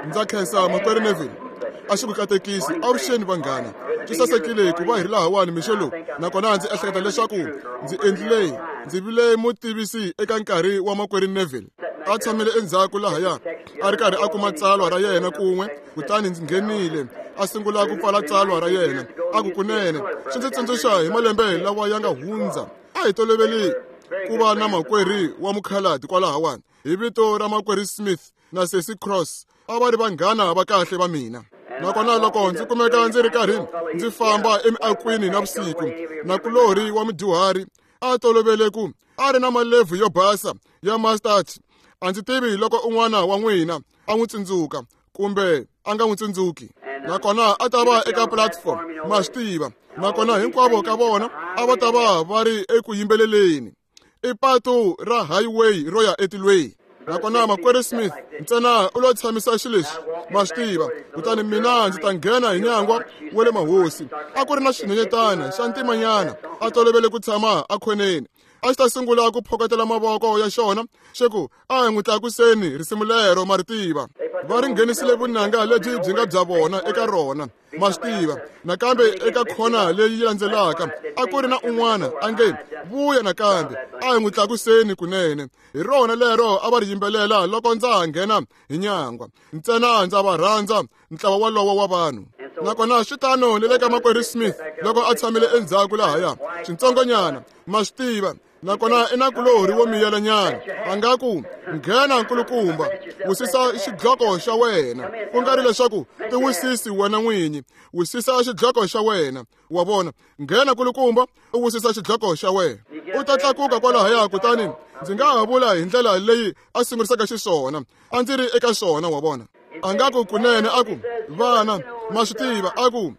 Ndza khensa makwerhu Neville. A xi ku katekisi avuxeni vanghana. Swi sasekile ku va hi ri lahawani mixo lowu, nakona ndzi ehleketa leswaku ndzi endlile ndzi vile mutivisi eka nkarhi wa makwerhu Neville. A tshamile endzhaku lahaya a ri karhi a kuma tsalwa ra yena kun'we, kutani ndzi nghenile a sungula ku pfala tsalwa ra yena. A ku kunene swi ndzi tsundzuxa hi malembe lawa ya nga hundza. A hi toloveli ku va na makwerhu wa mukhaladi kwalahawani hi vito ra makwerhu Smith na sesi Cross. A va ri vanghana va kahle va mina. Nakona loko ndzi kumeka ndzi ri karhi ndzi famba emiakwini navusiku, nakulorhi wa mudyuhari a tolovele ku a ri na malebvu yo basa ya mustard. A ndzi tivi loko un'wana wa n'wina a n'wi tsundzuka kumbe a nga n'wi tsundzuki. Nakona a ta va eka platform, ma swi tiva. Nakona hinkwavo ka vona a va ta va va ri eku yimbeleleni. I patu ra highway ro ya etilweni. Nakona makwerhu Smith ntsena u lo tshamisa xileswi, ma swi tiva. Kutani mina ndzi ta nghena hi nyangwa wa le mahosi. A ku ri na xinyenyetana xa ntimanyana a tolovele ku tshama ekhoneni. A xi ta sungula ku phokotela mavoko ya xona xi ku, a hi n'wi tlakuseni risimu lero, ma ri tiva. Va ri nghenisile vunanga lebyi byi nga bya vona eka rona, ma swi tiva. Nakambe eka khona leyi landzelaka a ku ri na un'wana a nge, vuya nakambe, a hi n'wi tlakuseni kunene. Hi rona lero a va ri yimbelela loko ndza ha nghena hi nyangwa. Ntsena ndza va rhandza ntlawa walowo wa vanhu. Nakona swi tano ni le ka makwerhu Smith loko a tshamile endzhaku lahaya, swintsongonyana, ma swi tiva. Nakona i nakulorhi wo miyelanyana, a nga ku, nghena nkulukumba, wisisa xidloko xa wena. Ku nga ri leswaku tiwisisi wena n'winyi, wisisa xidloko xa wena. Wa vona, nghena nkulukumba, u wisisa xidloko xa wena. U ta tlakuka kwalahaya, kutani ndzi nga ha vula hi ndlela leyi a sungurisaka xiswona. A ndzi ri eka swona, wa vona. A nga ku kunene, a ku, vana, ma swi tiva, a ku,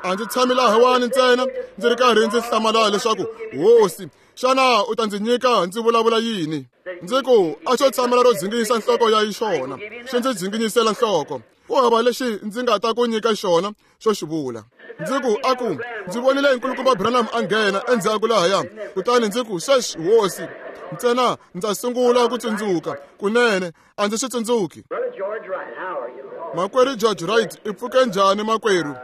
a ndzi tshami lahawani ntsena ndzi ri karhi ndzi hlamala leswaku, hosi, xana u ta ndzi nyika ndzi vulavula yini? Ndzi ku, a xo tshamela ro dzinginyisa nhloko ya xona, xi ndzi dzinginyisela nhloko. Ku hava lexi ndzi nga ta ku nyika xona xo xi vula. Ndzi ku, a ku, ndzi vonile nkulukumba Branham a nghena endzhaku lahaya. Kutani ndzi ku, sweswi, hosi, ntsena ndza sungula ku tsundzuka. Kunene, a ndzi swi tsundzuki. Makwerhu George Wright, i pfuke njhani makwerhu?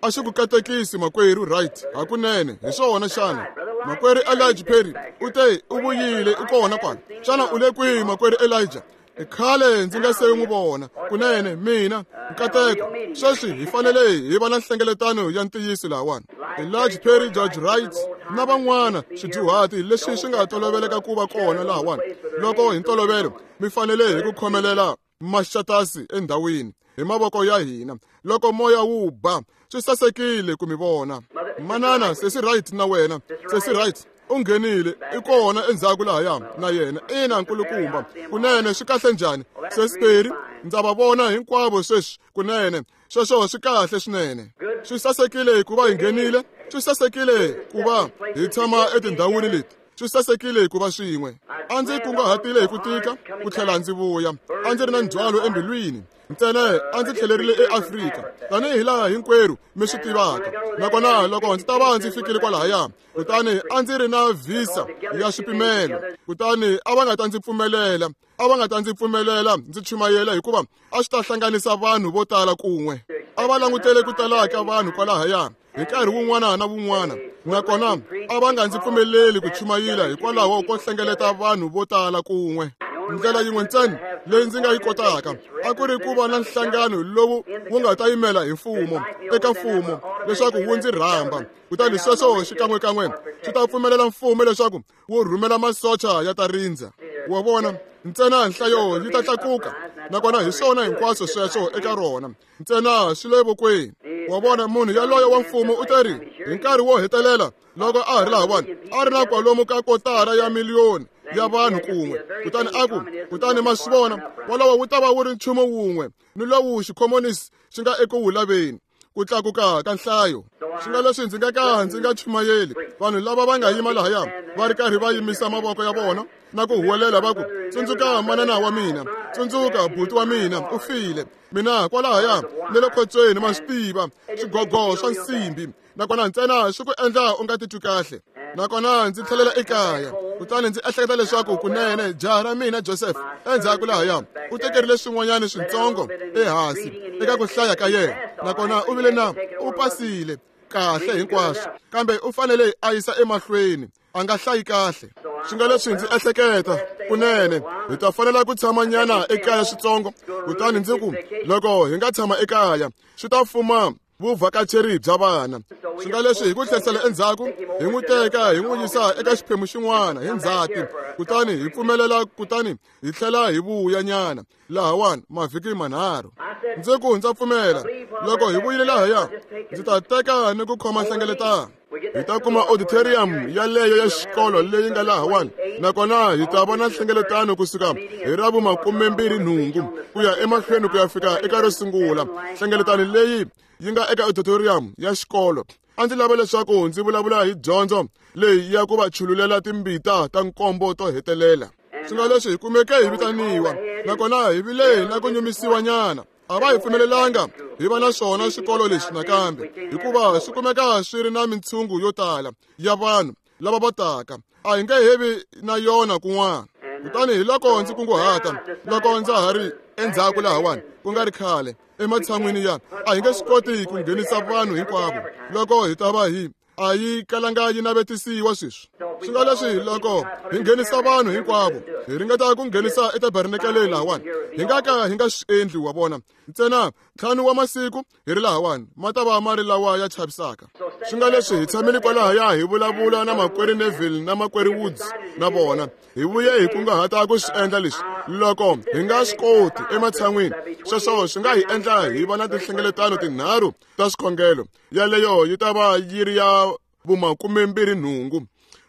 A xi ku katekisi makwerhu Wright, hakunene, hi swona xana? Makwerhu Elijah Perry u te u vuyile, u kona kwala. Xana u le kwihi makwerhu Elijah? I khale ndzi nga se n'wi vona. Kunene, mina, nkateko. Sweswi hi fanele hi va na nhlengeletano ya ntiyiso lahawani. Elijah Perry, George Wright na van'wana swidyuhati leswi swi nga toloveleka ku va kona lahawani. Loko hi ntolovelo mi fanele hi ku khomelela maxatasi endhawini hi mavoko ya hina loko moya wu ba. Swi sasekile ku mi vona. Manana, sesi Wright na wena, sesi Wright u nghenile, i kona endzhaku lahaya na yena. Ina, nkulukumba, kunene swi kahle njhani? Sesi Perry, ndza va vona hinkwavo sweswi. Kunene sweswo swi kahle swinene. Swi sasekile ku va hi nghenile, swi sasekile ku va hi tshama etindhawini leti, swi sasekile ku va swin'we. A ndzi kunguhatile hi ku tika ku tlhela ndzi vuya. A ndzi ri na ndzhwalo embilwini. Ntsena a ndzi tlhelerile eAfrika, tanihi laha hinkwerhu mi swi tivaka. Nakona loko ndzi ta va ndzi fikile kwalahaya, kutani a ndzi ri na visa ya swipimelo, kutani a va nga ta ndzi pfumelela, a va nga ta ndzi pfumelela ndzi chumayela, hikuva a swi ta hlanganisa vanhu vo tala kun'we. A va langutele ku tala ka vanhu kwalahaya hi nkarhi wun'wana na wun'wana, nakona a va nga ndzi pfumeleli ku chumayela hikwalaho ko hlengeleta vanhu vo tala kun'we. Ndlela yin'we ntsena leyi ndzi nga yi kotaka a ku ri ku va na nhlangano lowu wu nga ta yimela hi mfumo eka mfumo leswaku wu ndzi rhamba, kutani sweswo xikan'wekan'we swi ta pfumelela mfumo leswaku wu rhumela masocha ya ta rindza. Wa vona, ntsena nhlayo yi ta tlakuka, nakona hi swona hinkwaswo sweswo eka rona. Ntsena swi le vokweni. Wa vona, munhu yaloye wa mfumo u te ri hi nkarhi wo hetelela loko a ha ri lahawani, a ri na kwalomu ka kotara ya miliyoni ya vanhu kun'we. Kutani a ku, kutani ma swi vona, wolowo wu ta va wu ri nchumu wun'we ni lowu xikhomonisi xi nga eku wu laveni, ku tlakuka ka nhlayo. Swi nga leswi ndzi nga ka ndzi nga chumayeli, vanhu lava va nga yima lahaya va ri karhi va yimisa mavoko ya vona na ku huwelela va ku, tsundzuka manana wa mina, tsundzuka buti wa mina, u file. Mina kwalahaya ni le khotsweni, ma swi tiva, swigogo swa nsimbi, nakona ntsena swi ku endla u nga titwi kahle. Nakona ndzi tlhelela ekaya, kutani ndzi ehleketa leswaku kunene jaha ra mina Joseph endzhaku lahaya u tekerile swin'wanyana swintsongo ehansi eka ku hlaya ka yena, nakona u vile na u pasile kahle hinkwaswo, kambe u fanele a yisa emahlweni, a nga hlayi kahle. Swi nga leswi ndzi ehleketa kunene hi ta fanela ku tshamanyana ekaya switsongo, kutani ndzi ku loko hi nga tshama ekaya swi ta fuma vuvhakacheri bya vana. Swi nga leswi hi ku tlherisela endzhaku hi n'wi teka hi n'wi yisa eka xiphemu xin'wana hi ndzhati, kutani hi pfumelela, kutani hi tlhela hi vuya nyana lahawani mavhiki manharhu. Ndzi ku ndza pfumela loko hi vuyile lahaya ndzi ta teka ni ku khoma nhlengeletano. Hi ta kuma auditorium yaleyo ya xikolo leyi nga lahawani, nakona hi ta vona nhlengeletano kusuka hi ra vu-28 ku ya emahlweni ku ya fika eka ro sungula. Nhlengeletano leyi yi nga eka auditorium ya xikolo. A ndzi lava leswaku ndzi vulavula hi dyondzo leyi ya ku va chululela timbita ta nkombo to hetelela. Swi nga leswi hi kumeke hi vitaniwa, nakona hi vile na ku nyumisiwa nyana. A va hi pfumelelanga hi va na swona xikolo lexi nakambe, hikuva swi kumeka swi ri na mintshungu yo tala ya vanhu lava va taka. A hi nge hevi na yona kun'wana. Kutani hi loko ndzi kunguhata loko ndza ha ri endzhaku lahawani ku nga ri khale, ematshan'wini ya a hi nge swi koti ku nghenisa vanhu hinkwavo loko hi ta va hi a yi kalanga yi navetisiwa sweswi. Swi nga leswi loko hi nghenisa vanhu hinkwavo hi ringeta ku nghenisa etabernakeleni lahawani, hi nga ka hi nga swi endli, wa vona. Ntsena 5 wa masiku hi ri lahawani ma ta va ma ri lawa ya chavisaka. Swi nga leswi hi tshamile kwalahaya hi vulavula na makwerhu Neville na makwerhu Woods na vona, hi vuye hi kunguhata ku swi endla leswi. Loko hi nga swi koti ematshan'wini, sweswo swi nga hi endla hi va na tinhlengeletano tinharhu ta swikhongelo. Yaleyo yi ta va yi ri ya vu-28,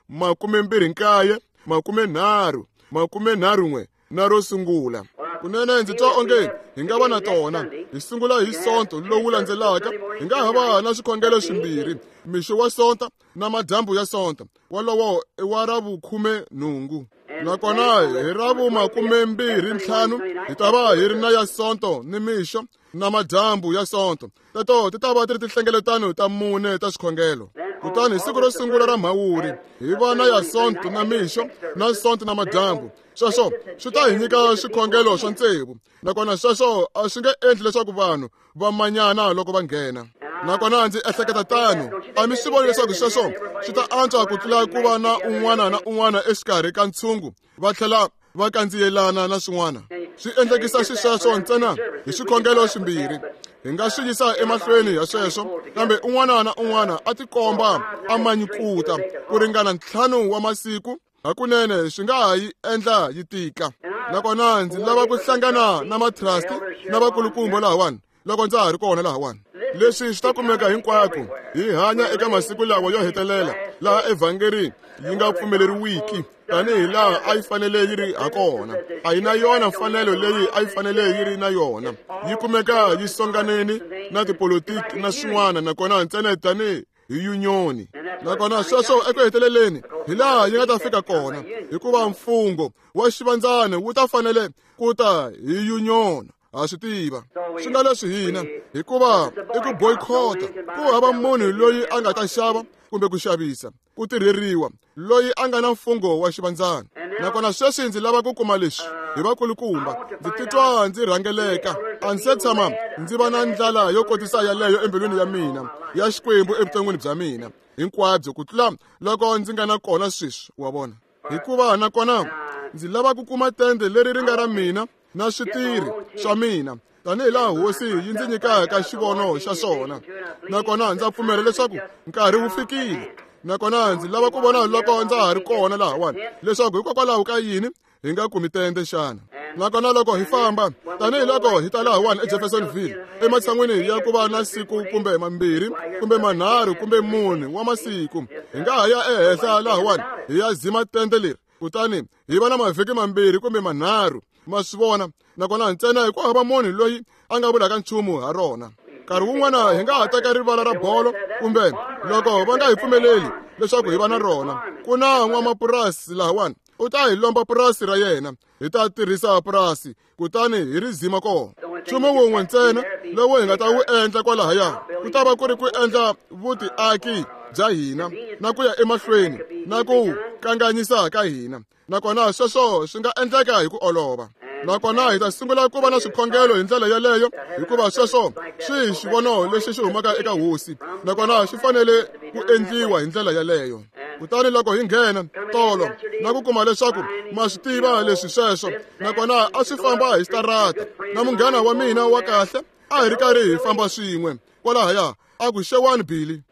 29, 30, 31 na ro sungula. Kunene ndzi twa onge hi nga va na tona. Hi sungula hi Sonto lowu landzelaka, hi nga ha va na swikhongelo swimbirhi, mixo wa Sonta na madyambu ya Sonta, wolowo i wa ra vu-18. Nakona hi ra vu-25 hi ta va hi ri na ya Sonto ni mixo na madyambu ya Sonto. Teto ti ta va ti ri tinhlengeletano ta 4 ta swikhongelo. Kutani hi siku ro sungula ra Mhawuri hi va na ya Sonto na mixo na Sonto na madyambu. Sweswo swi ta hi nyika swikhongelo swa 6, nakona sweswo a swi nge endli leswaku vanhu va manyana loko va nghena. Nakona ndzi ehleketa tano, a mi swi voni leswaku sweswo swi ta antswa ku tlula ku va na un'wana na un'wana exikarhi ka ntshungu va tlhela va kandziyelana na swin'wana. Swi endlekisa xisweswo ntsena hi swikhongelo swimbirhi. Hi nga swi yisa emahlweni ya sweswo, kambe un'wana na un'wana a tikomba a manyukuta ku ringana 5 wa masiku. Hakunene swi nga ha yi endla yi tika. Nakona ndzi lava ku hlangana na matrasti na vakulukumba lahawani loko ndza ha ri kona lahawani. Leswi swi ta kumeka hinkwako. Hi hanya eka masiku lawa yo hetelela laha evhangeri yi nga pfumeleriwiki tanihi laha a yi fanele yi ri hakona. A yi na yona mfanelo leyi a yi fanele yi ri na yona. Yi kumeka yi songaneni na tipolitiki na swin'wana, nakona ntsena tanihi hi yunioni. Nakona sweswo eku heteleleni hi laha yi nga ta fika kona, hikuva mfungho wa xivandzana wu ta fanele ku ta hi yunioni. Ha swi tiva swi nga leswi hina, hikuva i ku boycott. Ku hava munhu loyi a nga ta xava kumbe ku xavisa ku tirheriwa loyi a nga na mfungho wa xivandzana. Nakona sweswi ndzi lava ku kuma leswi hi vakulukumba. Ndzi titwa ndzi rhangeleka. A ndzi se tshama ndzi va na ndlala yo kotisa yaleyo embilwini ya mina ya Xikwembu evuton'wini bya mina hinkwabyo ku tlula loko ndzi nga na kona sweswi, wa vona. Hikuva nakona ndzi lava ku kuma tende leri ri nga ra mina na switirhi swa mina tanihi laha hosi yi ndzi nyikaka xivono xa swona. Nakona ndza pfumela leswaku nkarhi wu fikile. Nakona ndzi lava ku vona loko ndza ha ri kona lahawani leswaku hikokwalaho ka yini hi nga kumi tende xana. Nakona loko hi famba tanihi loko hi ta lahawani eJeffersonville, ematshan'wini ya ku va na siku kumbe mambirhi kumbe manharhu kumbe 4 wa masiku, hi nga ha ya ehenhla lahawani hi ya zima tende leri, kutani hi va na mavhiki mambirhi kumbe manharhu. Ma swi vona? Nakona ntsena hi ku hava munhu loyi a nga vulaka nchumu ha rona. Nkarhi wun'wana hi nga ha teka rivala ra bolo, kumbe loko va nga hi pfumeleli leswaku hi va na rona, ku na n'wamapurasi lahawani u ta hi lomba purasi ra yena, hi ta tirhisa purasi kutani hi ri zima kona. Nchumu wun'we ntsena lowu hi nga ta wu endla kwalahaya ku ta va ku ri ku endla vutiaki bya hina na ku ya emahlweni na ku kanganyisa ka hina, nakona sweswo swi nga endleka hi ku olova. Nakona hi ta sungula ku va na swikhongelo hi ndlela yeleyo, hikuva sweswo swi hi xivono lexi xi humaka eka hosi, nakona swi fanele ku endliwa hi ndlela yeleyo. Kutani loko hi nghena tolo na ku kuma leswaku ma swi tiva leswi sweswo, nakona a swi famba hi xitarata na munghana wa mina wa kahle, a hi ri karhi hi famba swin'we kwalahaya, a ku xewani Billy.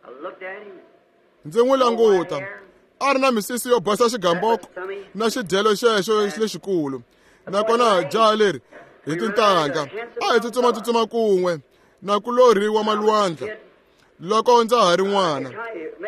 Ndzi n'wi languta, a ri na misisi yo basa xigamboko na xidyelo xexo lexikulu, nakona jaha leri hi tintangha a hi tsutsuma kun'we na kulorhi wa malwandla loko ndza ha ri n'wana.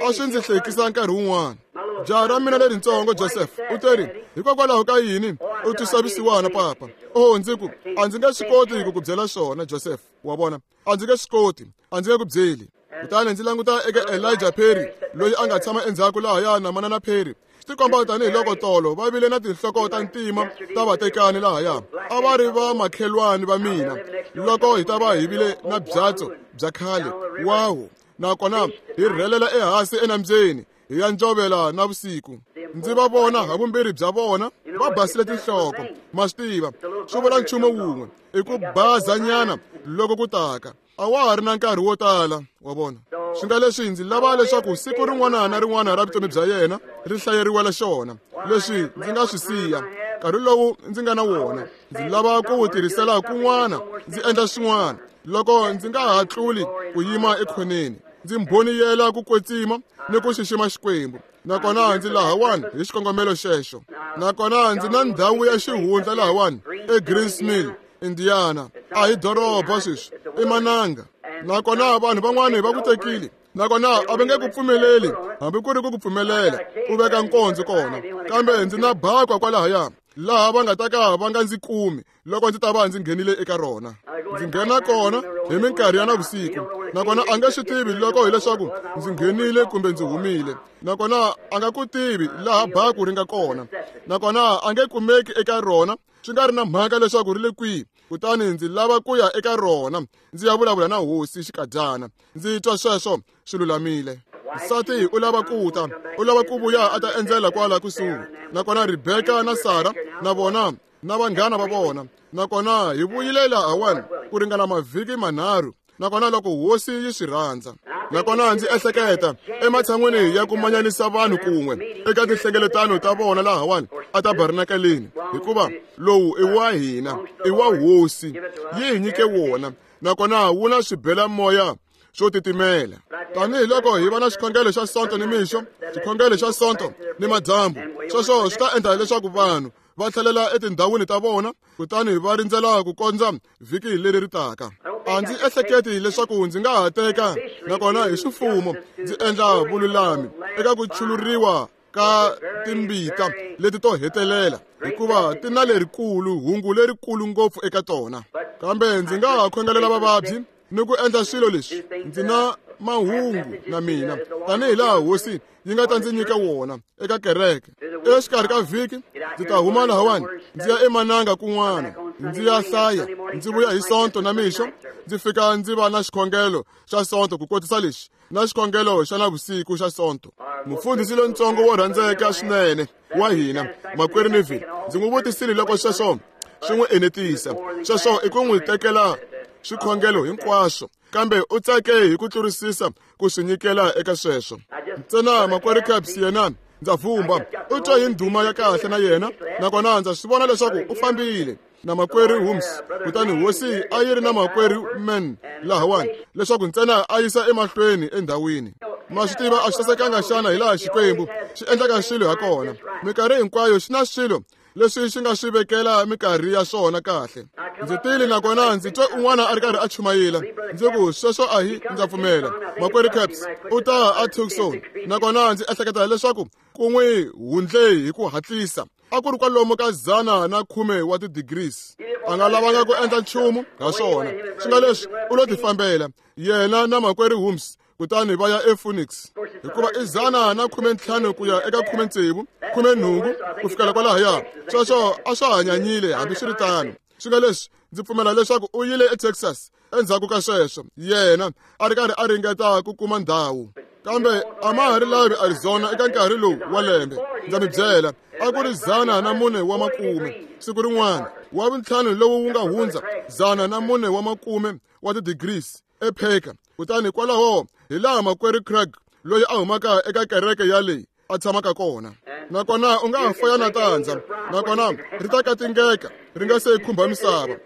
A swi ndzi hlekisa nkarhi wun'wana. Jaha ra mina leritsongo Joseph u teri, hikokwalaho ka yini u twisa vusiwana papa? Oh, ndzi ku a ndzi nge swi koti ku ku byela swona Joseph, wa vona, a ndzi nge swi koti, a ndzi nge ku byeli. Kutani ndzi languta eka Elijah Perry loyi a nga tshama endzhaku lahaya na manana Perry. Swi tikomba tanihiloko tolo va vile na tinhloko ta ntima ta vatekani lahaya, a va ri va makhelwani va mina loko hi ta va hi vile na byatso bya khale wawu, nakona hi rhelela ehansi enambyeni hi ya njovela na vusiku. Ndzi va vona havumbirhi bya vona va basile tinhloko, ma swi tiva, swi vula nchumu wun'we, i ku bazanyana loko ku taka. A wa ha ri na nkarhi wo tala, wa vona. Swi nga leswi ndzi lava leswaku siku rin'wana na rin'wana ra vutomi bya yena ri hlayeriwela xona, leswi ndzi nga swi siya nkarhi lowu ndzi nga na wona, ndzi lava ku wu tirhisela kun'wana, ndzi endla swin'wana loko ndzi nga ha tluli ku yima ekhoneni, ndzi mbhoniyela ku kwetsima ni ku xixima Xikwembu. Nakona ndzi lahawani hi xikongomelo xexo. Nakona ndzi na ndhawu ya xihundla lahawani eGreens Mill, Indiana. A hi doroba sweswi, i mananga. Nakona vanhu van'wani va ku tekile, nakona a va nge ku pfumeleli hambi ku ri ku ku pfumelela u veka nkondzo kona, kambe ndzi na bakwa kwalahaya laha va nga ta ka va nga ndzi kumi loko ndzi ta va ndzi nghenile eka rona. Ndzi nghena kona hi minkarhi ya navusiku, nakona a nge swi tivi loko hileswaku ndzi nghenile kumbe ndzi humile, nakona a nga ku tivi laha baku ri nga kona, nakona a nge kumeki eka rona swi nga ri na mhaka leswaku ri le kwihi. Kutani ndzi lava ku ya eka rona ndzi ya vulavula na hosi xikadyana. Ndzi twa sweswo swi lulamile. Nsati u lava ku ta, u lava ku vuya a ta endzela kwala kusuhi, nakona Rebeka na Sara na vona na vanghana va vona, nakona hi vuyile lahawani ku ringana mavhiki manharhu, nakona loko hosi yi swi rhandza. Nakona ndzi ehleketa ematshan'wini ya ku manyanisa vanhu kun'we eka tinhlengeletano ta vona lahawani a tabernakeleni, hikuva lowu i wa hina, i wa hosi, yi hi nyike wona, nakona wu na swibelamoya swo titimela. Tanihiloko hi va na xikhongelo xa Sonto ni mixo, xikhongelo xa Sonto ni madyambu, sweswo swi ta endla leswaku vanhu va tlhelela etindhawini ta vona kutani va rindzela ku kondza vhiki leri ri taka. A ndzi ehleketi leswaku ndzi nga ha teka, nakona hi ximfumo ndzi endla vululami eka ku chuluriwa ka timbita leti to hetelela, hikuva ti na lerikulu hungu lerikulu ngopfu eka tona. Kambe ndzi nga ha khongelela vavabyi ni ku endla swilo leswi. Ndzi na mahungu na mina tanihi laha hosi yi nga ta ndzi nyika wona eka kereke. Exikarhi ka vhiki ndzi ta huma lahawani ndzi ya emananga kun'wana, ndzi ya hlaya, ndzi vuya hi Sonto na mixo, ndzi fika ndzi va na xikhongelo xa Sonto ku kotisa lexi na xikhongelo xa navusiku xa Sonto. Mufundhisi lontsongo wo rhandzeka swinene wa hina, makwerhu Neville, ndzi n'wi vutisile loko sweswo swi n'wi enetisa. Sweswo i ku n'wi tekela swikhongelo hinkwaswo, kambe u tsake hi ku tlurisisa ku swi nyikela eka sweswo. Ntsena makwerhu Caps yena ndza vhumba u twa hi ndhuma ya kahle na yena, nakona ndza swi vona leswaku u fambile na makwerhu Holmes, kutani hosi a yi ri na makwerhu Man lahawani leswaku ntsena a yisa emahlweni endhawini. Ma swi tiva a swi sasekanga xana hi laha Xikwembu xi endlaka swilo ha kona? Minkarhi hinkwayo xi na swilo leswi xi nga swi vekela minkarhi ya swona kahle. Ndzi tile nakona ndzi twe un'wana a ri karhi a chumayela, ndzi ku sweswo a hi, ndza pfumela makwerhu Caps u ta a Tucson, nakona ndzi ehleketa leswaku ku n'wi hundle hi ku hatlisa. A ku ri kwalomu ka 110 wa ti-degrees. A nga lavanga ku endla nchumu ha swona, swi nga leswi u lo tifambela yena na makwerhu Holmes, kutani va ya ePhoenix, hikuva i 115 ku ya eka 16, 18 ku fikela kwalahaya. Sweswo a swa hanyanyile hambiswiritano. Swi nga leswi ndzi pfumela leswaku u yile eTexas endzhaku ka sweswo, yena a ri karhi a ringeta ku kuma ndhawu. Kambe a ma ha ri lavi Arizona eka nkarhi lowu wa lembe. Ndza mi byela, a ku ri 140 siku rin'wana wa vuntlhanu lowu wu nga hundza 140 wa ti-degrees ePacker. Kutani kwalaho hi laha makwerhu Craig loyi a humaka eka kereke ya leyi a tshamaka kona. Nakona u nga ha faya na tandza, nakona ri ta katingeka ri nga se khumba misava.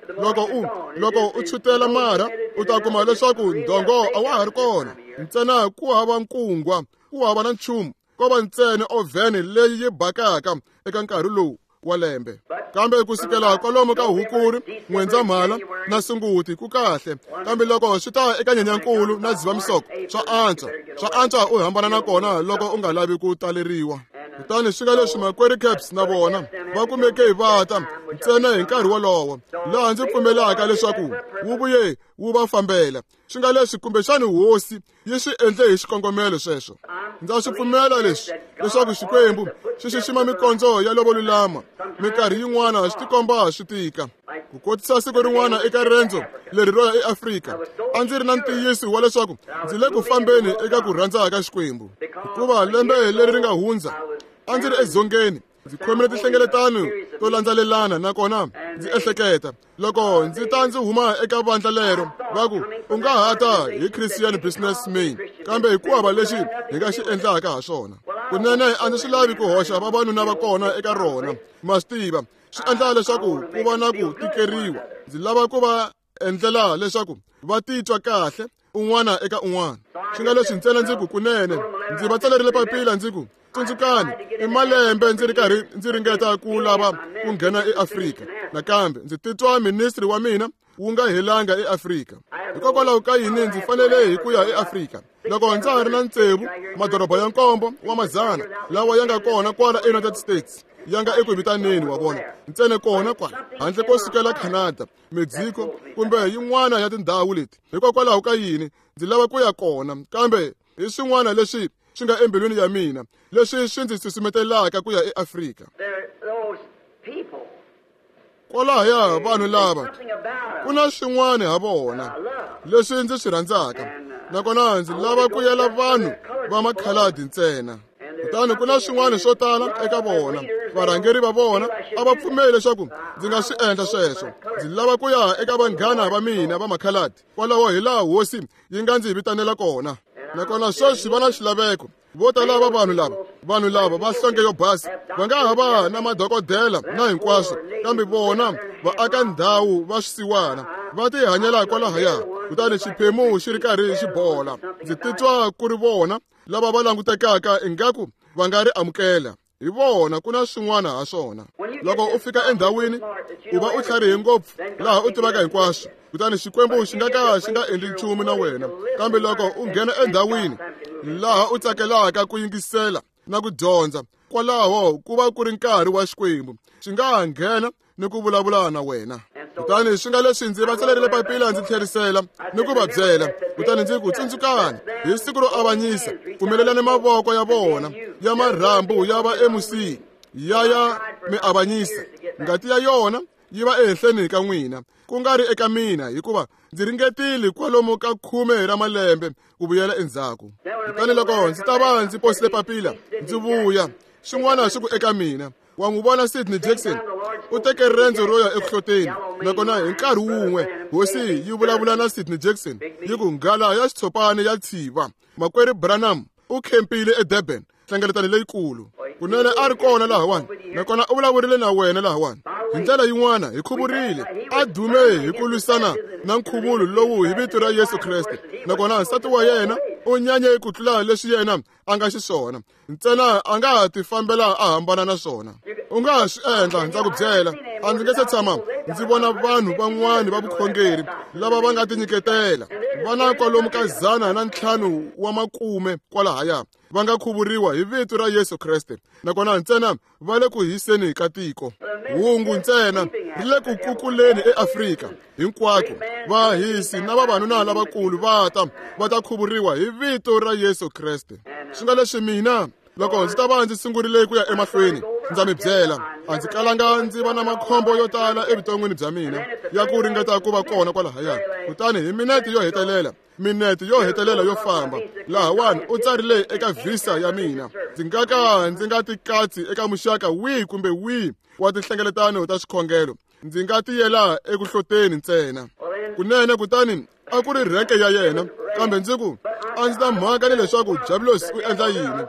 Loko u tshutela marha u ta kuma leswaku ndhongo a wa ha ri kona. Ntsena ku hava nkungwa, ku hava na nchumu, ko va ntsena ovhene leyi yi bakaka eka nkarhi lowu wa lembe. Kambe ku sukela kwalomu ka Hukuri, N'wendzamhala na Sunguti ku kahle. Kambe loko swi ta eka Nyenyankulu na Dzivamisoko swa antswa. Swa antswa u hambana na kona loko u nga lavi ku taleriwa. Kutani swi nga leswi makwerhu Caps na vona va kumeke hi vata ntsena hi nkarhi wolowo, laha ndzi pfumelaka leswaku wu vuye wu va fambela. Swi nga leswi kumbexani hosi yi swi endle hi xikongomelo sweswo. Ndza swi pfumela leswi leswaku Xikwembu xi xixima mikondzo ya lovo lulama. Minkarhi yin'wana swi tikomba swi tika. Ku kotisa siku rin'wana eka rendzo leri ro ya eAfrika, a ndzi ri na ntiyiso wa leswaku ndzi le ku fambeni eka ku rhandza ka Xikwembu. Hikuva lembe leri ri nga hundza a ndzi ri edzongeni, ndzi khomile tinhlengeletano to landzelelana, nakona ndzi ehleketa loko ndzi ta ndzi huma eka vandla lero va ku u nga ha ta hi Christian Businessman, kambe hikuva lexi hi nga xi endlaka ha swona. Kunene a ndzi swi lavi ku hoxa vavanuna va kona eka rona. Ma swi tiva, swi endla leswaku ku va na ku tikeriwa. Ndzi lava ku va endlela leswaku va titwa kahle un'wana eka un'wana. Swi nga leswi ntsena ndzi ku kunene ndzi va tsalerile papila ndzi ku tsundzukani i malembe ndzi ri karhi ndzi ringeta ku lava ku nghena eAfrika. Nakambe ndzi titwa ministry wa mina wu nga helanga eAfrika. Hikokwalaho ka yini ndzi fanele hi ku ya eAfrika? Loko ndza ha ri na tsevu madoroba ya nkombo wa mazana lawa ya nga kona kwala eUnited States ya nga eku vitaneni wa vona ntsena kona kwala handle ko sukela Canada, Mexico kumbe yin'wana ya tindhawu leti. Hikokwalaho ka yini ndzi lava ku ya kona? Kambe hi swin'wana leswi swi nga embilwini ya mina leswi swi ndzi susumetelaka ku ya eAfrika. Kwalahaya vanhu lava ku na swin'wana ha vona leswi ndzi swi rhandzaka, nakona ndzi lava ku yela vanhu va makhaladi ntsena. Kutani ku na swin'wana swo tala eka vona. Varhangeri va vona a va pfumeli leswaku ndzi nga swi endla sweswo. Ndzi lava ku ya eka vanghana va mina va makhaladi. Kwalaho hi laha hosi yi nga ndzi vitanela kona. Nakona sweswi va na xilaveko. Vo tala va vanhu lava va hlonge yo basa va nga ha va na madokodela na hinkwaswo, kambe vona va aka ndhawu va swisiwana va tihanyela kwalahaya. Kutani xiphemu xi ri karhi xi bola. Ndzi titwa ku ri vona lava va langutekaka ingaku va nga ri amukela. Hi vona ku na swin'wana ha swona. Loko u fika endhawini u va u tlharihe ngopfu laha u tivaka hinkwaswo, kutani Xikwembu xi nga ka xi nga endli nchumu na wena. Kambe loko u nghena endhawini laha u tsakelaka ku yingisela na ku dyondza, kwalaho ku va ku ri nkarhi wa Xikwembu, xi nga ha nghena ni ku vulavula na wena. Kutani swi nga leswi ndzi va tsalerile papila ndzi tlherisela ni ku va byela. Kutani ndzi ku tsundzukani hi siku ro avanyisa, pfumelelani mavoko ya vona ya marhambu ya va emusini ya mi avanyisa. Ngati ya yona yi va ehenhleni ka n'wina, ku nga ri eka mina, hikuva ndzi ringetile kwalomu ka 10 ra malembe ku vuyela endzhaku. Kutani loko ndzi ta va ndzi posile papila ndzi vuya, xin'wana xi ku eka mina, wa n'wi vona Sidney Jackson u teke rendzo ro ya ekuhloteni. Nakona hi nkarhi wun'we hosi yi vulavula na Sidney Jackson yi ku nghala ya xitshopani ya tshiva. Makwerhu Branham u khempile eDurban, nhlengeletano leyikulu. Kunene a ri kona lahawani, nakona u vulavurile na wena lahawani. Hi ndlela yin'wana hi khuvurile, a dume hi ku lwisana na nkhuvulo lowu hi vito ra Yesu Kreste. Nakona nsati wa yena u nyanye ku tlula leswi yena a nga xiswona, ntsena a nga ha tifambela a hambana na swona. U nga ha swi endla, ndza ku byela. A ndzi nge se tshama ndzi vona vanhu van'wani va vukhongeri lava va nga tinyiketela va na kwalomu ka 150 wa makume kwalahaya va nga khuvuriwa hi vito ra Yesu Kreste, nakona ntsena va le ku hiseni ka tiko. Hungu ntsena ri le ku kukuleni eAfrika hinkwako. Vahisi na vavanuna lavakulu va ta khuvuriwa hi vito ra Yesu Kreste. Swi nga leswi mina loko ndzi ta va ndzi sungurile ku ya emahlweni, ndza mi byela, a ndzi kalanga ndzi va na makhombo yo tala evuton'wini bya mina ya ku ringeta ku va kona kwalahaya. Kutani hi minete yo hetelela Minete yo hetelela yo famba lahawani u tsarile eka visa ya mina ndzi nga ka ndzi nga tikatsi eka muxaka wihi kumbe wihi wa tinhlengeletano ta swikhongelo ndzi nga tiyela eku hloteni ntsena kunene kutani a ku ri rheke ya yena kambe ndzi ku a ndzi na mhaka ni leswaku Diabulosi u endla yini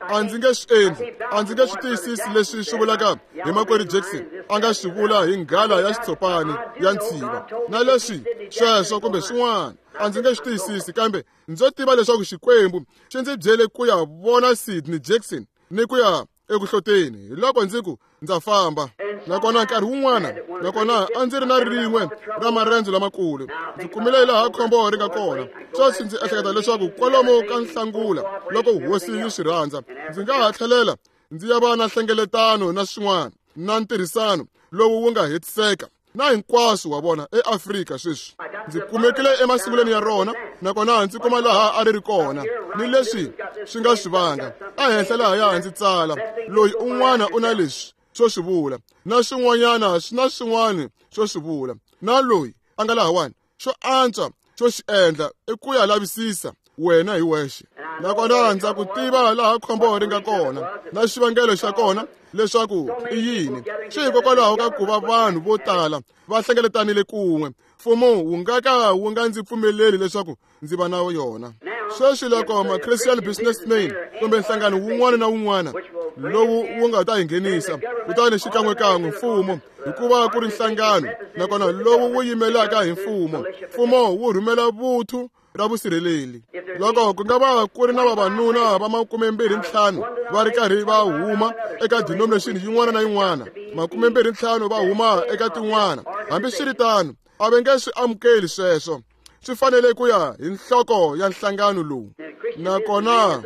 a ndzi nge swi endli a ndzi nge swi tiyisisi leswi swi vulaka hi makwerhu Jackson a nga swi vula hi nghala ya xitshopani ya ntshiva na leswi sweswo kumbe swin'wana a ndzi nge swi tiyisisi kambe ndzo tiva leswaku Xikwembu xi ndzi byele ku ya vona Sidney Jackson ni ku ya eku hloteni hi loko ndzi ku ndza famba nakona nkarhi wun'wana nakona a ndzi ri na rin'we ra marendzo lamakulu ndzi kumile laha khombo ri nga kona sweswi ndzi ehleketa leswaku kwalomu ka nhlangula loko hosi yi swi rhandza ndzi nga ha tlhelela ndzi ya va na nhlengeletano na swin'wana na ntirhisano lowu wu nga hetiseka na hinkwaswo wa vona eAfrika sweswi ndzi kumekile emasungulweni ya rona nakona ndzi kuma laha a ri ri kona ni leswi swi nga swi vanga ehenhla lahaya ndzi tsala loyi un'wana u na leswi swo swi vula na swin'wanyana swi na swin'wana swo swi vula na loyi a nga lahawani xo antswa xo xi endla i ku ya lavisisa wena hi wexe nakona ndza ku tiva laha khombo ri nga kona na xivangelo xa kona leswaku i yini swi hikokwalaho ka ku va vanhu vo tala va hlengeletanile kun'we mfumo wu nga ka wu nga ndzi pfumeleli leswaku ndzi va na yona sweswi loko ma-Christian businessman kumbe nhlangano wun'wana na wun'wana lowu wu nga ta hi nghenisa kutani xikan'wekan'we mfumo hikuva ku ri nhlangano nakona lowu wu yimelaka hi mfumo mfumo wu rhumela vuthu ra vusirheleli loko ku nga va ku ri na vavanuna va 25 va ri karhi va huma eka denomination yin'wana na yin'wana 25 va huma eka tin'wana hambiswiritano a va nge swi amukeli sweswo swi fanele ku ya hi nhloko ya nhlangano lowu nakona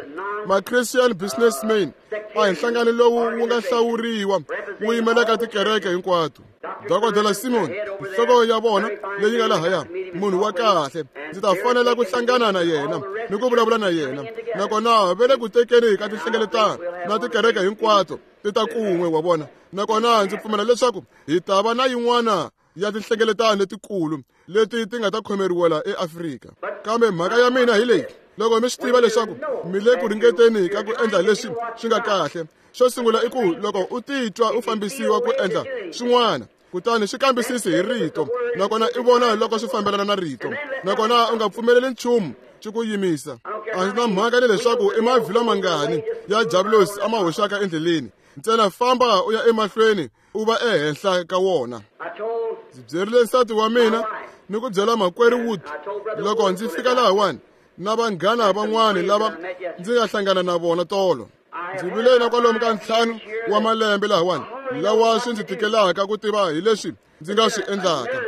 ma-Christian businessmen a hi nhlangano lowu wu nga hlawuriwa wu yimelaka tikereke hinkwato Dokodela Simon nhloko ya vona leyi nga lahaya munhu wa kahle ndzi ta fanela ku hlangana na yena ni ku vulavula na yena nakona ve le ku tekeni ka tinhlengeletano na tikereke hinkwato ti ta kun'we wa vona nakona ndzi pfumela leswaku hi ta va na yin'wana ya tinhlengeletano letikulu leti ti nga ta khomeriwela eAfrika kambe mhaka ya mina hi leyi loko mi swi tiva leswaku mi le ku ringeteni ka ku endla leswi swi nga kahle xo sungula i ku loko u titwa u fambisiwa ku endla swin'wana kutani swi kambisisi hi rito nakona i vona loko swi fambelana na rito nakona u nga pfumeleli nchumu xi ku yimisa a ndzi na mhaka ni leswaku i mavhilwa mangani ya Diabulosi a ma hoxaka endleleni ntsena famba u ya emahlweni u va ehenhla ka wona ndzi byerile nsati wa mina ni ku byela makwerhu Wood loko ndzi fika lahawani na vanghana van'wani lava ndzi nga hlangana na vona tolo ndzi vile na kwalomu ka 5 wa malembe lahawani lawa swi ndzi tikelaka ku tiva hi leswi ndzi nga swi endlaka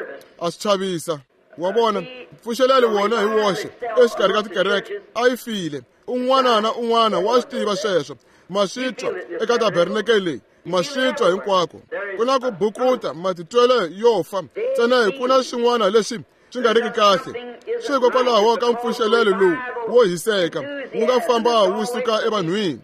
a swi chavisa wa vona mpfuxelelo wona hi woxe exikarhi ka tikereke a yi file un'wana na un'wana wa swi tiva sweswo ma swi twa eka tabernakele leyi ma swi twa hinkwako ku na ku bukuta matitwelo yo fa ntsena hi ku na swin'wana leswi swi nga riki kahle swi hikokwalaho ka mpfuxelelo lowu wo hiseka wu nga famba wu suka evanhwini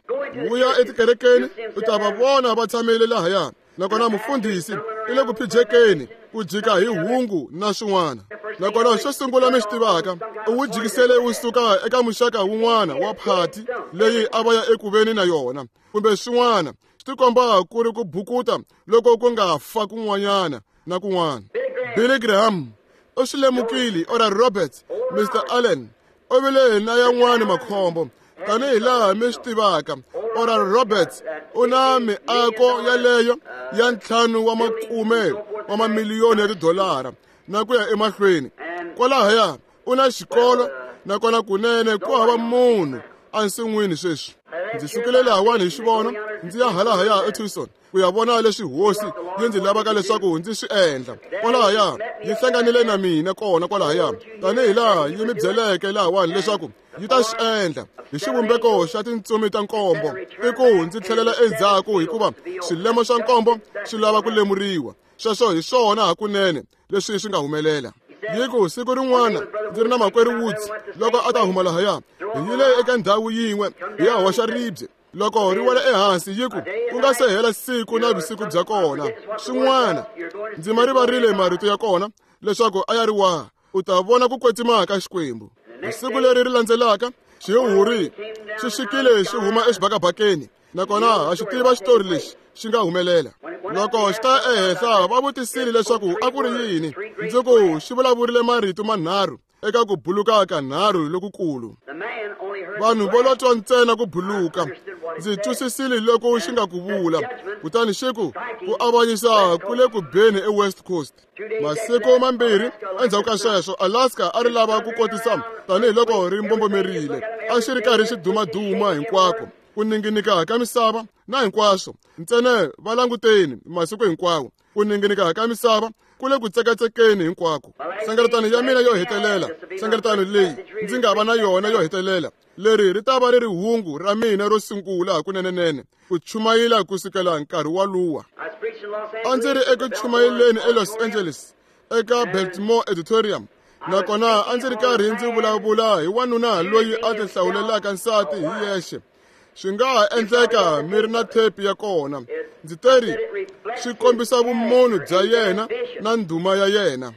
wu ya etikerekeni u ta va vona va tshamile lahaya nakona mufundhisi i le ku phijekeni ku jika hi hungu na swin'wana nakona xo sungula mi swi tivaka u wu jikisele wu suka eka muxaka wun'wana wa phati leyi a va ya eku veni na yona kumbe swin'wana swi tikomba ku ri ku bukuta loko ku nga fa kun'wanyana na kun'wana Billy Graham u swi lemukile Oral Roberts Mr Allen u vile na yan'wani makhombo tanihi laha mi swi tivaka Oral Roberts u na miako yaleyo ya 5 wa makume wa mamiliyoni ya tidolara na ku ya emahlweni kwalahaya u na xikolo nakona kunene ku hava munhu ensin'wini sweswi ndzi sukile lahawani hi xivono ndzi ya halahaya eTucson ku ya vona leswi hosi yi ndzi lavaka leswaku ndzi swi endla kwalahaya yi hlanganile na mina kona kwalahaya tanihi laha yi mi byeleke lahawani leswaku yi ta swi endla hi xivumbeko xa tintsumi ta nkombo i ku ndzi tlhelela endzhaku hikuva swilemo swa nkombo swi lava ku lemuriwa sweswo hi swona hakunene leswi swi nga humelela yi ku siku rin'wana ndzi ri na makwerhu Woods loko a ta huma lahaya hi yile eka ndhawu yin'we hi ya hoxa ribye loko ri wela ehansi yi ku ku nga se hela siku na vusiku bya kona swin'wana ndzi ma rivarile marito ya kona leswaku a ya ri waha u ta vona ku kwetsima ka Xikwembu Hi siku leri ri landzelaka xihuhuri xi xikile xi huma exibakabakeni, nakona ha xi tiva xitori lexi xi nga humelela. Loko xi ta ehenhla va vutisile leswaku a ku ri yini, ndzi ku xi vulavurile marito manharhu eka ku buluka kanharhu lokukulu. Vanhu vo lo twa ntsena ku buluka. Ndzi twisisile loko xi nga ku vula, kutani xi ku ku avanyisa ku le ku beni eWest Coast. Masiku mambirhi endzhaku ka sweswo, Alaska a ri lava ku kotisa tanihiloko ri mbombomerile. A xi ri karhi xi dumaduma hinkwako, ku ninginika ka misava na hinkwaswo. Ntsena va languteni masiku hinkwawo, ku ninginika ka misava ku le ku tsekatsekeni hinkwako. Nhlengeletano ya mina yo hetelela, nhlengeletano leyi ndzi nga va na yona yo hetelela, leri ri ta va ri ri hungu ra mina ro sungula hakunenenene ku chumayela ku sukela nkarhi waluwa. A ndzi ri eku chumayeleni eLos Angeles eka Biltmore Auditorium, nakona a ndzi ri karhi ndzi vulavula hi wanuna loyi a tihlawulelaka nsati hi yexe. Swi nga ha endleka mi ri na thepi ya kona. Ndzi teri swi kombisa vumunhu bya yena na ndhuma ya yena,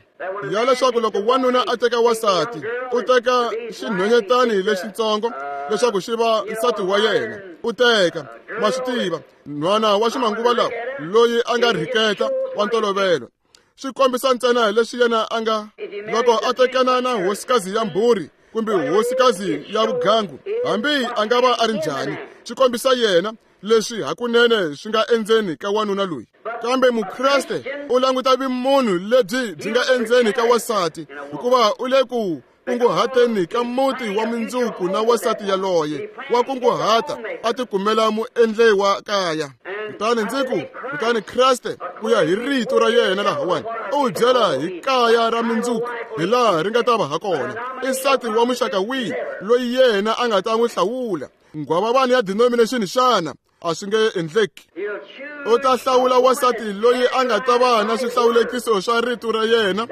ya leswaku loko wanuna a teka wansati, u teka xinhwanyetani lexitsongo leswaku xi va nsati wa yena. U teka, ma swi tiva, nhwana wa ximanguva lawa loyi a nga rhiketa wa ntolovelo. Swi kombisa ntsena leswi yena a nga loko a tekana na hosikazi ya mbhuri kumbe hosikazi ya vugangu, hambi a nga va a ri njhani, swi kombisa yena leswi hakunene swi nga endzeni ka wanuna loyi. Kambe Mukreste u languta vumunhu lebyi byi nga endzeni ka wansati, hikuva u le ku kunguhateni ka muti wa mundzuku na wansati yaloye wa kunguhata a tikumela muendli wa kaya. Kutani ndzi ku, kutani Kreste ku ya hi rito ra yena lahawani u byela hi kaya ra mundzuku hi laha ri nga ta va ha kona. I nsati wa muxaka wihi loyi yena a nga ta n'wi hlawula? Nghwavavani ya denomination xana? A swi nge endleki. U ta hlawula wansati loyi a nga ta va na swihlawulekiso swa rito ra yena,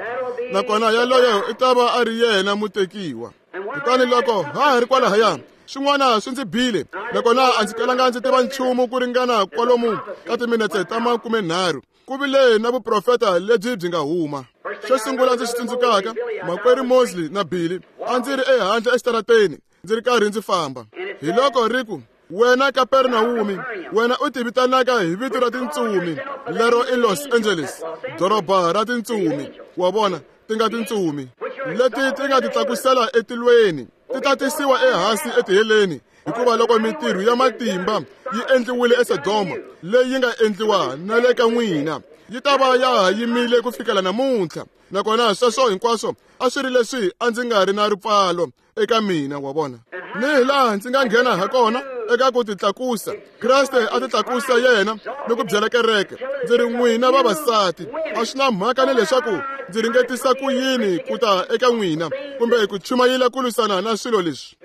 nakona yaloye i ta va a ri yena mutekiwa. Kutani loko ha ha ri kwalahaya, swin'wana swi ndzi bile, nakona a ndzi kalanga ndzi tiva nchumu ku ringana kwalomu ka timinetse ta 30. Ku vile na vuprofeta lebyi byi nga huma. Xo sungula ndzi xi tsundzukaka, makwerhu Mosley na Billy, a ndzi ri ehandle exitarateni ndzi ri karhi ndzi famba. Hi loko ri ku, wena Kapernawumi, wena u tivitanaka hi vito ra tintsumi, lero i Los Angeles, doroba ra tintsumi. Wa vona, ti nga tintsumi leti ti nga ti tlakusela etilweni, ti ta tisiwa ehansi etiheleni, hikuva loko mintirho ya matimba yi endliwile eSodoma, leyi yi nga endliwa na le ka n'wina, yi ta va ya ha yimile ku fikela namuntlha. Nakona sweswo hinkwaswo a swi ri leswi a ndzi nga ri na ripfalo eka mina, wa vona. Ni hi laha ndzi nga nghena ha kona eka ku titlakusa. Kreste a titlakusa yena ni ku byela kereke, ndzi ri n'wina vavasati, a swi na mhaka ni leswaku ndzi ringetisa ku yini ku ta eka n'wina kumbe ku chumayela ku lwisana na swilo leswi.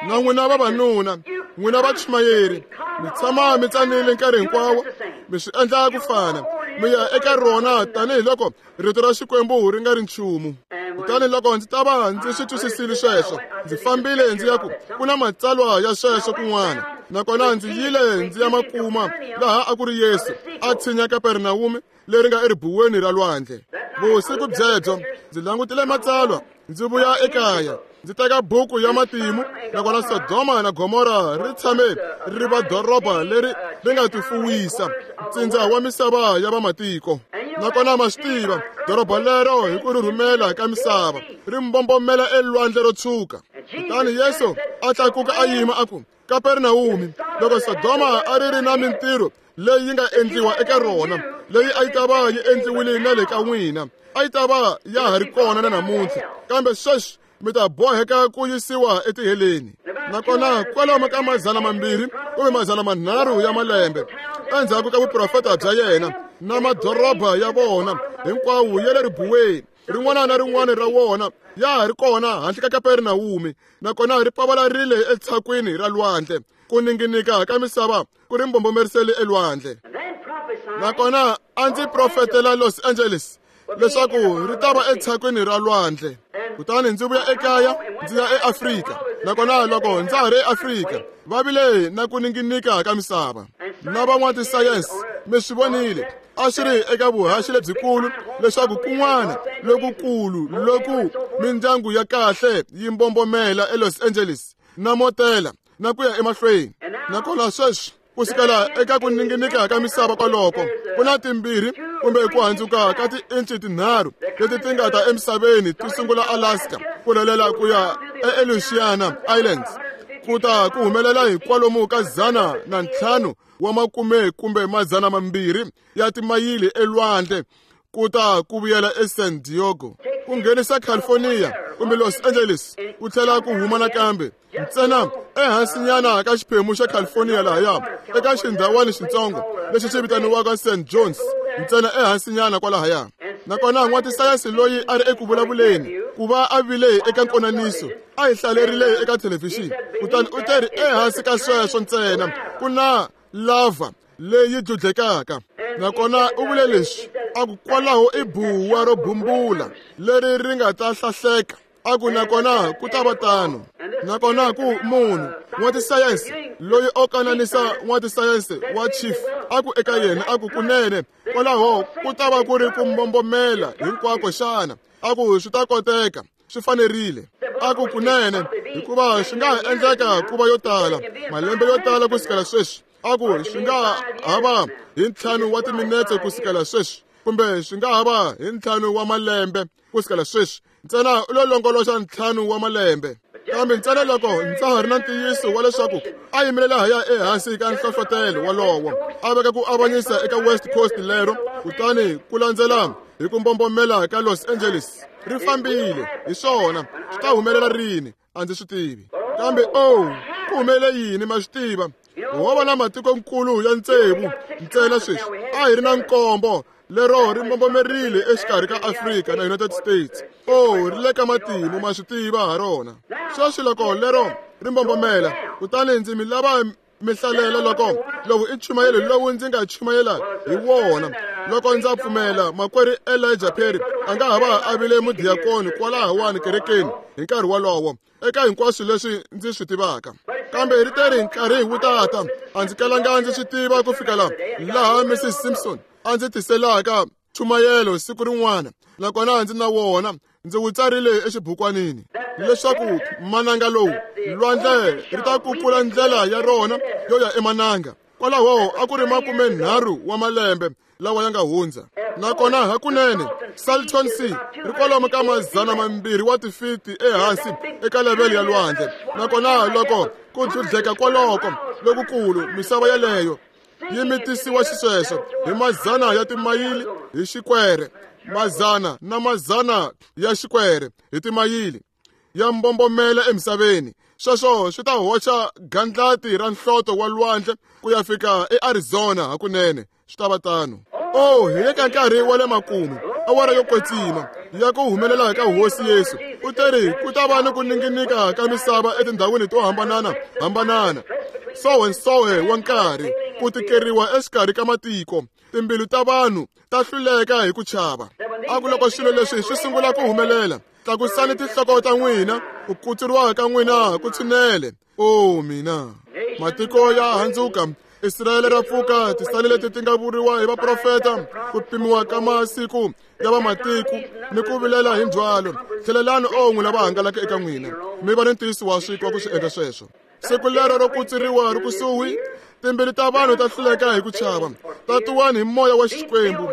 Na n'wina vavanuna, n'wina vachumayeri, mi tshama mi tsanile nkarhi hinkwawo, mi swi endla ku fana, mi ya eka rona tanihiloko rito ra Xikwembu ri nga ri nchumu. Kutani loko ndzi ta va ndzi swi twisisile sweswo, ndzi fambile ndzi ya ku ku na matsalwa ya sweswo kun'wana, nakona ndzi yile ndzi ya makuma laha a ku ri Yesu a tshinya Kapernawume leri nga eribuweni ra lwandle. Vusiku byebyo ndzi langutile matsalwa, ndzi vuya ekaya, ndzi teka buku ya matimu, nakona Sodoma na Gomora ri tshame ri va doroba leri ri nga tifuwisa, ntsindza wa misava ya vamatiko. Nakona ma swi tiva, doroba lero hi ku rhurhumela ka misava ri mbombomela elwandle ro tshuka. Kutani Yesu a tlakuka a yima a ku, Kapernawumi, loko Sodoma a ri ri na mintirho leyi yi nga endliwa eka rona, leyi a yi ta va yi endliwile na le ka n'wina, a yi ta va ya ha ri kona na namuntlha, kambe sweswi mi ta boheka ku yisiwa etiheleni. Nakona kwalomu ka 200 kumbe 300 ya malembe endzhaku ka vuprofeta bya yena na madoroba ya vona hinkwawo ya le ribuweni, rin'wana na rin'wana ra wona ya ha ri kona handle ka Kapernawumi, nakona ri pavalarile etshakwini ra lwandle. Ku ninginika ka misava ku ri mbombomerisele elwandle. Nakona a ndzi profetela Los Angeles leswaku ri ta va etshakwini ra lwandle. Kutani ndzi vuya ekaya ndzi ya eAfrika, nakona loko ndza ha ri eAfrika va vile na ku ninginika ka misava. Na van'watisayense mi swi vonile, a swi ri eka vuhaxi lebyikulu leswaku kun'wana lokukulu loku Mindyangu ya kahle yi mbombomela eLos Angeles na motela na ku ya emahlweni. Nakona sweswi ku sukela eka ku ninginika ka misava kwaloko ku na timbirhi kumbe ku handzuka ka tiinci tinharhu leti ti nga ta emisaveni ti sungula Alaska ku rhelela ku ya eAleutian Islands ku ta ku humelela hi kwalomu ka 105 wa makume kumbe 200 ya timayili elwandle ku ta ku vuyela eSan Diego ku nghenisa California kumbe Los Angeles ku tlhela ku huma nakambe ntsena ehansinyana ka xiphemu xa California lahaya eka xindhawani xitsongo lexi xi vitaniwaka St. John's ntsena ehansinyana kwalahaya. Nakona n'watisayense loyi a ri eku vulavuleni ku va a vile eka nkonaniso a hi hlalerile eka thelevhixini kutani u teri ehansi ka sweswo ntsena ku na lava leyi dludlekaka. Nakona u vule leswi a ku kwalaho i buwa ro bumbula leri ri nga ta hlahleka a ku nakona ku ta va tano. Nakona ku munhu n'watisayense loyi o kananisa n'watisayense wa chief a ku eka yena a ku kunene kwalaho ku ta va ku ri ku mbombomela hinkwako xana a ku swi ta koteka swi fanerile a ku kunene hikuva swi nga endleka ku va yo tala malembe yo tala ku sukela sweswi a ku swi nga ha va hi 5 wa timinetse ku sukela sweswi kumbe swi nga ha va hi 5 wa malembe ku sukela sweswi ntsena u lo longoloxa 5 wa malembe. Kambe ntsena loko ndza ha ri na ntiyiso wa leswaku a yimile lahaya ehansi ka nhlohlotelo wolowo a veka ku avanyisa eka West Coast lero kutani ku landzela hi ku mbombomela ka Los Angeles ri fambile hi swona swi ta humelela rini a ndzi swi tivi. Kambe oh ku humelele yini ma swi tiva ho va na matikonkulu ya tsevu ntsena sweswi a hi ri na nkombo lero ri mbombomerile exikarhi ka Afrika na United States. Oh ri le ka matimu ma swi tiva ha rona. Sweswi loko lero ri mbombomela kutani ndzi mi lava mi hlalela loko lowu i nchumayelo lowu ndzi nga chumayela hi wona loko ndza pfumela makwerhu Elijah Perry a nga ha va a vile mudiyakoni kwalahawani kerekeni hi nkarhi wolowo eka hinkwaswo leswi ndzi swi tivaka. Kambe ri teri nkarhi wu tata a ndzi kalanga ndzi swi tiva ku fikela laha Mrs. Simpson a ndzi tiselaka nchumayelo siku rin'wana nakona ndzi na wona ndzi wu tsarile exibukwanini leswaku mananga lowu lwandle ri ta kukula ndlela ya rona yo ya emananga. Kwalaho a ku ri 30 wa malembe lawa ya nga hundza. Nakona hakunene Salton Sea ri kwalomu ka 200 wa tifiti ehansi eka levhele ya lwandle. Nakona loko ku dludleka kwaloko lokukulu misava yeleyo yi mitisiwa xisweswo hi mazana ya timayili hi xikwere mazana na mazana ya xikwere hi timayili ya mbombomela emisaveni. Sweswo swi ta hoxa gandlati ra nhloto wa lwandle ku ya fika eArizona hakunene swi ta va tano. Oh hi le ka nkarhi wa le makumu awara yo kwetsima ya ku humelela ka Hosi Yesu u teri ku ta va ni ku ninginika ka misava etindhawini to hambanana hambanana sowe wa nkarhi ku tikeriwa exikarhi ka matiko timbilu ta vanhu ta hluleka hi ku chava. A ku loko swilo leswi swi sungula ku humelela tlakusani tinhloko ta n'wina ku kutsuriwa ka n'wina ku tshinele. Oh mina matiko ya handzuka Israyele ra pfuka tisali leti ti nga vuriwa hi vaprofeta ku pimiwa ka masiku ya vamatiko ni ku vilela hi ndzhwalo. Tlhelelani on'we lava hangalaka eka n'wina mi va ni ntiyiso wa swikwa ku swi endla sweswo. Siku lero ro kutsuriwa ri kusuhi timbilu ta vanhu ta hluleka hi ku chava. Tatiwani hi moya wa Xikwembu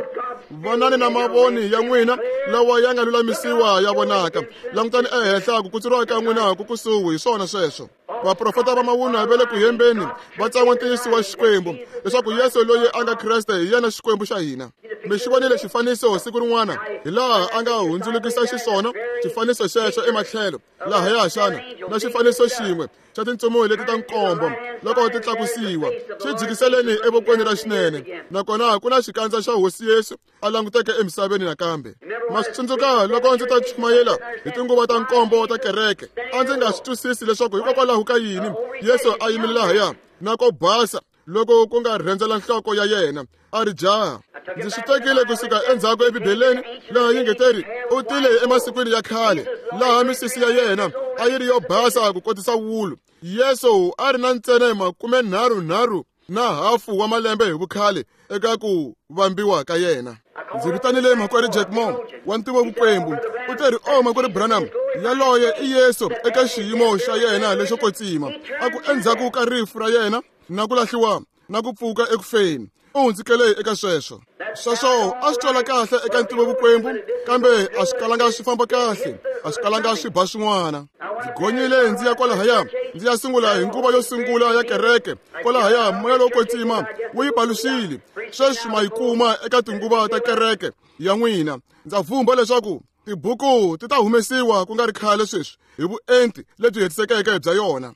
vonani na mavoni ya n'wina lawa ya nga lulamisiwa ya vonaka. Langutani ehenhla ku kutsuriwa ka n'wina ku kusuhi hi swona sweswo. Vaprofeta va mavunwa va le ku hembeni va tsan'wa ntiyiso wa Xikwembu leswaku Yesu loyi a nga Kreste hi yena Xikwembu xa hina. Mi xi vonile xifaniso siku rin'wana hi laha a nga hundzulukisa xiswona xifaniso xexo ematlhelo lahaya xana na xifaniso xin'we xa tintsumi leti ta nkombo loko ti tlakusiwa xi jikiseleni evokweni ra xinene nakona ku na xikandza xa Hosi Yesu a languteke emisaveni nakambe. Ma swi tsundzuka loko ndzi ta chumayela hi tinguva ta nkombo ta kereke a ndzi nga swi twisisi leswaku hikokwalaho ka yini Yesu a yimile lahaya na ko basa loko ku nga rhendzela nhloko ya yena a ri jaha. Ndzi swi tekile kusuka endzhaku eBibeleni laha yi nge teri u tile emasikwini ya khale laha misisi ya yena a yi ri yo basa ku kotisa wulu. Yesu a ri na ntsena 33 na hafu wa malembe hi vukhale eka ku vambiwa ka yena. Ndzi vitanile makwerhu Jack Moore wa ntivo vukwembu u teri o makwerhu Branham Yaloye i Yesu eka xiyimo xa yena lexo kwetsima, a ku endzhaku ka rifu ra yena na ku lahliwa na ku pfuka ekufeni, u hundzukele eka sweswo. Sweswo a swi twala kahle eka ntivovukwembu, kambe a swi kalanga swi famba kahle, a swi kalanga swi ba swin'wana. Ndzi gonyile ndzi ya kwalahaya, ndzi ya sungula hi nguva yo sungula ya kereke kwalahaya. Moya lowo kwetsima wu yi paluxile. Sweswi ma yi kuma eka tinguva ta kereke ya n'wina. Ndza vhumba leswaku tibuku ti ta humesiwa ku nga ri khale sweswi hi vuenti lebyi hetisekeke bya yona,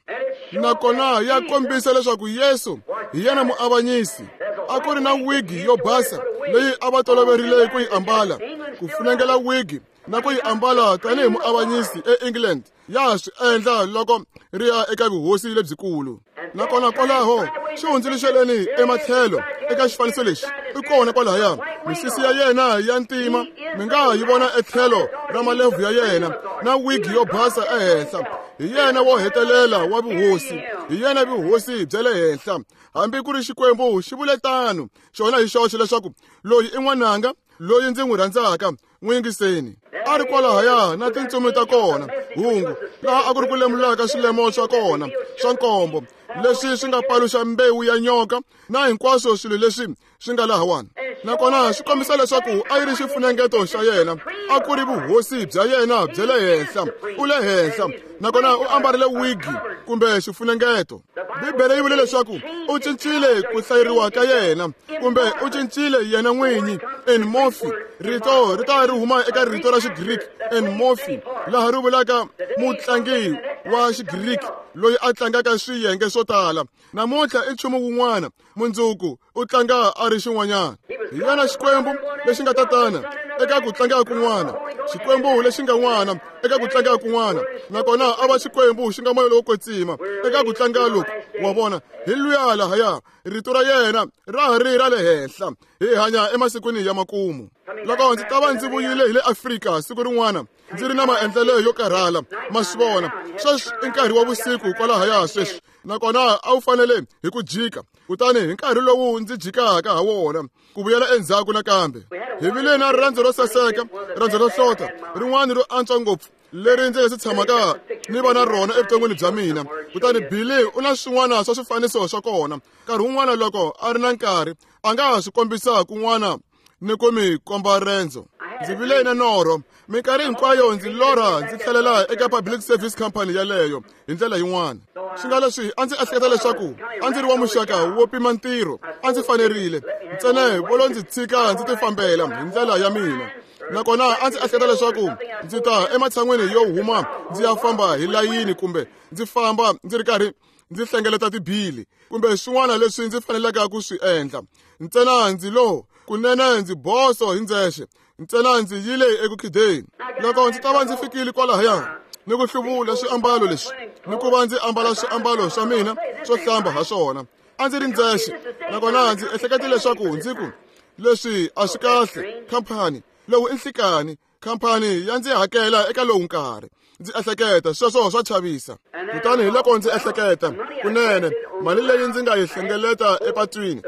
nakona ya kombisa leswaku Yesu hi yena muavanyisi. A ku ri na wigi yo basa leyi a va toloverile ku yi ambala, ku funengela wigi na ku yi ambala tanihi muavanyisi eEngland ya swi endla loko ri ya eka vuhosi lebyikulu. Nakona kwalaho xi hundzuluxeleni ematlhelo eka xifaniso lexi i kona kwalahaya. Misisi ya yena ya ntima mi nga yi vona etlhelo ra malebvu ya yena na wigi yo basa ehenhla. Hi yena wo hetelela wa vuhosi, hi yena vuhosi bya le henhla. Hambi ku ri Xikwembu xi vule tano xona hi xoxe leswaku loyi i n'wananga loyi ndzi n'wi rhandzaka, n'wi yingiseni. A ri kwalahaya na tintsumi ta kona, hungu laha a ku ri ku lemulaka swilemo swa kona swa nkombo leswi swi nga paluxa mbewu ya nyoka na hinkwaswo swilo leswi swi nga lahawani. Nakona swi kombisa leswaku a yi ri xifunengeto xa yena, a ku ri vuhosi bya yena bya le henhla. U le henhla, nakona u ambarile wigi kumbe xifunengeto. Bibele yi vule leswaku u cincile ku hlayeriwa ka yena, kumbe u cincile yena n'winyi en morphe. Rito ri ta ri huma eka rito ra Xigriki en morphe, laha ri vulaka mutlangi wa Xigriki loyi a tlangaka swiyenge swo tala. Namuntlha i nchumu wun'wana, mundzuku u tlanga a ri xin'wanyana. Hi yena Xikwembu lexi nga tatana eka ku tlanga kun'wana, Xikwembu lexi nga n'wana eka ku tlanga kun'wana, nakona a va Xikwembu xi nga moya lowo kwetsima eka ku tlanga loku. Wa vona, hi luya lahaya, rito ra yena ra ha ri ra le henhla. Hi hanya emasikwini ya makumu. Loko ndzi ta va ndzi vuyile hi le Afrika siku rin'wana, ndzi ri na maendlelo yo karhala, ma swi vona. Sweswi i nkarhi wa vusiku kwalahaya sweswi, nakona a wu fanele hi ku jika. Kutani hi nkarhi lowu ndzi jikaka ha wona ku vuyela endzhaku nakambe, hi vile na rirendzo ro saseka, rirendzo ro hlota, rin'wana ro antswa ngopfu leri ndzi nga si tshamaka ni va na rona evuton'wini bya mina. Kutani Billy u na swin'wana swa swifaniso swa kona. Nkarhi wun'wana loko a ri na nkarhi a nga ha swi kombisa kun'wana ni ku mi komba rendzo. Ndzi vile na norho. Minkarhi hinkwayo ndzi lorha ndzi tlhelela eka Public Service Company yaleyo hi ndlela yin'wana. Swi nga leswi a ndzi ehleketa leswaku a ndzi ri wa muxaka wo pima ntirho, a ndzi fanerile ntsena vo lo ndzi tshika ndzi tifambela hi ndlela ya mina. Nakona a ndzi ehleketa leswaku ndzi ta ematshan'weni yo huma ndzi ya famba hi layini, kumbe ndzi famba ndzi ri karhi ndzi hlengeleta tibili kumbe swin'wana leswi ndzi faneleke ku swi endla. Ntsena ndzi lo kunene ndzi boso hi ndzexe, ntsena ndzi yile eku khideni. Loko ndzi ta va ndzi fikile kwalahaya ni ku hluvula swiambalo leswi ni ku va ndzi ambala swiambalo swa mina swo hlamba ha swona, a ndzi ri ndzexe. Nakona ndzi ehlekete leswaku ndzi ku leswi a swi kahle, khampani lowu i nhlikani, khampani ya ndzi hakela eka lowu nkarhi. Ndzi ehleketa sweswo swa chavisa. Kutani hi loko ndzi ehleketa kunene mali leyi ndzi nga yi hlengeleta epatwini,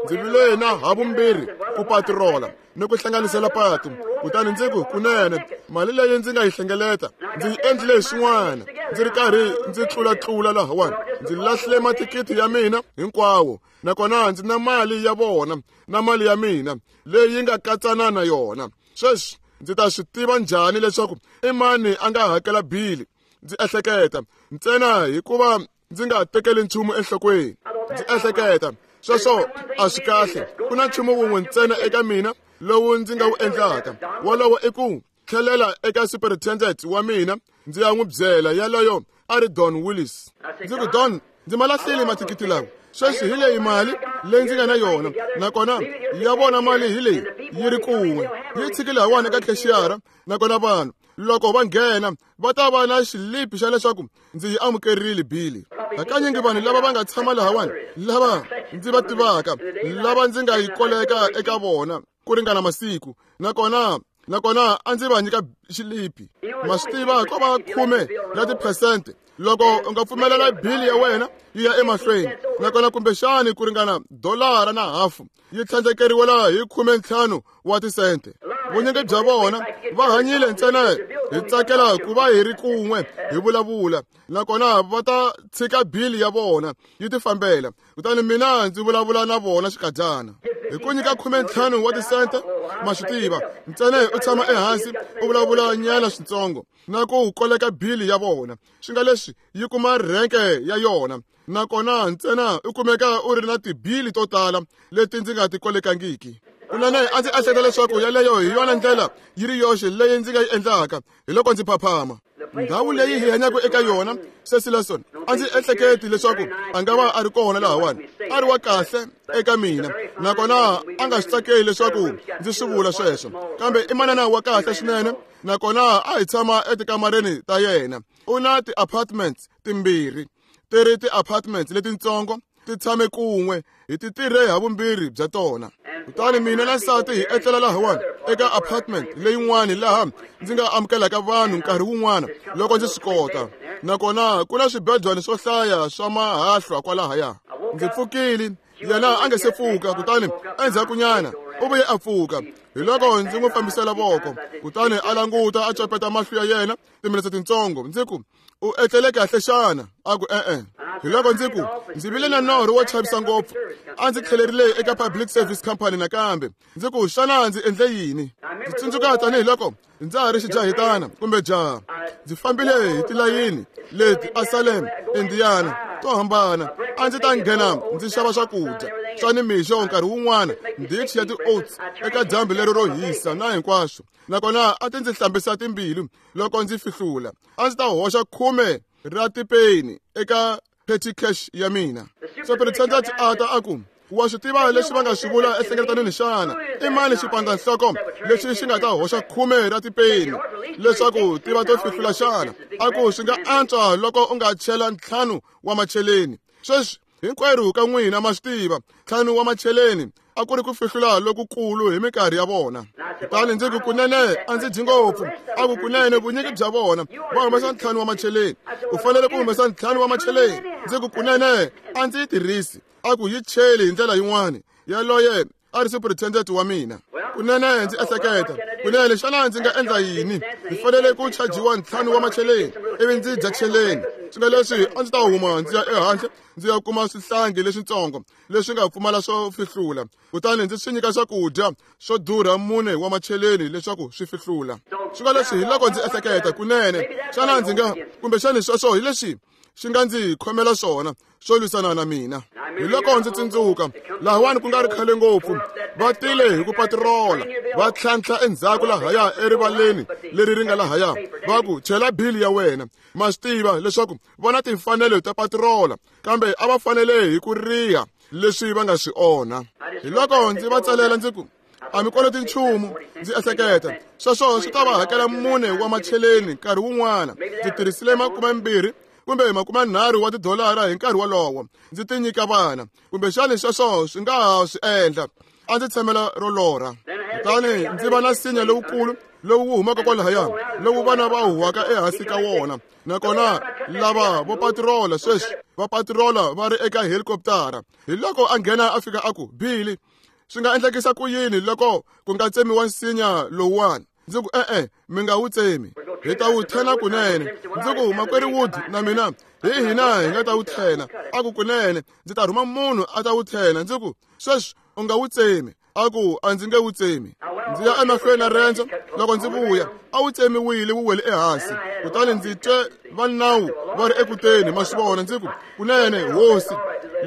ndzi vile na havumbirhi ku patirola ni ku hlanganisela patu. Kutani ndzi ku kunene mali leyi ndzi nga yi hlengeleta ndzi yi endlile swin'wana, ndzi ri karhi ndzi tlulatlula lahawani, ndzi lahlile mathikithi ya mina hinkwawo, nakona ndzi na mali ya vona na mali ya mina leyi nga katsana na yona. Sweswi ndzi ta swi tiva njhani leswaku i mani a nga hakela bili? Ndzi ehleketa ntsena hikuva ndzi nga tekeli nchumu enhlokweni. Ndzi ehleketa sweswo a swi kahle. Ku na nchumu wun'we ntsena eka mina lowu ndzi nga wu endlaka, wolowo i ku tlhelela eka superintendent wa mina ndzi ya n'wi byela. Yaloyo a ri Don Willis. Ndzi ku, Don, ndzi ma lahlile mathikithi lawa. Sweswi hi leyi mali leyi ndzi nga na yona, nakona ya vona mali hi leyi yi ri kun'we, yi tshikile hawani eka khexiyara. Nakona vanhu loko va nghena va ta va na xilipi xa leswaku ndzi yi amukerile bili. Hakanyingi vanhu lava va nga tshama lahawani, lava ndzi va tivaka, lava ndzi nga yi koleka eka vona ku ringana masiku, nakona a ndzi va nyika xilipi. Ma swi tiva ko va 10 ya tiphesente loko u nga pfumelela bili ya wena yi ya emahlweni, nakona kumbexani ku ringana $1.50 yi tlhandlekeriwela hi 15 wa tisente. Vunyingi bya vona va hanyile ntsena hi tsakela ku va hi ri kun'we hi vulavula, nakona va ta tshika bili ya vona yi tifambela. Kutani mina ndzi vulavula na vona xikadyana hi ku nyika 15 wa tisente. Ma swi tiva, ntsena u tshama ehansi u vulavula nyana switsongo na ku koleka bili ya vona, swi nga leswi yi kuma rhenke ya yona, nakona ntsena u kumeka u ri na tibili to tala leti ndzi nga ti kolekangiki. Kunene a ndzi ehleketa leswaku yaleyo hi yona ndlela yi ri yoxe leyi ndzi nga yi endlaka. Hi loko ndzi phaphama. Ndhawu leyi hi hanyaka eka yona, Cecil Lawson, a ndzi ehleketi leswaku a nga va a ri kona lahawani. A ri wa kahle eka mina, nakona a nga swi tsakeli leswaku ndzi swi vula sweswo, kambe i manana wa kahle swinene, nakona a hi tshama etikamareni ta yena. U na ti-apartments timbirhi, ti ri ti-apartments letitsongo, ti tshame kun'we, hi ti tirhe ha vumbirhi bya tona. Kutani mina na nsati hi etlela lahawani eka apartment leyin'wani laha ndzi nga amukelaka vanhu nkarhi wun'wana loko ndzi swi kota, nakona ku na swibedwana swo hlaya swa mahahlwa kwalahaya. Ndzi pfukile, yena a nga se pfuka, kutani endzhakunyana u vuye a pfuka. Hi loko ndzi n'wi fambisela voko, kutani a languta a copeta mahlo ya yena timinetse tintsongo. Ndzi ku, u etlele kahle xana? A ku e-e. Hi loko ndzi ku, ndzi vile na norho wo chavisa ngopfu. A ndzi tlhelerile eka Public Service Company nakambe. Ndzi ku, xana ndzi endle yini? Ndzi tsundzuka tanihiloko ndza ha ri xijahitana kumbe jaha, ndzi fambile hi tilayini leti a Salem, Indiana, to hambana. A ndzi ta nghena ndzi xava swakudya swa nimixo nkarhi wun'wana, ndichi ya ti-oats eka dyambu leri ro hisa na hinkwaswo, nakona a ti ndzi hlambisa timbilu loko ndzi fihlula. A ndzi ta hoxa 10 ra tipeni eka petty cash ya mina. Superintendent a ta a ku, wa swi tiva leswi va nga swi vula enhlengeletanweni xana? I mani xipandza-nhloko lexi xi nga ta hoxa 10 ra tipeni leswaku ti va to fihlula xana? A ku, swi nga antswa loko u nga chela 5 wa macheleni. Sweswi hinkwerhu ka n'wina ma swi tiva, 5 wa macheleni a ku ri ku fihlula lokukulu hi minkarhi ya vona. Kutani ndzi ku, kunene a ndzi dyi ngopfu. A ku, kunene vunyingi bya vona va humesa 5 wa macheleni, u fanele ku humesa 5 wa macheleni. Ndzi ku, kunene a ndzi yi tirhisi. A ku, yi cheli hi ndlela yin'wana. Yaloye a ri superintendent wa mina. Kunene ndzi ehleketa, kunene xana ndzi nga endla yini? Ndzi fanele ku chajiwa 5 wa macheleni ivi ndzi dya cheleni. Swi nga leswi a ndzi ta huma ndzi ya ehandle ndzi ya kuma swihlangi leswitsongo leswi nga pfumala swo fihlula, kutani ndzi swi nyika swakudya swo durha 4 wa macheleni leswaku swi fihlula. Swi nga leswi hi loko ndzi ehleketa, kunene xana ndzi nga, kumbexani sweswo hi leswi xi nga ndzi khomela swona swo lwisana na mina. Hi loko ndzi tsundzuka lahawani ku nga ri khale ngopfu, va tile hi ku patirola, va tlhantlha endzhaku lahaya erivaleni leri ri nga lahaya, va ku, chela bili ya wena. Ma swi tiva leswaku va na timfanelo ta patirola, kambe a va fanele hi ku riha leswi va nga swi onha. Hi loko ndzi va tsalela ndzi ku, a mi koloti nchumu. Ndzi ehleketa sweswo swi ta va hakela 4 wa macheleni nkarhi wun'wana. Ndzi tirhisile 20 kumbe 30 wa tidolara hi nkarhi wolowo ndzi ti nyika vana, kumbexani sweswo swi nga ha swi endla. A ndzi tshamela ro lorha. Kutani ndzi va na nsinya lowukulu lowu wu humaka kwalahaya, lowu vana va huhwaka ehansi ka wona, nakona lava vo patirola sweswi va patirola va ri eka helikoptara. Hi loko a nghena a fika a ku, Billy, swi nga endlekisa ku yini loko ku nga tsemiwa nsinya lowuwani? Ndzi ku, e-e, mi nga wu tsemi, hi ta wu thena kunene. Ndzi ku, makwerhu Wood na mina hi hina hi nga ta wu thena. A ku, kunene ndzi ta rhuma munhu a ta wu thena. Ndzi ku, sweswi u nga wu tsemi. A ku, a ndzi nge wu tsemi. Ndzi ya emahlweni na rendzo. Loko ndzi vuya, a wu tsemiwile, wu wele ehansi. Kutani ndzi twe va nawu va ri ekuteni, ma swi vona. Ndzi ku, kunene hosi,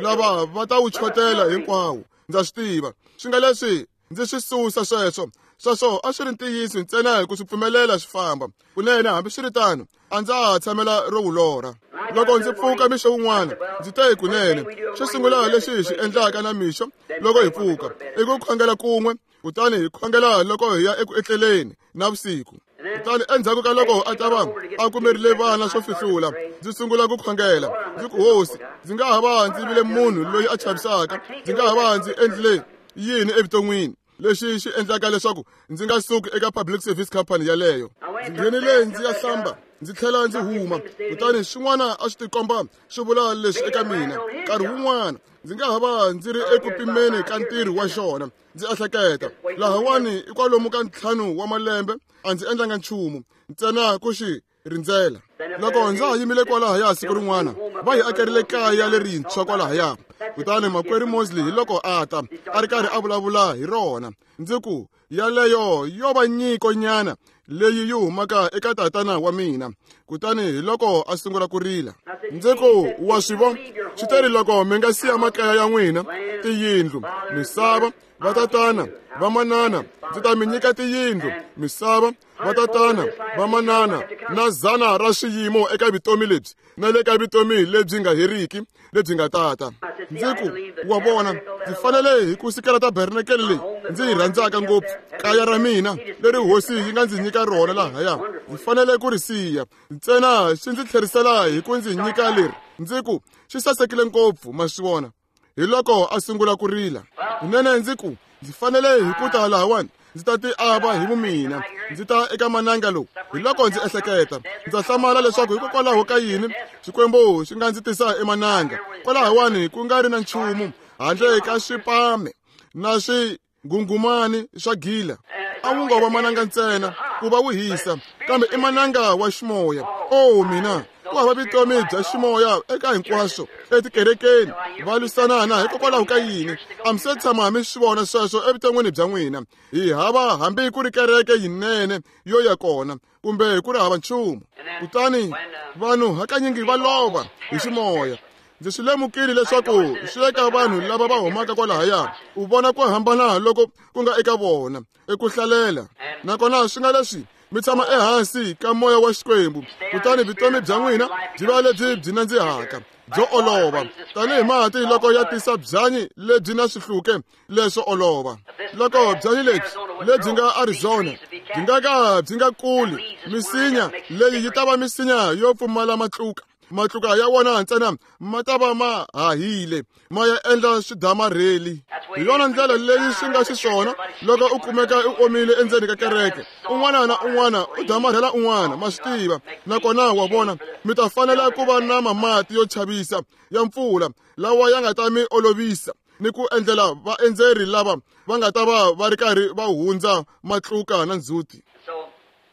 lava va ta wu chotela hinkwawo, ndza swi tiva. Swi nga leswi ndzi swi susa sweswo. Sweswo a swi ri ntiyiso ntsena hi ku swi pfumelela swi famba. Kunene hambiswiritano a ndza ha tshamela ro wu lorha. Loko ndzi pfuka mixo wun'wana, ndzi te, kunene xo sungula lexi hi xi endlaka na mixo loko hi pfuka i ku khongela kun'we, kutani hi khongela loko hi ya eku etleleni navusiku. Kutani endzhaku ka loko a ta va a kumerile vana swo fihlula, ndzi sungula ku khongela. Ndzi ku, hosi, ndzi nga ha va ndzi vile munhu loyi a chavisaka, ndzi nga ha va ndzi endlile yini evuton'wini lexi xi endlaka leswaku ndzi nga suki eka Public Service Company yaleyo. Ndzi nghenile ndzi ya hlamba. Ndzi tlhela ndzi huma, kutani swin'wana a swi tikomba swi vula leswi eka mina. Nkarhi wun'wana ndzi nga ha va ndzi ri eku pimeni ka ntirho wa xona. Ndzi ehleketa, lahawani i kwalomu ka 5 wa malembe a ndzi endlanga nchumu, ntsena ku xi rindzela. Loko ndza ha yimile kwalahaya siku rin'wana, va hi akerile kaya lerintshwa kwalahaya. Kutani makwerhu Mosley hi loko a ta, a ri karhi a vulavula hi rona. Ndzi ku, yaleyo yo va nyiko nyana leyi yi humaka eka tatana wa mina. Kutani hi loko a sungula ku rila. Ndzi ku, wa swi vona, swi teri loko mi nga siya makaya ya n'wina, tiyindlu, misava, vatatana, vamanana, ndzi ta mi nyika tiyindlu, misava, vatatana, vamanana, na 100 ra swiyimo eka vutomi lebyi na le ka vutomi lebyi nga heriki lebyi nga tata. Ndzi ku, wa vona, ndzi fanele hi ku sikela tabernakele leyi ndzi yi rhandzaka ngopfu, kaya ra mina leri hosi yi nga ndzi nyika rona lahaya. Ndzi fanele ku ri siya ntsena xi ndzi tlherisela hi ku ndzi nyika leri. Ndzi ku, xi sasekile ngopfu, ma swi vona. Hi loko a sungula ku rila. Kunene ndzi ku, ndzi fanele hi ku ta lahawani, ndzi ta ti ava hi vumina, ndzi ta eka mananga lowu. Hi loko ndzi ehleketa, ndza hlamala leswaku hikokwalaho ka yini Xikwembu xi nga ndzi tisa emananga kwalahawani ku nga ri na nchumu handle ka swipame na swinghunghumani swa gila. A wu ngo va mananga ntsena ku va wu hisa, kambe i mananga wa ximoya. Oh mina, ku hava vutomi bya ximoya eka hinkwaswo etikerekeni. Va lwisanana hikokwalaho ka yini? A mi se tshama mi swi vona sweswo evuton'wini bya n'wina. Hi hava hambi ku ri kereke yinene yo ya kona, kumbe ku ri hava nchumu. Kutani vanhu hakanyingi va lova hi ximoya. Ndzi swi lemukile leswaku swi eka vanhu lava va humaka kwalahaya, u vona ku hambana loko ku nga eka vona eku hlalela. Nakona swi nga leswi mi tshama ehansi ka moya wa Xikwembu, kutani vutomi bya n'wina byi va lebyi byi nandzihaka, byo olova, tanihi mati loko ya tisa byanyi lebyi na swihluke leswo olova. Loko byanyi lebyi lebyi nga Arizona byi nga ka byi nga kuli, misinya leyi yi ta va misinya yo pfumala matluka. Matluka ya wona ntsena ma ta va ma hahile, ma ya endla swidamarheli. Hi yona ndlela leyi swi nga xiswona loko u kumeka u omile endzeni ka kereke. Un'wana na un'wana u damarhela un'wana, ma swi tiva. Nakona wa vona, mi ta fanela ku va na mamati yo chavisa ya mpfula lawa ya nga ta mi olovisa ni ku endlela vaendzeri lava va nga ta va va ri karhi va hundza matluka na ndzhuti.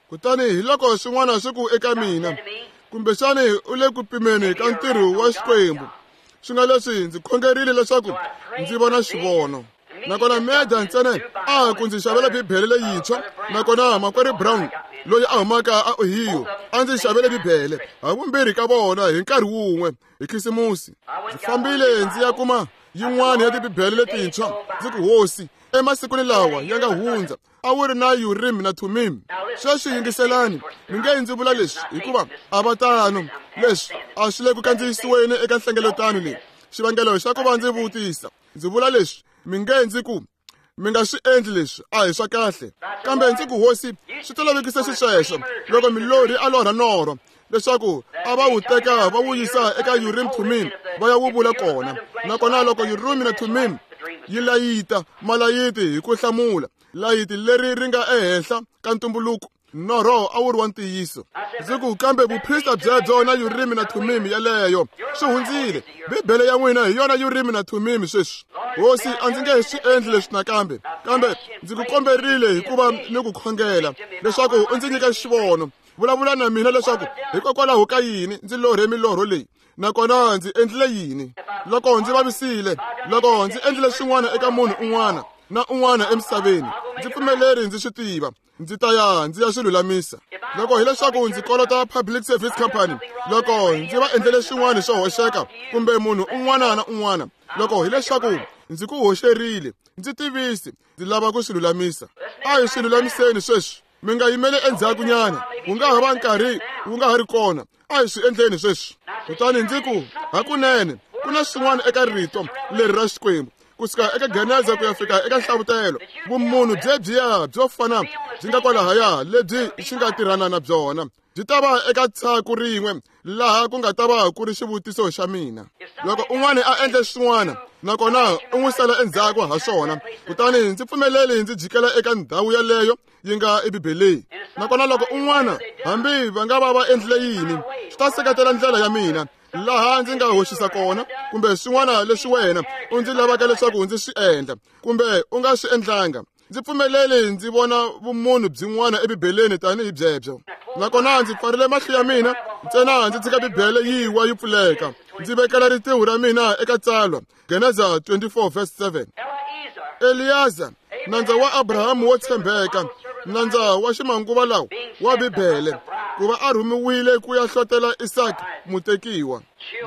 Kutani hi loko swin'wana swi ku eka mina, kumbexani u le ku pimeni ka ntirho wa Xikwembu. Swi nga leswi ndzi khongerile leswaku ndzi vona xivono. Nakona Meda ntsena a ku ndzi xavela Bibele leyintshwa. Nakona makwerhu Brown loyi a humaka a Ohio a ndzi xavele Bibele, havumbirhi ka vona hi nkarhi wun'we hi Khisimusi. Ndzi fambile ndzi ya kuma yin'wana ya tibibele letintshwa. Ndzi ku, hosi, emasikwini lawa ya nga hundza a wu ri na Urim na Thummim. Sweswi yingiselani, mi nge ndzi vula leswi hikuva a va tano. Leswi a swi le ku kandziyisiweni eka nhlengeletano leyi. Xivangelo xa ku va ndzi vutisa, ndzi vula leswi, mi nge ndzi ku, mi nga swi endli leswi, a hi swa kahle. Kambe ndzi ku, hosi, swi tolovekise xisweswo loko milorhi a lorha norho leswaku a va wu teka va wu yisa eka Urim Thummim va ya wu vula kona. Nakona loko Urim na Thummim yi layita malayiti hi ku hlamula layiti leri ri nga ehenhla ka ntumbuluko, norho a wu ri wa ntiyiso. Ndzi ku, kambe vuprista byebyo na Urim na Thummim yeleyo swi hundzile. Bibele ya n'wina hi yona Urim na Thummim sweswi. Hosi, a ndzi nge swi endli leswi nakambe, kambe ndzi ku komberile hikuva ni ku khongela leswaku u ndzi nyika xivono. Vulavula na mina leswaku hikokwalaho ka yini ndzi lorhe milorho leyi, nakona ndzi endlile yini. Loko ndzi vavisile, loko ndzi endlile swin'wana eka munhu un'wana na un'wana emisaveni, ndzi pfumeleri ndzi swi tiva, ndzi ta ya ndzi ya swi lulamisa. Loko hileswaku ndzi kolota Public Service Company, loko ndzi va endlele swin'wana swo hoxeka kumbe munhu un'wana na un'wana, loko hileswaku ndzi ku hoxerile, ndzi tivisi, ndzi lava ku swi lulamisa. A hi swi lulamiseni sweswi. Mi nga yimeli endzhakunyana, wu nga ha va nkarhi wu nga ha ri kona. A hi swi endleni sweswi. Kutani ndzi ku, hakunene ku na swin'wana eka rito leri ra Xikwembu, kusuka eka Geneza ku ya fika eka Nhlavutelo, vumunhu byebyiya byo fana byi nga kwalahaya lebyi xi nga tirhana na byona byi ta va eka tshaku rin'we laha ku nga ta va ku ri xivutiso xa mina. Loko un'wana a endle swin'wana nakona u n'wi sala endzhaku ha swona, kutani ndzi pfumeleli ndzi jikela eka ndhawu yaleyo yi nga eBibeleni. Nakona loko un'wana hambi va nga va va endlile yini, swi ta seketela ndlela ya mina laha ndzi nga hoxisa kona kumbe swin'wana leswi wena u ndzi lavaka leswaku ndzi swi endla kumbe u nga swi endlanga. Ndzi pfumeleli ndzi vona vumunhu byin'wana eBibeleni tanihi byebyo. Nakona ndzi pfarile mahlo ya mina ntsena ndzi tshika Bibele yi wa yi pfuleka. Ndzi vekela ritiho ra mina eka tsalwa Geneza 24 verse 7. Eliyaza, nandza wa Abrahamu wo tshembeka, nandza wa ximanguva lawa wa Bibele, ku va a rhumiwile ku ya hlotela Isaka mutekiwa.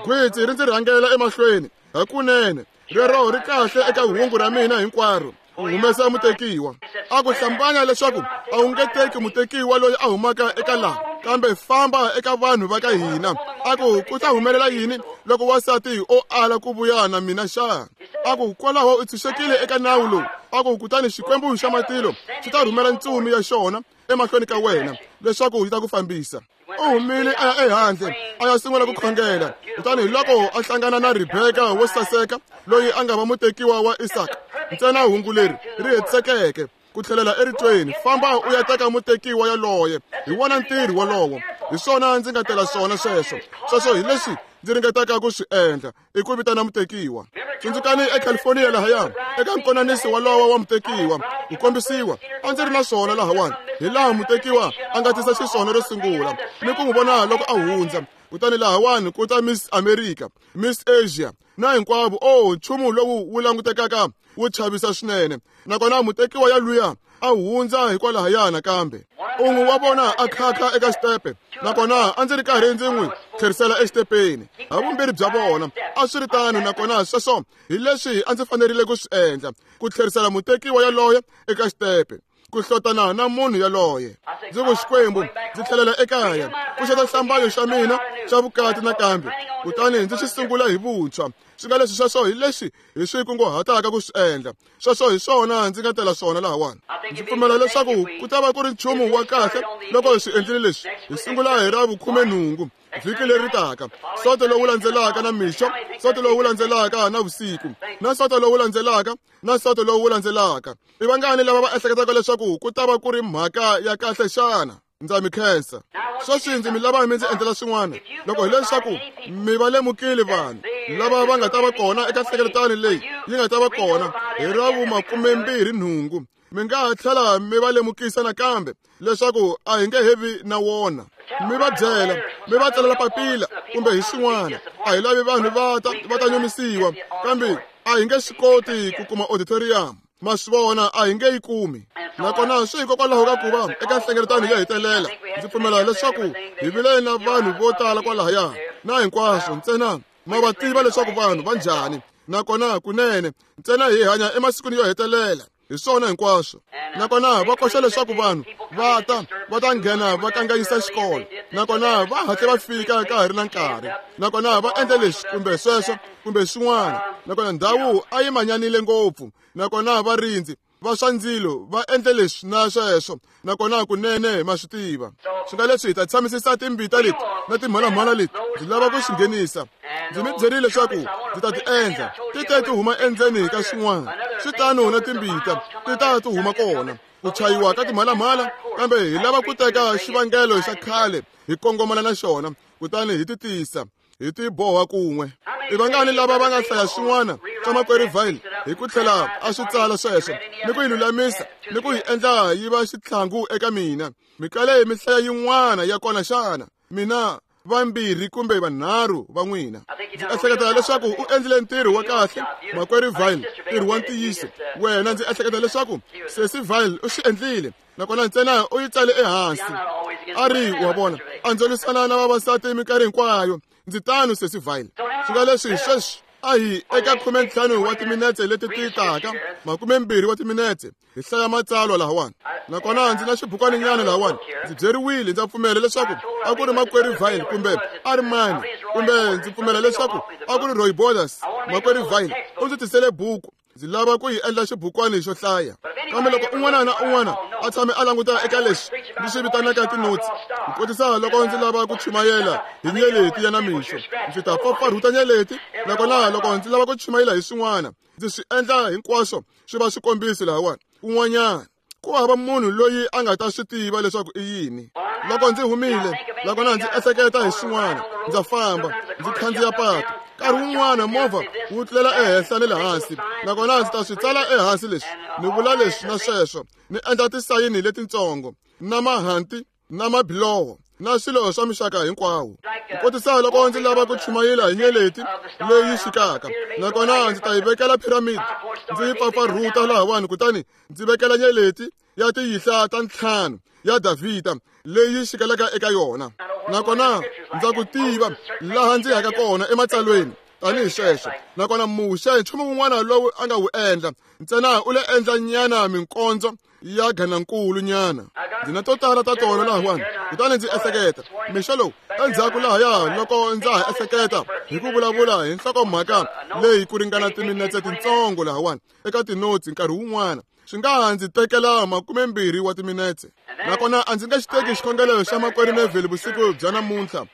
Gwitsi ri ndzi rhangela emahlweni hakunene, rero ri kahle eka hungu ra mina hinkwaro. U humesa mutekiwa. A ku hlambanya leswaku a wu nge teki mutekiwa loyi a humaka eka laha, kambe famba eka vanhu va ka hina. A ku ku ta humelela yini loko wansati o ala ku vuya na mina xa? A ku kwalaho u tshunxekile eka nawu lowu. A ku kutani Xikwembu xa matilo xi ta rhumela ntsumi ya xona emahlweni ka wena leswaku yi ta ku fambisa. U humile a ya ehandle a ya sungula ku khongela. Kutani hi loko a hlangana na Rebeka wo saseka loyi a nga va mutekiwa wa Isaka. Ntsena hungu leri ri hetisekeke ku tlhelela eritweni, famba u ya teka mutekiwa yaloye. Hi wona ntirho wolowo, hi swona ndzi nga tela swona sweswo. Sweswo hi leswi ndzi ringetaka ku swi endla, i ku vitana mutekiwa. Tsundzukani eCalifornia lahaya eka nkonaniso walowo wa mutekiwa ku kombisiwa, a ndzi ri na swona lahawani hi laha mutekiwa a nga tisa xiswona ro sungula ni ku n'wi vona loko a hundza. Kutani lahawani ku ta Miss America, Miss Asia na hinkwavo. O nchumu lowu wu langutekaka wu chavisa swinene. Nakona mutekiwa ya luya a hundza hikwalahaya nakambe. Un'we wa vona a khakha eka xitepe, nakona a ndzi ri karhi ndzi n'wi tlherisela exitepeni. Havumbirhi bya vona a swi ri tano, nakona sweswo hi leswi a ndzi fanerile ku swi endla, ku tlherisela mutekiwa yaloye eka xitepe, ku hlotana na munhu yaloye. Ndzi ku Xikwembu, ndzi tlhelela ekaya ku xeta xihlambanyo xa mina xa vukati nakambe, kutani ndzi xi sungula hi vuntshwa. Swi nga leswi sweswo hi leswi hi swi kunguhataka ku swi endla. Sweswo hi swona ndzi nga tela swona lahawani. Ndzi pfumela leswaku ku ta va ku ri nchumu wa kahle loko hi swi endlile leswi. Hi sungula hi ra vukhumenhungu vhiki leri taka, soto lowu landzelaka na mixo, soto lowu landzelaka na vusiku, na soto lowu landzelaka na soto lowu landzelaka. I vangani lava va ehleketaka leswaku ku ta va ku ri mhaka ya kahle xana? Ndza mi khensa. Sweswi ndzi mi lava mi ndzi endlela swin'wana. Loko hileswaku mi va lemukile vanhu lava va nga ta va kona eka nhlengeletano leyi yi nga ta va kona hi ra vu-28, mi nga ha tlhela mi va lemukisa nakambe leswaku a hi nge he vi na wona. Mi va byela, mi va tsalela papila kumbe hi swin'wana. A hi lavi vanhu va ta va ta nyumisiwa, kambe a hi nge swi koti ku kuma auditorium. Ma swi vona, a hi nge yi kumi. Nakona swi hikokwalaho ka ku va eka nhlengeletano yo hetelela, ndzi pfumela leswaku hi vile na vanhu vo tala kwalahaya na hinkwaswo. Ntsena ma va tiva leswaku vanhu va njhani, nakona kunene ntsena hi hanya emasikwini yo hetelela. Hi swona hinkwaswo. Nakona va koxa leswaku vanhu va ta va ta nghena va kanganyisa xikolo, nakona va hatle va fika ka ha ri na nkarhi, nakona va endla leswi kumbe sweswo kumbe swin'wana. Nakona ndhawu a yi manyanile ngopfu, nakona varindzi va swa ndzilo va endle leswi na sweswo, nakona kunene ma swi tiva. Swi nga leswi hi ta tshamisisa timbita leti na timhalamhala leti ndzi lava ku swi nghenisa. Ndzi mi byerile leswaku ndzi ta ti endla ti te ti huma endzeni ka swin'wana. Swi tano na timbita ti ta ti huma kona ku chayiwa ka timhalamhala, kambe hi lava ku teka xivangelo xa khale hi kongomana na xona, kutani hi ti tisa hi ti boha kun'we. I vangani lava va nga hlaya swin'wana swa makwerhu Vile hi ku tlhela a swi tsala sweswo ni ku yi lulamisa ni ku yi endla yi va xitlhangu eka mina? Mi kale mi hlaya yin'wana ya kona xana? Mina vambirhi kumbe vanharhu va n'wina. Ndzi ehleketa leswaku u endlile ntirho wa kahle, makwerhu Vile, ntirho wa ntiyiso. Wena ndzi ehleketa leswaku sesi Vile u swi endlile, nakona ntsena u yi tsale ehansi. A ri wa vona, a ndzi lwisana na vavasati minkarhi hinkwayo. Ndzi tano sesi Vile. Swi nga leswi sweswi a hi eka 15 wa timinetse leti ti taka, 20 wa timinetse hi hlaya matsalwa lahawani. Nakona ndzi na xibukwaninyana lahawani. Ndzi byeriwile, ndza pfumela leswaku a ku ri makwerhu Vile kumbe a ri mani, kumbe ndzi pfumela leswaku a ku ri Roy Borders. Makwerhu Vile u ndzi tisele buku. Ndzi lava ku yi endla xibukwani xo hlaya. Kambe loko un'wana na un'wana a tshame a languta eka leswi ndzi swi vitanaka tinotsi, ku kotisa loko ndzi lava ku chumayela hi nyeleti ya namixo, ndzi ta pfapfarhuta nyeleti. Nakona loko ndzi lava ku chumayela hi swin'wana, ndzi swi endla hinkwaswo swi va swikombiso lahawani kun'wanyana. Ku hava munhu loyi a nga ta swi tiva leswaku i yini. Loko ndzi humile, nakona ndzi ehleketa hi swin'wana, ndza famba, ndzi khandziya patu. Nkarhi wun'wana movha wu tlulela ehenhla ni le hansi, nakona ndzi ta swi tsala ehansi leswi, ni vula leswi na sweswo, ni endla tisayini letitsongo, na mahanti, na mabiloho, na swilo swa mixaka hinkwawo. Ku kotisa loko ndzi lava ku chumayela hi nyeleti leyi xikaka, nakona ndzi ta yi vekela piramidi, ndzi yi pfapfarhuta lahawani, kutani ndzi vekela nyeleti ya tiyihla ta 5 ya Davhida leyi xikelaka eka yona. Nakona ndza ku tiva laha ndzi yaka kona ematsalweni tanihi sweswo. Nakona Muxe nchumu wun'wana lowu a nga wu endla ntsena u le endla nyana minkondzo ya ganankulu nyana. Ndzi na to tala ta tona lahawani. Kutani ndzi ehleketa mixo lowu endzhaku lahaya loko ndza ha ehleketa hi ku vulavula hi nhlokomhaka leyi ku ringana timinetse tintsongo lahawani eka tinotsi nkarhi wun'wana swi nga ha ndzi tekela 20 wa timinetse. Nakona a ndzi nga xi teki xikhongelo xa makwerhu Neville vusiku bya namuntlha.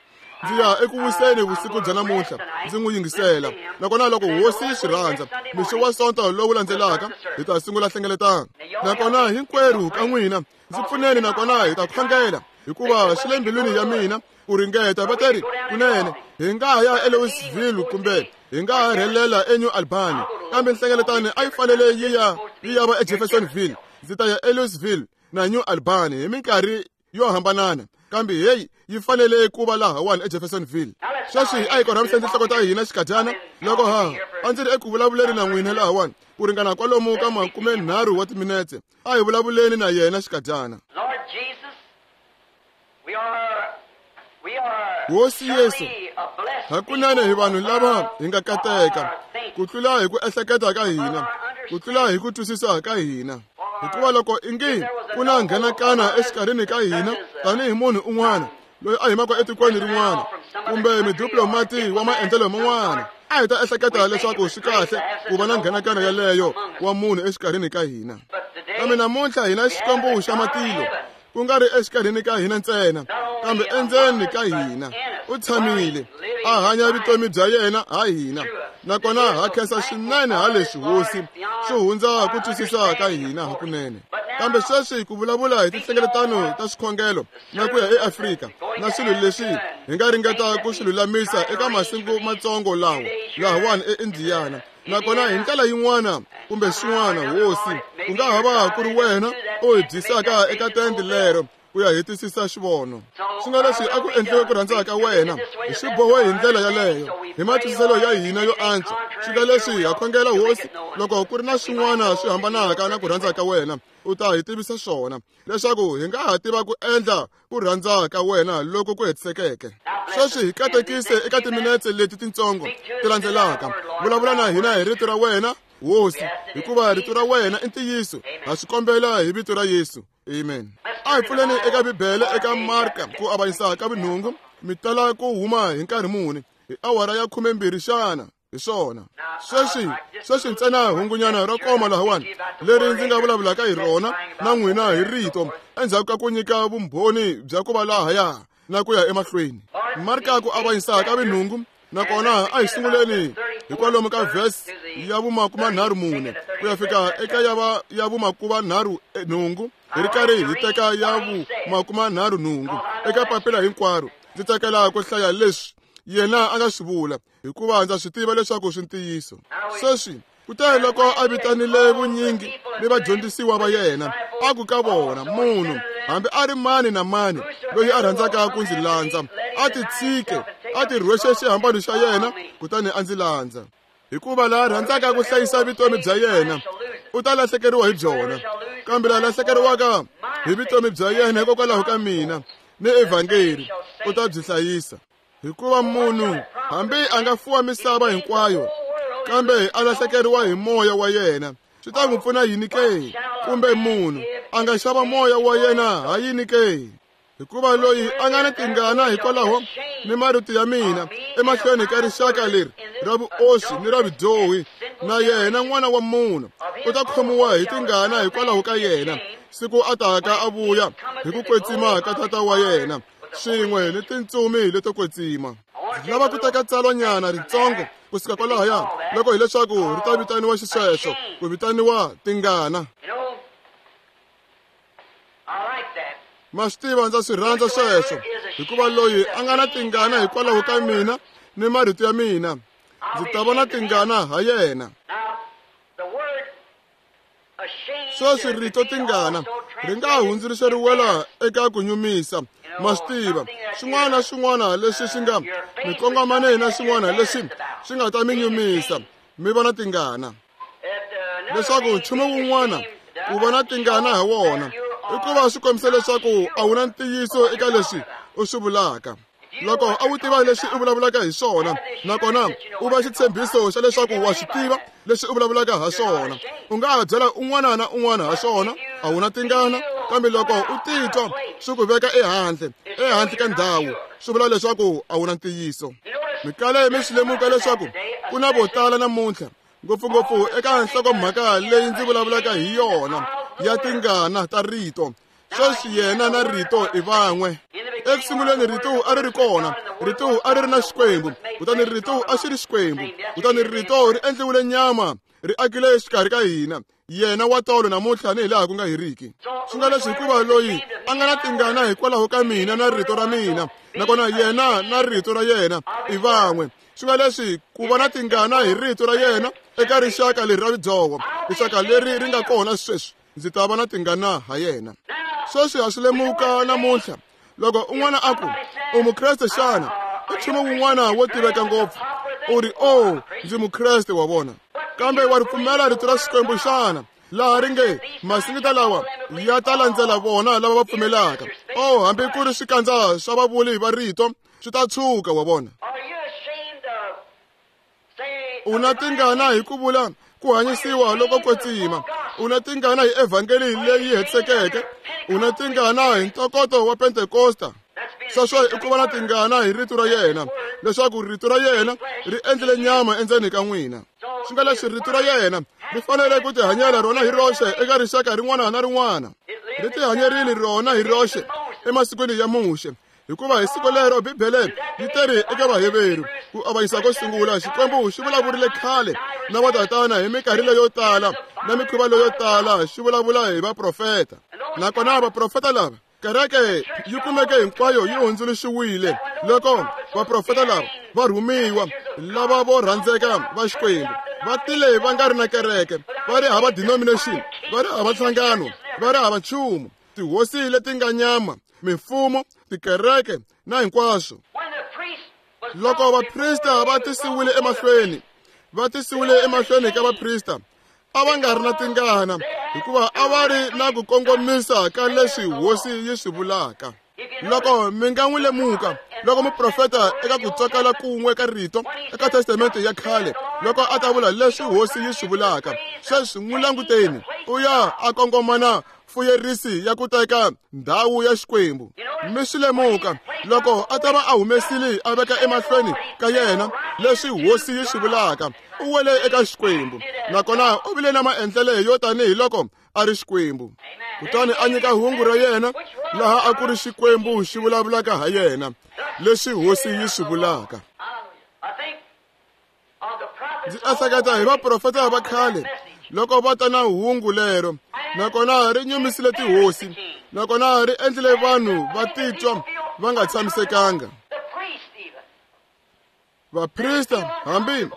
Ndzi ya eku wiseni vusiku bya namuntlha ndzi n'wi yingisela. Nakona loko hosi yi swi rhandza, mixo wa Sonto lowu landzelaka hi ta sungula hlengeletano. Nakona hinkwerhu ka n'wina ndzi pfuneni, nakona hi ta khongela, hikuva swi le mbilwini ya mina ku ringeta. Va teri kunene hi nga ha ya eLouisville kumbe hi nga ha rhelela eNew Albany, kambe nhlengeletano a yi fanele yi ya va eJeffersonville. Ndzi ta ya eLouisville na New Albany hi minkarhi yo hambanana, kambe heyi yi fanele ku va lahawani eJeffersonville. Sweswi a hi korhamiseni tinhloko ta hina xikadyana loko ha a ndzi ri eku vulavuleni na n'wina lahawani ku ringana kwalomu ka 30 wa timinetse. A hi vulavuleni na yena xikadyana. Hosi Yesu, hakunene hi vanhu lava hi nga kateka ku tlula hi ku ehleketa ka hina, ku tlula hi ku twisisa ka hina. Hikuva loko ingi ku na nghenakana exikarhini ka hina tanihi munhu un'wana loyi a humaka etikweni rin'wana kumbe midiplomati wa maendlelo man'wana, a hi ta ehleketa leswaku swi kahle ku va na nghenakana yeleyo wa munhu exikarhini ka hina. Kambe namuntlha hina Xikwembu xa matilo, ku nga ri exikarhini ka hina ntsena, kambe endzeni ka hina u tshamile a hanya vutomi bya yena ha hina. Nakona ha khensa swinene ha leswi hosi swi hundza ku twisisa ka hina hakunene. Kambe sweswi ku vulavula hi tinhlengeletano ta swikhongelo na ku ya eAfrika na swilo leswi hi nga ringeta ku swi lulamisa eka masiku matsongo lawa lahawani eIndiana. Nakona hi ndlela yin'wana kumbe swin'wana, hosi, ku nga ha va ku ri wena u hi byisaka eka tende lero ku ya hetisisa xivono. Swi nga leswi a ku endliwe ku rhandza ka wena, hi swi bohe hi ndlela yaleyo, hi matwisiselo ya hina yo antswa. Swi nga leswi ha khongela hosi, loko ku ri na swin'wana swi hambanaka na ku rhandza ka wena, u ta hi tivisa swona, leswaku hi nga ha tiva ku endla ku rhandza ka wena loko ku hetisekeke. Sweswi hi katekise eka timinetse leti tintsongo ti landzelaka. Vulavula na hina hi rito ra wena, hosi, hikuva rito ra wena i ntiyiso. Ha swi kombela hi vito ra Yesu. Amen. A hi pfuleni eka Bibele eka Marka ku avanyisa ka vunhungu. Mi tala ku huma hi nkarhi muni? Hi awara ya 12 xana? Hi swona. Sweswi ntsena hungunyana ro koma lahawani leri ndzi nga vulavulaka hi rona na n'wina hi rito endzhaku ka ku nyika vumbhoni bya ku va lahaya na ku ya emahlweni. Marka ku avanyisa ka vunhungu, nakona a hi sunguleni hi kwalomu ka verse ya vu-34 ku ya fika eka ya vu-38, hi ri karhi hi teka ya vu-38 eka papila hinkwaro. Ndzi tsakela ku hlaya leswi yena a nga swi vula, hikuva ndza swi tiva leswaku swi ntiyiso. Sweswi kutani loko a vitanile vunyingi ni vadyondzisiwa va yena, a ku ka vona, munhu hambi a ri mani na mani loyi a rhandzaka ku ndzi landza, a titshike, a tirhwexe xihambano xa yena, kutani a ndzi landza. Hikuva laha rhandzaka ku hlayisa vutomi bya yena u ta lahlekeriwa hi byona, kambe laha lahlekeriwaka hi vutomi bya yena hikokwalaho ka mina ni evhangeli u ta byi hlayisa. Hikuva munhu hambi a nga fuwa misava hinkwayo, kambe a lahlekeriwa hi moya wa yena, swi ta n'wi pfuna yini ke? Kumbe munhu a nga xava moya wa yena ha yini ke? Hikuva loyi a nga ni tingana hikwalaho ni marito ya mina emahlweni ka rixaka leri ra vuoswi ni ra vudyohi, na yena n'wana wa munhu u ta khomiwa hi tingana hikwalaho ka yena siku a taka a vuya hi ku kwetsima ka tata wa yena swin'we ni tintsumi leto kwetsima. Ndzi lava ku teka tsalwanyana ritsongo kusuka kwalahaya, loko hileswaku ri ta vitaniwa xisweswo, ku vitaniwa tingana. Ma swi tiva ndza swi rhandza sweswo, hikuva loyi a nga na tingana hikwalaho ka mina ni marito ya mina, ndzi ta va na tingana ha yena. Sweswi rito tingana ri nga hundzuluxeriwela eka ku nyumisa. Ma swi tiva, swin'wana na swin'wana leswi swi nga mi kongomane na swin'wana leswi swi nga ta mi nyumisa, mi va na tingana. Leswaku nchumu wun'wana ku va na tingana ha wona i ku va swi kombisa leswaku a wu na ntiyiso eka leswi u swi vulaka. Loko a wu tiva leswi u vulavulaka hi swona, nakona u va xitshembiso xa leswaku wa swi tiva leswi u vulavulaka ha swona, u nga ha byela un'wana na un'wana ha swona, a wu na tingana. Kambe loko u titwa swi ku veka ehandle, ehandle ka ndhawu, swi vula leswaku a wu na ntiyiso. Mi kale mi swi lemuka leswaku ku na vo tala namuntlha, ngopfungopfu eka nhlokomhaka leyi ndzi vulavulaka hi yona ya tingana ta rito. Sweswi yena na rito i van'we. Eku sunguleni rito a ri ri kona, rito a ri ri na Xikwembu, kutani rito a xi ri Xikwembu, kutani rito ri endliwile nyama, ri akile exikarhi ka hina. Yena wa tolo namuntlha ni hi laha ku nga heriki. Swi nga leswi hikuva loyi a nga na tingana hikwalaho ka mina na rito ra mina, nakona yena na rito ra yena i van'we. Swi nga leswi ku va na tingana hi rito ra yena eka rixaka leri ra vidzoho, rixaka leri ri nga kona sweswi, ndzi ta va na tingana ha yena. Sweswi ha swi lemuka namuntlha, loko un'wana a ku, u Mukreste xana? I nchumu wun'wana wo tiveka ngopfu. U ri, oh, ndzi Mukreste, wa vona. Kambe wa ri pfumela rito ra Xikwembu xana? Laha ri nge, masingita lawa ya ta landzela vona lava va pfumelaka. Oh, hambi ku ri swikandza swa vavuli va rito swi ta tshuka, wa vona. U na tingana hi ku vula ku hanyisiwa loko kwetsima. U na tingana hi evhangeli leyi hetisekeke. U na tingana hi ntokoto wa Pentekosta. Sweswo i ku va na tingana hi rito ra yena, leswaku rito ra yena ri endlile nyama endzeni ka n'wina. Swi nga leswi rito ra yena ri fanele ku tihanyela rona hi roxe eka rixaka rin'wana na rin'wana. Ri tihanyerile rona hi roxe emasikwini ya Muxe, hikuva hi siku lero Bibele yi teri eka Vaheveru ku avanyisa ko sungula, Xikwembu xi vulavurile khale na vatatana hi minkarhi leyo tala na mikhuva leyo tala, xi vulavula hi vaprofeta. Nakona vaprofeta lava, kereke yi kumeke hinkwayo yi hundzuluxiwile loko vaprofeta lava va rhumiwa, lava vo rhandzeka va Xikwembu, va tile va nga ri na kereke, va ri hava denomination, va ri hava nhlangano, va ri hava nchumu, tihosi leti nga nyama, mimfumo, tikereke na hinkwaswo. Loko vaprista va tisiwile emahlweni, va tisiwile emahlweni ka vaprista, a va nga ri na tingana, hikuva a va ri na ku kongomisa ka leswi hosi yi swi vulaka. Loko mi nga n'wi lemuka, loko muprofeta eka ku tsakala kun'we ka rito eka testamente ya khale, loko a ta vula leswi hosi yi swi vulaka, sweswi n'wi languteni, u ya a kongomana fuyerisi ya ku teka ndhawu ya Xikwembu. Mi swi lemuka, loko a ta va a humesile a veka emahlweni ka yena leswi hosi yi swi vulaka, u wele eka Xikwembu, nakona u vile na maendlele yo tanihi loko a ri Xikwembu. Kutani a nyika hungu ra yena laha a ku ri Xikwembu xi vulavulaka ha yena, leswi hosi yi swi vulaka. Ndzi ehleketa hi vaprofeta va khale loko va ta na hungu lero, nakona ri nyumisile tihosi, nakona ri endlile vanhu va titwa va nga tshamisekanga. Vaprista hambi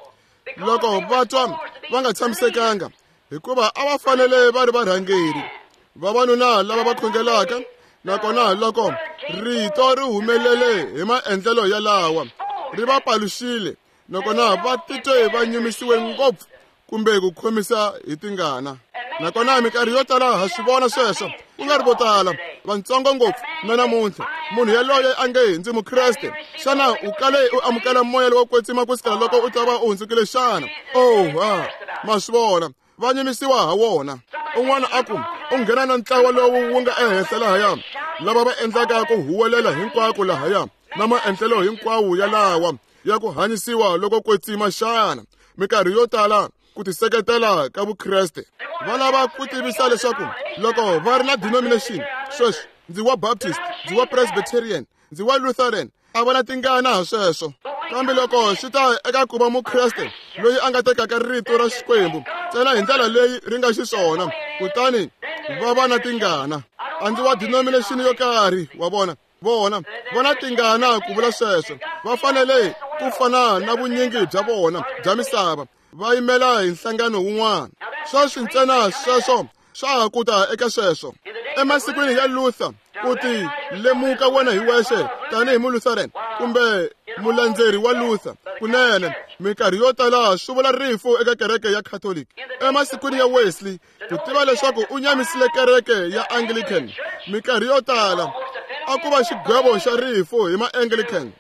loko va twa va nga tshamisekanga, hikuva a va fanele va ri varhangeri, vavanuna lava va khongelaka, nakona loko rito ri humelele hi maendlelo yalawa, ri va paluxile, nakona va titwe va nyumisiwe ngopfu kumbe ku khomisa hi tingana. Nakona minkarhi yo tala ha swi vona sweswo, ku nga ri vo tala, vantsongo ngopfu na namuntlha. Munhu yaloye a nge ndzi Mukreste, xana u kale u amukela moya lowo kwetsima ku sukela loko u ta va u hundzukile xana? Oh, ha, ma swi vona, va nyumisiwa ha wona. Un'wana a ku, u nghena na ntlawa lowu wu nga ehenhla lahaya, lava va endlaka ku huwelela hinkwako lahaya, na maendlelo hinkwawo yalawa ya ku hanyisiwa loko kwetsima xana? Minkarhi yo tala ku tiseketela ka Vukreste, va lava ku tivisa leswaku loko va ri na denomination, sweswi ndzi wa Baptist, ndzi wa Presbyterian, ndzi wa Lutheran, a va na tingana ha sweswo. Kambe loko swi ta eka ku va Mukreste loyi a nga tekaka rito ra Xikwembu ntsena hi ndlela leyi ri nga xiswona, kutani va va na tingana. A ndzi wa denomination yo karhi, wa vona. Vona, vona tingana ku vula sweswo. Va fanele ku fana na vunyingi bya vona bya misava, va yimela hi nhlangano wun'wana. Sweswi ntsena sweswo swa ha ku ta eka sweswo. Emasikwini ya Luther, ku ti lemuka wena hi wexe tanihi Mulutheran kumbe mulandzeri wa Luther, kunene minkarhi yo tala swi vula rifu eka kereke ya Catholic. Emasikwini ya Wesley, ku tiva leswaku u nyamisile kereke ya Anglican, minkarhi yo tala a ku va xigwevo xa rifu hi ma-Anglican,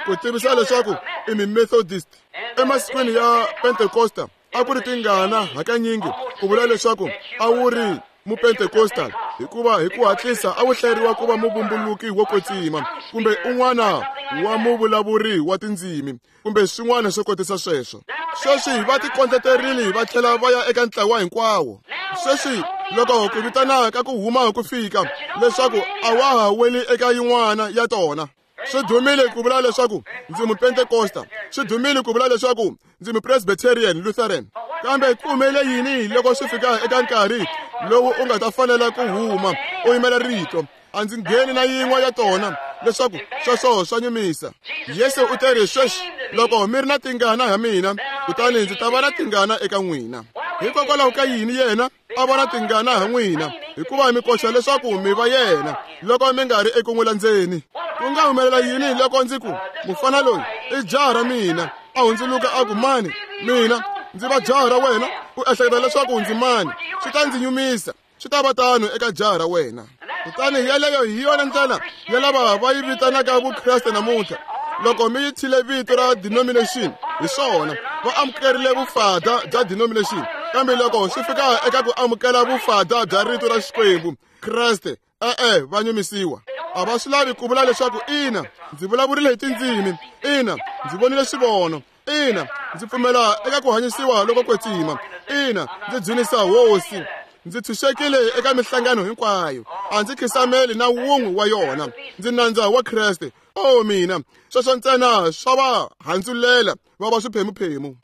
ku tivisa leswaku i mi-Methodist. Emasikwini ya Pentecosta, a ku ri tingana hakanyingi ku vula leswaku a wu ri Mupentecostal, hikuva hi ku hatlisa a wu hlayeriwa ku va muvumbuluki wo kwetsima kumbe un'wana wa muvulavuri wa tindzimi kumbe swin'wana swo kotisa sweswo. Sweswi va tikondleterile va tlhela va ya eka ntlawa hinkwawo. Sweswi loko ku vitana ka ku huma ku fika leswaku a wa ha weli eka yin'wana ya tona. Swi dumile ku vula leswaku ndzi Mupentecosta, swi dumile ku vula leswaku ndzi Mupresbyterian Lutheran, kambe ku humelele yini loko swi fika eka nkarhi lowu u nga ta fanela ku huma u yimela rito? A ndzi ngheni na yin'we ya tona leswaku sweswo swa nyumisa. Yesu u teri, sweswi loko mi ri na tingana ha mina, kutani ndzi ta va na tingana eka n'wina. Hikokwalaho ka yini yena a vona tingana ha n'wina? Hikuva mi koxa leswaku mi va yena loko mi nga ri eku n'wi landzeni. Ku nga humelela yini loko ndzi ku, mufana loyi i jaha ra mina, a hundzuluka a ku, mani, mina ndzi va jaha ra wena? U ehleketa leswaku ndzi mani? Swi ta ndzi nyumisa. Swi ta va tano eka jaha ra wena. Kutani yeleyo hi yona ndlela ya lava va yi vitanaka Vukreste namuntlha. Loko mi yi thyile vito ra denomination, hi swona, va amukerile vufada bya denomination. Kambe loko swi fika eka ku amukela vufada bya rito ra Xikwembu, Kreste, e-e, va nyumisiwa. A va swi lavi ku vula leswaku, ina, ndzi vulavurile hi tindzimi, ina, ndzi vonile swivono, ina, ndzi pfumela eka ku hanyisiwa loko kwetsima, ina, ndzi dzunisa Hosi, ndzi tshunxekile eka mihlangano hinkwayo, a ndzi khisameli na wun'we wa yona, ndzi nandza wa Kreste. O mina, sweswo ntsena swa va handzulela va va swiphemuphemu.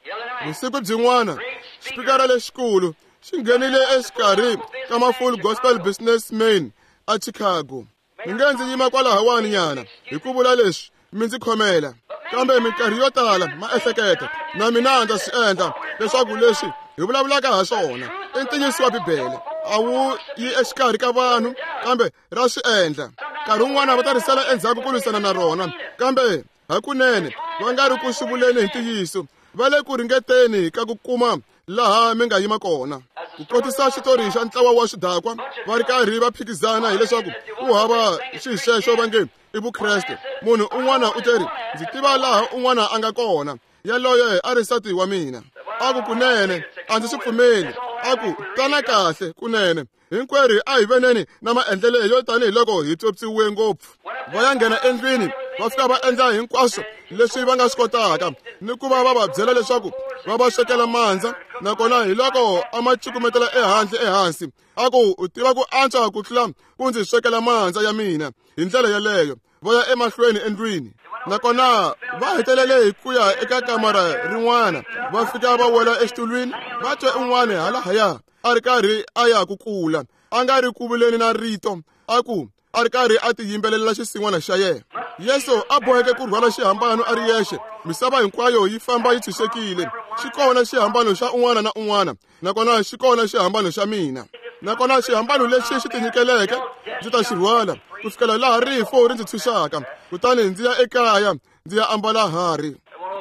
Vusiku byin'wana, xipikara lexikulu xi nghenile exikarhi ka ma-Full Gospel Businessmen a Chicago. Mi nge ndzi yima kwalahawani nyana hi ku vula leswi, mi ndzi khomela. Kambe minkarhi yo tala ma ehleketa, na mina ndza swi endla, leswaku leswi hi vulavulaka ha swona i ntiyiso wa Bibele. A wu yi exikarhi ka vanhu, kambe ra swi endla. Nkarhi wun'wana va ta risela endzhaku ku lwisana na rona, kambe hakunene va nga ri ku swi vuleni hi ntiyiso, va le ku ringeteni ka ku kuma laha mi nga yima kona. Ku kotisa xitori xa ntlawa wa swidakwa va ri karhi va phikizana hileswaku ku hava xixexo va nge i Vukreste. Munhu un'wana u teri, ndzi tiva laha un'wana a nga kona, yaloye a ri nsati wa mina. A ku, kunene a ndzi swi pfumeli. A ku, tana kahle, kunene hinkwerhu a hi veneni na maendlelo yo tanihiloko hi pyopyiwe ngopfu. Va ya nghena endlwini, va fika va endla hinkwaswo leswi va nga swi kotaka, ni ku va va va byela leswaku va va swekela mandza, nakona hi loko a ma cukumetela ehandle ehansi. A ku, u tiva ku antswa ku tlula ku ndzi swekela mandza ya mina hi ndlela yeleyo. Va ya emahlweni endlwini, nakona va hetelele hi ku ya eka kamara rin'wana, va fika va wela exitulwini, va twe un'wana halahaya a ri karhi a ya ku kula, a nga ri ku vuleni na rito, a ku a ri karhi a tiyimbelela xisin'wana xa yena. Yesu a boheke ku rhwala xihambano a ri yexe, misava hinkwayo yi famba yi tshunxekile. Xi kona xihambano xa un'wana na un'wana, nakona xi kona xihambano xa mina. Nakona xihambano lexi xi tinyikeleke ndzi ta xi rhwala ku fikela laha rifu ri ndzi tshunxaka, kutani ndzi ya ekaya ndzi ya ambala harhi.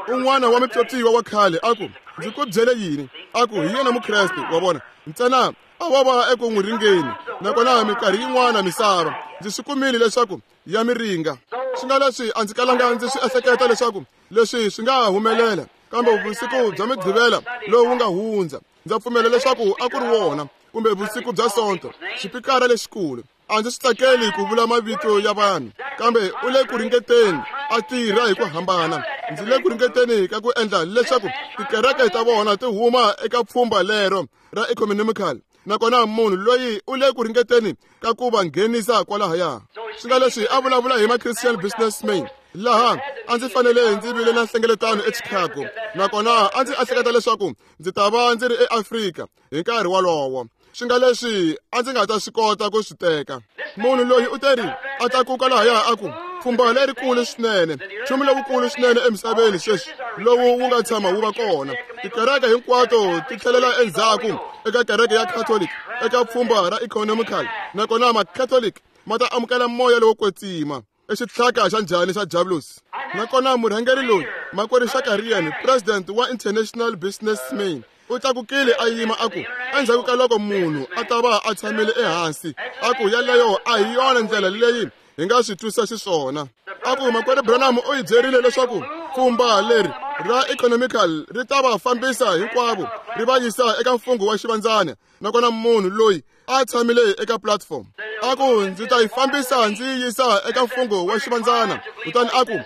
Un'wana wa mipyopyiwa wa khale a ku, ndzi ku byele yini? A ku, hi yena Mukreste, wa vona, ntsena a wa va eku n'wi ringeni. Nakona minkarhi yin'wana misava ndzi swi kumile leswaku ya mi ringa. Swi nga leswi a ndzi kalanga ndzi swi ehleketa leswaku leswi swi nga humelela, kambe vusiku bya Mugqivela lowu nga hundza, ndza pfumela leswaku a ku ri wona, kumbe vusiku bya Sonto, xipikara lexikulu. A ndzi swi tsakeli ku vula mavito ya vanhu, kambe u le ku ringeteni a tirha hi ku hambana. Ndzi le ku ringeteni ka ku endla leswaku tikereke ta vona ti huma eka pfhumba lero ra economical, nakona munhu loyi u le ku ringeteni ka ku va nghenisa kwalahaya. Swi nga leswi a vulavula hi ma-Christian businessmen, laha a ndzi fanele ndzi vile na nhlengeletano eChicago, nakona a ndzi ehleketa leswaku ndzi ta va ndzi ri eAfrika hi nkarhi wolowo. Swi nga leswi a ndzi nga ta swi kota ku swi teka. Munhu loyi u teri a tlakuka lahaya a ku pfhumba lerikulu swinene, nchumu lowukulu swinene emisaveni sweswi lowu wu nga tshama wu va kona. Tikereke hinkwato ti tlhelela endzhaku eka kereke ya Catholic eka pfhumba ra economical, nakona ma-Catholic ma ta amukela moya lowo kwetsima. I xitlhaka xa njhani xa Diablos? Nakona murhangeri loyi, makwerhu Shakarian, president wa International Businessmen, u tlakukile a yima a ku endzhaku ka loko munhu a ta va a tshamile ehansi, a ku yaleyo a hi yona ndlela leyi hi nga swi twisa xiswona. A ku makwerhu Branham u hi byerile leswaku pfhumba leri ra economical ri ta va fambisa hinkwavo ri va yisa eka mfungho wa xivandzana, nakona munhu loyi a tshamile eka platform a ku ndzi ta yi fambisa ndzi yi yisa eka mfungho wa xivandzana. Kutani a ku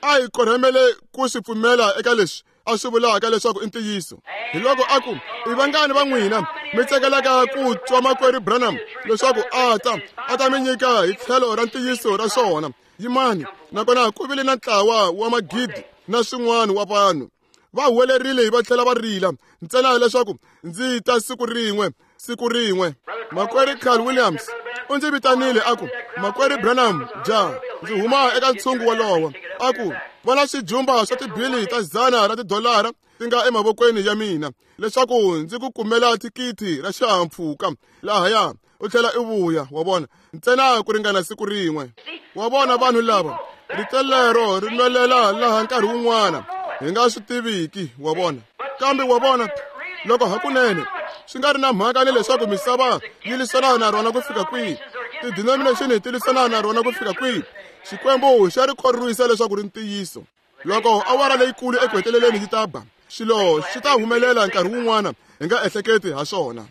a hi korhamele ku swi pfumela eka leswi a swi vulaka leswaku i ntiyiso. Hi loko a ku i vangani va n'wina mi tsakelaka ku twa makwerhu Branham leswaku a ta mi nyika hi tlhelo ra ntiyiso ra swona? Yimani. Nakona ku vile na ntlawa wa magidi na swin'wana wa vanhu va huwelerile va tlhela va rila ntsena leswaku ndzi ta siku rin'we, siku rin'we. Makwerhu Carl Williams u ndzi vitanile a ku makwerhu Branham, ja ndzi huma eka ntshungu wolowo. A ku vona swijumba swa tibili ta $100 ti nga emavokweni ya mina leswaku ndzi ku kumela thikithi ra xihahampfhuka lahaya u tlhela i vuya, wa vona, ntsena ku ringana siku rin'we. Wa vona vanhu lava rito lero ri nwelela laha nkarhi wun'wana hi nga swi tiviki, wa vona. Kambe wa vona loko hakunene swi nga ri na mhaka ni leswaku misava yi lwisana na rona ku fika kwihi, ti-denomination ti lwisana na rona ku fika kwihi, Xikwembu xa ri khorwisa leswaku ri ntiyiso. Loko awara leyikulu eku heteleleni yi ta ba, swilo swi ta humelela nkarhi wun'wana hi nga ehleketi ha swona.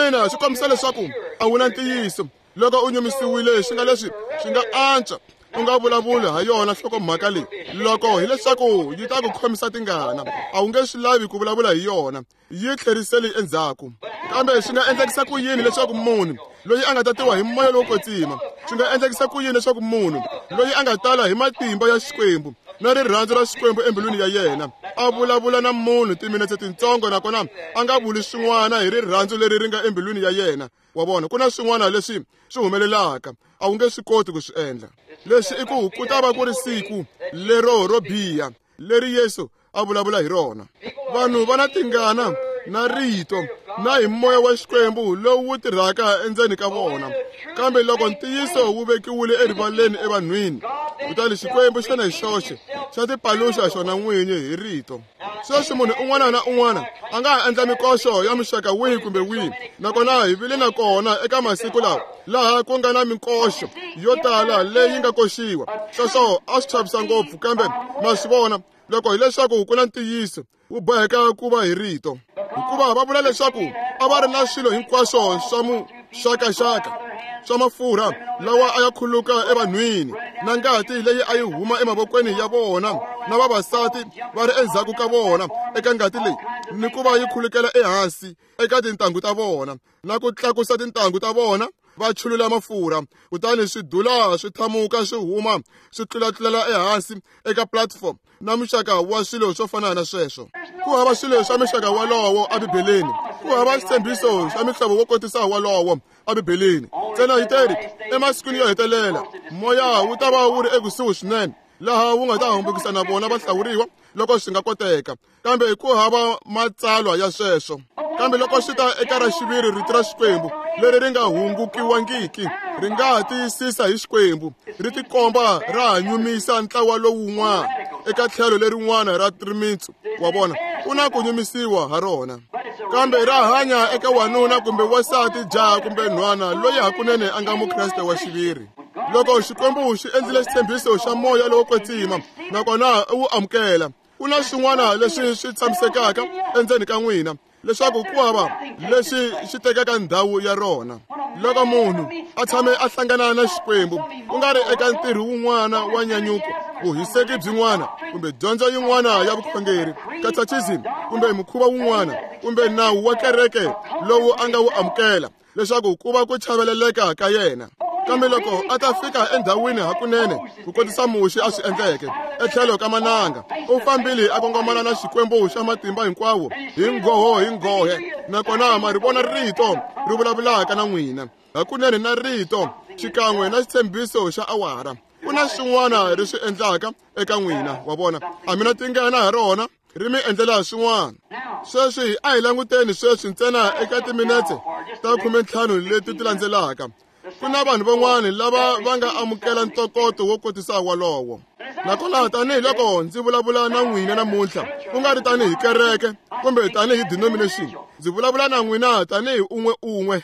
Ina, swi kombisa leswaku a wu na ntiyiso. Loko u nyumisiwile swi nga leswi swi nga antswa u nga vulavuli ha yona nhlokomhaka leyi, loko hileswaku yi ta ku khomisa tingana, a wu nge swi lavi ku vulavula hi yona, yi tlheriseli endzhaku. Kambe swi nga endlekisa ku yini leswaku munhu loyi a nga tatiwa hi moya lowo kwetsima, swi nga endlekisa ku yini leswaku munhu loyi a nga tala hi matimba ya Xikwembu na rirhandzu ra Xikwembu embilwini ya yena a vulavula na munhu timinetse tintsongo, nakona a nga vuli swin'wana hi rirhandzu leri ri nga embilwini ya yena? Wa vona, ku na swin'wana leswi swi humelelaka a wu nge swi koti ku swi endla. Leswi i ku ku ta va ku ri siku lero ro biha leri Yesu a vulavula hi rona. Vanhu va na tingana na rito na hi moya wa Xikwembu lowu wu tirhaka endzeni ka vona, kambe loko ntiyiso wu vekiwile erivaleni evanhwini, kutani Xikwembu xona hi xoxe xa tipaluxa xona n'winyi hi rito. Sweswi munhu un'wana na un'wana a nga ha endla mikoxo ya muxaka wihi kumbe wihi, nakona hi vile na kona eka masiku lawa laha ku nga na minkoxo yo tala leyi nga koxiwa. Sweswo a swi chavisa ngopfu, kambe ma swi vona loko hileswaku ku na ntiyiso wu boheka ku va hi rito, hikuva va vula leswaku a va ri na swilo hinkwaswo swa muxakaxaka swa mafurha lawa a ya khuluka evanhwini na ngati leyi a yi huma emavokweni ya vona na vavasati va ri endzhaku ka vona eka ngati leyi, ni ku va yi khulukela ehansi eka tintangu ta vona na ku tlakusa tintangu ta vona va chulula mafurha, kutani swidula swi thamuka swi huma swi tlulatlulela ehansi eka platform na muxaka wa swilo swo fana na sweswo. Ku hava swilo swa muxaka walowo eBibeleni, ku hava xitshembiso xa mihlovo wo kotisa walowo eBibeleni. Ntsena yi teri emasikwini yo hetelela moya wu ta va wu ri ekusuhi swinene laha wu nga ta hambukisa na vona va hlawuriwa loko swi nga koteka, kambe ku hava matsalwa ya sweswo. Kambe loko swi ta eka ra xiviri rito ra Xikwembu leri ri nga hungukiwangiki, ri nga tiyisisa hi Xikwembu, ri tikomba ra ha nyumisa ntlawa lowun'wana eka tlhelo lerin'wana ra rimitsu wa vona, ku na ku nyumisiwa ha rona, kambe ra hanya eka wanuna kumbe wansati, jaha kumbe nhwana loyi hakunene a nga Mukreste wa xiviri. Loko Xikwembu xi endlile xitshembiso xa moya lowo kwetsima nakona u wu amukela, ku na swin'wana leswi swi tshamisekaka endzeni ka n'wina leswaku ku hava leswi xi tekaka ndhawu ya rona. Loko munhu a tshame a hlangana na Xikwembu, ku nga ri eka ntirho wun'wana wa nyanyuko, vuhiseki byin'wana kumbe dyondzo yin'wana ya vukhongeri, catechism kumbe mukhuva wun'wana kumbe nawu wa kereke lowu a nga wu amukela leswaku ku va ku chaveleleka ka yena, kambe loko a ta fika endhawini hakunene ku kotisa Muxe a swi endleke etlhelo ka mananga, u fambile a kongomana na Xikwembu xa matimba hinkwawo hi nghoho hi nghohe, nakona ma ri vona rito ri vulavulaka na n'wina. hakunene na rito xikan'we na xitshembiso xa awara. Ku na swin'wana ri swi endlaka eka n'wina, wa vona. A mi na tingana ha rona, ri mi endlela swin'wana. Sweswi a hi languteni sweswi ntsena eka timinetse ta 15 leti ti landzelaka. Ku na vanhu van'wana lava va nga amukela ntokoto wo kotisa wolowo. Nakona tanihiloko ndzi vulavula na n'wina namuntlha, ku nga ri tanihi kereke kumbe tanihi denomination, ndzi vulavula na n'wina tanihi un'we un'we.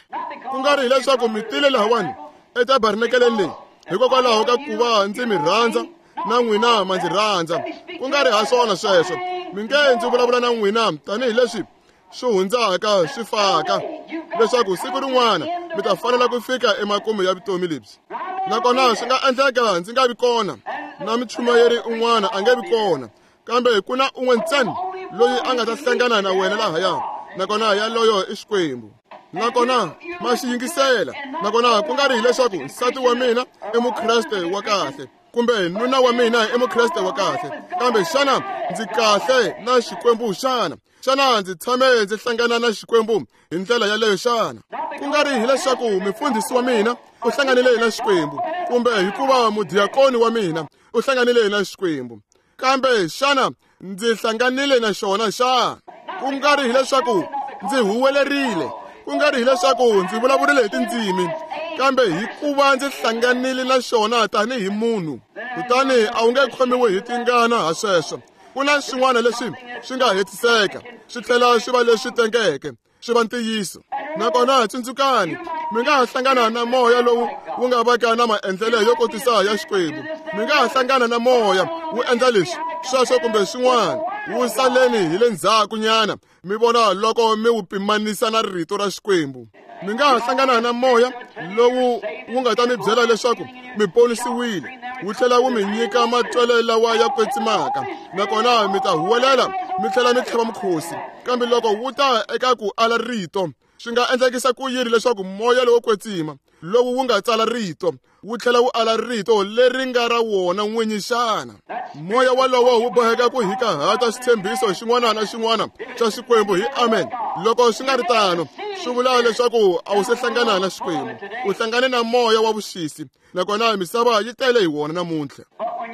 Ku nga ri hileswaku mi tile lahawani etabernakeleni leyi hikokwalaho ka ku va ndzi mi rhandza na n'wina ma ndzi rhandza. Ku nga ri ha swona sweswo. Mi nge ndzi vulavula na n'wina tanihileswi swi hundzaka swi faka, leswaku siku rin'wana mi ta fanela ku fika emakumu ya vutomi lebyi. Nakona swi nga endleka ndzi nga vi kona, na muchumayeri un'wana a nge vi kona, kambe ku na un'we ntsena loyi a nga ta hlangana na wena lahaya, nakona yaloyo i Xikwembu. Nakona ma xi yingisela. Nakona ku nga ri hileswaku nsati wa mina i mukreste wa kahle kumbe nuna wa mina i mukreste wa kahle, kambe xana ndzi kahle na Xikwembu xana? Xana ndzi tshame ndzi hlangana na Xikwembu hi ndlela yaleyo xana? Ku nga ri hileswaku mufundhisi wa mina u hlanganile na Xikwembu kumbe hikuva mudiakoni wa mina u hlanganile na Xikwembu, kambe xana ndzi hlanganile na xona xana? Ku nga ri hileswaku ndzi huwelerile, ku nga ri hileswaku ndzi vulavurile hi tindzimi, kambe hikuva ndzi hlanganile na xona tanihi munhu. Kutani a wu nge khomiwi hi tingana ha sweswo. Ku na swin'wana leswi swi nga hetiseka swi tlhela swi va leswi tengeke, swi va ntiyiso. Nakona tsundzukani, mi nga ha hlangana na moya lowu wu nga vaka na maendlelo yo kotisa ya Xikwembu. Mi nga ha hlangana na moya wu endla leswi, sweswo kumbe swin'wana, wu saleni hi le ndzhaku nyana, mi vona loko mi wu pimanisa na rito ra Xikwembu. Mi nga ha hlangana na moya lowu wu nga ta mi byela leswaku mi ponisiwile, wu tlhela wu mi nyika matwelo lawa ya kwetsimaka, nakona mi ta huwelela mi tlhela mi tlhava mukhosi. Kambe loko wu ta eka ku ala rito, swi nga endlekisa ku yini leswaku moya lowo kwetsima lowu wu nga tsala rito wu tlhela wu ala rito leri nga ra wona n'winyi xana? Moya walowo wu boheka ku hikahata xitshembiso xin'wana na xin'wana xa Xikwembu hi amen. Loko swi nga ri tano, swi vula leswaku a wu se hlangana na Xikwembu, u hlangane na moya wa vuxisi, nakona misava yi tele hi wona namuntlha.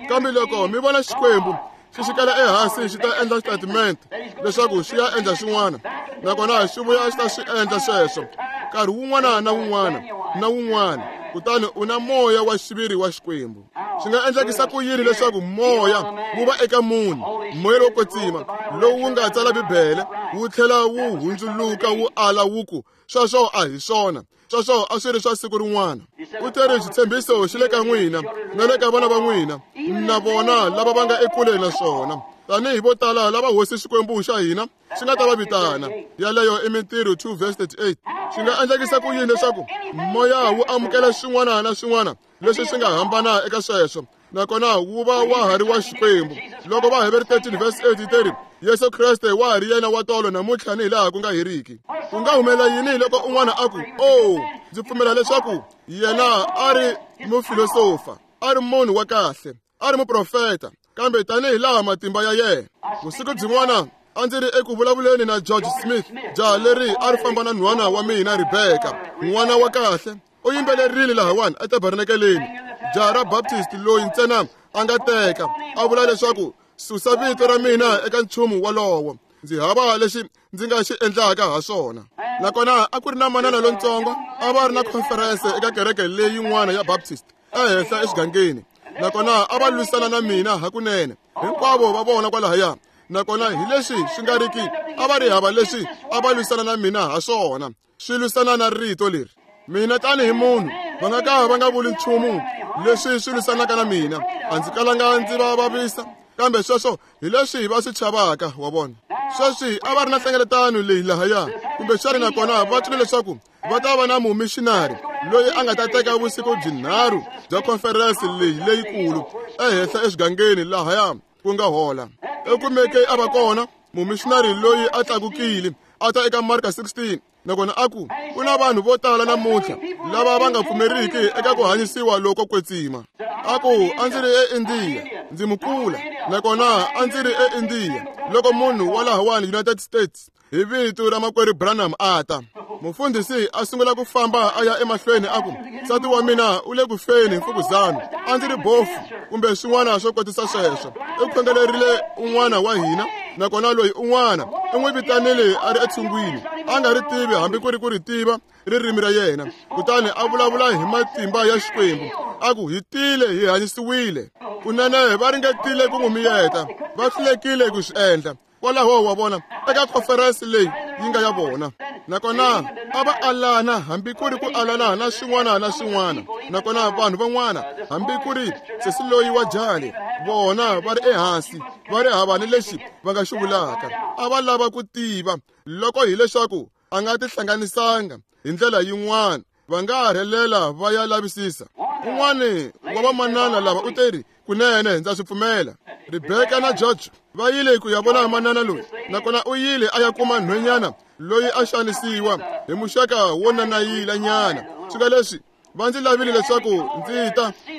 Kambe loko mi vona Xikwembu xi xikela ehansi xi ta endla xitatimende leswaku xi ya endla xin'wana, nakona xi vuya xi ta swi endla sweswo nkarhi wun'wana na wun'wana na wun'wana, kutani u na moya wa xiviri wa Xikwembu. Swi nga endlekisa ku yini leswaku moya wu va eka munhu, moya lowo kwetsima lowu wu nga tsala Bibele, wu tlhela wu hundzuluka wu ala wu ku sweswo a hi swona, sweswo a swi ri swa siku rin'wana? U teri xitshembiso xi le ka n'wina na le ka vana va n'wina na vona lava va nga ekule na swona, tanihi vo tala lava Hosi Xikwembu xa hina xi nga ta va vitana. Yaleyo i Mintirho 2 verse 38. Swi nga endlekisa ku yini leswaku moya wu amukela swin'wana na swin'wana leswi swi nga hambana eka sweswo, nakona wu va wa ha ri wa Xikwembu? Loko Vaheveri 13 verse 8 yi teri Yesu Kreste wa ha ri yena wa tolo namuntlha ni hilaha ku nga heriki, ku nga humelela yini loko un'wana a ku, "Oh, ndzi pfumela leswaku yena a ri mufilosofa, a ri munhu wa kahle, a ri muprofeta, kambe tanihi laha matimba ya yena." Vusiku byin'wana a ndzi ri eku vulavuleni na George Smith, jaha leri a ri famba na nhwana wa mina Rebecca, n'wana wa kahle. U yimbelerile lahawani etabernakeleni, jaha ra Baptist loyi ntsena a nga teka, a vula leswaku susa vito ra mina eka nchumu wolowo, ndzi hava lexi ndzi nga xi endlaka ha swona. Nakona a ku ri na manana lontsongo a va ri na conference eka kereke leyin'wana ya Baptist ehenhla exigangeni, nakona a va lwisana na mina hakunene, hinkwavo va vona kwalahaya. Nakona hi leswi swi nga riki a va ri hava leswi a va lwisana na mina ha swona, swi lwisana na rito leri. Mina tanihi munhu va nga ka va nga vuli nchumu leswi swi lwisanaka na mina, a ndzi kalanga ndzi va vavisa, kambe sweswo hi leswi va swi chavaka, wa vona. Sweswi a va ri na nhlengeletano leyi lahaya kumbexana, nakona va twile leswaku va ta va na mumishinari loyi a nga ta teka vusiku byinharhu bya conference leyi leyikulu ehenhla exigangeni lahaya ku nga hola. Ekumeke a va kona mumishinari loyi a tlakukile a ta eka Marka 16, nakona a ku ku na vanhu vo tala namuntlha lava va nga pfumeriki eka ku hanyisiwa loko kwetsima. A ku a ndzi ri eIndia, ndzi mukula, nakona a ndzi ri eIndia loko munhu wa lahawani United States hi vito ra makwerhu Branham a ta. Mufundhisi a sungula ku famba a ya emahlweni a ku, nsati wa mina u le ku feni hi mfukuzana, a ndzi ri bofu kumbe swin'wana swo kotisa sweswo. U khongelerile un'wana wa hina, nakona loyi un'wana u n'wi vitanile a ri etshungwini, a nga ri tivi hambi ku ri ku ri tiva ririmi ra yena. Kutani a vulavula hi matimba ya Xikwembu, a ku, hi tile hi hanyisiwile. Kunene va ringetile ku n'wi miyeta, va hlulekile ku swi endla. Kwalaho wa vona eka conference leyi yi nga ya vona, nakona a va alana hambi ku ri ku alana na swin'wana na swin'wana. Nakona vanhu van'wana hambi ku ri sesi loyi wa jali, vona va ri ehansi, va ri hava ni lexi va nga xi vulaka. A va lava ku tiva loko hileswaku a nga tihlanganisanga hi ndlela yin'wana, va nga rhelela va ya lavisisa. Un'wana wa vamanana lava u teri, kunene ndza swi pfumela. Rebecca na George va yile ku ya vona manana loyi, nakona u yile a ya kuma nhwenyana loyi a xanisiwa hi muxaka wo nanayila nyana. Swika leswi va ndzi lavile leswaku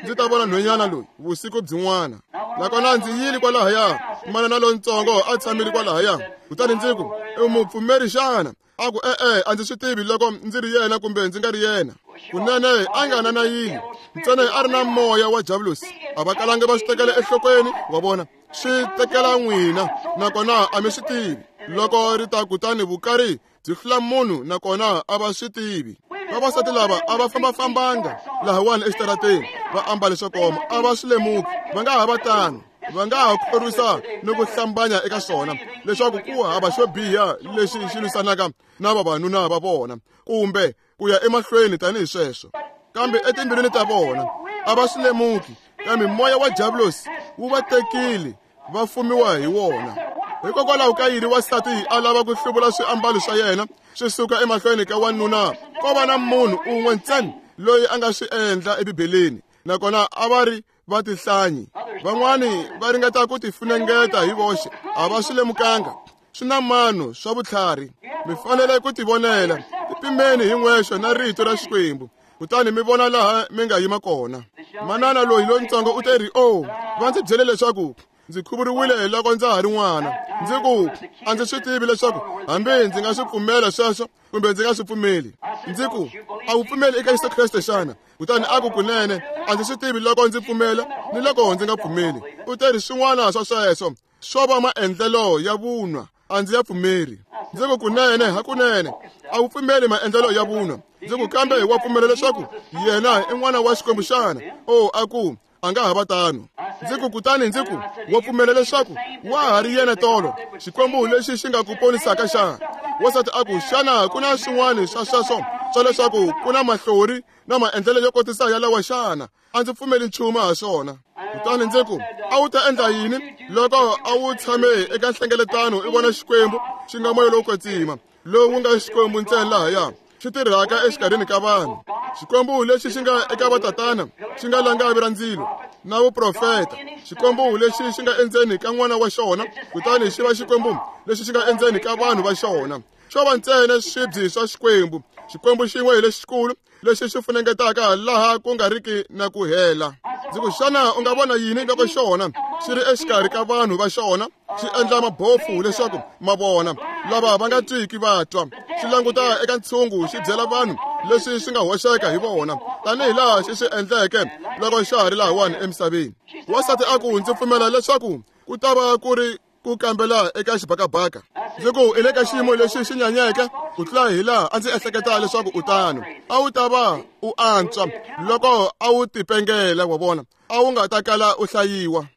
ndzi ta vona nhwenyana loyi vusiku byin'wana. Nakona ndzi yile kwalahaya, manana lontsongo a tshamile kwalahaya. Kutani ndzi ku, u mupfumeri xana? A ku, e-e, a ndzi swi tivi loko ndzi ri yena kumbe ndzi nga ri yena. Kunene a nga nanayili, ntsena a ri na moya wa Diablosi. A va kalanga va swi tekela enhlokweni, wa vona, swi tekela n'wina, nakona a mi swi tivi. Loko ri ta kutani vukari byi hlula munhu, nakona a va swi tivi. Vavasati lava a va fambafambanga lahawani exitarateni va ambale swo koma, a va swi lemuki. Va nga ha va tano, va nga ha khorwisa ni ku hlambanya eka swona leswaku ku hava xo biha lexi xi lwisanaka na vavanuna va vona kumbe ku ya emahlweni tanihi sweswo. Kambe etimbilwini ta vona a va swi lemuki, kambe moya wa Diablosi wu va tekile, va fumiwa hi wona. Hikokwalaho ka yini wansati a lava ku hluvula swiambalo swa yena swi suka emahlweni ka wanuna? Ko va na munhu un'we ntsena loyi a nga swi endla eBibeleni, nakona a va ri va tihlanyi. Van'wani va ringeta ku tifunengeta hi voxe, a va swi lemukanga. Swi na mano swa vutlhari, mi fanele ku tivonela. Tipimeni hi n'wexe na rito ra Xikwembu, kutani mi vona laha mi nga yima kona. Manana loyi lontsongo u teri, o, va ndzi byele leswaku ndzi khuvuriwile loko ndza ha ri n'wana. Ndzi ku, a ndzi swi tivi leswaku hambi ndzi nga swi pfumela sweswo kumbe ndzi nga swi pfumeli. Ndzi ku, a wu pfumeli eka Yesu Kreste xana? Kutani a ku, kunene a ndzi swi tivi loko ndzi pfumela ni loko ndzi nga pfumeli. U teri swin'wana swa sweswo swo va maendlelo ya vunwa, a ndzi ya pfumeri. Ndzi ku, kunene hakunene a wu pfumeli maendlelo ya vunwa. Ndzi ku, kambe wa pfumela leswaku yena i n'wana wa Xikwembu xana? O, a ku, a nga ha va tano. Ndzi ku, kutani ndzi ku, wa pfumela leswaku wa ha ri yena tolo, Xikwembu lexi xi nga ku ponisaka xana? Wansati a ku, xana ku na swin'wana swa sweswo swa leswaku ku na mahlori na maendlelo yo kotisa yalawa xana? A ndzi pfumeli nchumu ha swona. Kutani ndzi ku, a wu ta endla yini loko a wu tshame eka nhlengeletano i vona Xikwembu xi nga moya lowo kwetsima, lowu nga Xikwembu ntsena lahaya, xi tirhaka exikarhini ka vanhu? Xikwembu lexi xi nga eka vatatana, xi nga langavi ra ndzilo na vuprofeta. Xikwembu lexi xi nga endzeni ka n'wana wa xona, kutani xi va Xikwembu lexi xi nga endzeni ka vanhu va xona. Xo va ntsena swibyi swa Xikwembu, Xikwembu xin'we hi lexikulu lexi xi funengetaka laha ku nga riki na ku hela. Ndzi ku, xana u nga vona yini loko xona xi ri exikarhi ka vanhu va xona, xi endla mabofu leswaku ma vona, lava va nga twiki va twa, xi languta eka ntshungu xi byela vanhu leswi swi nga hoxeka hi vona, tanihi laha xi swi endleke loko xa ha ri lahawani emisaveni? Wansati a ku, ndzi pfumela leswaku ku ta va ku ri ku kambela eka xibakabaka. Ndzi ku, i le ka xiyimo lexi xi nyanyeke ku tlula hi laha a ndzi ehleketa leswaku u tano. A wu ta va u antswa loko a wu tipengela, wa vona, a wu nga ta kala u hlayiwa.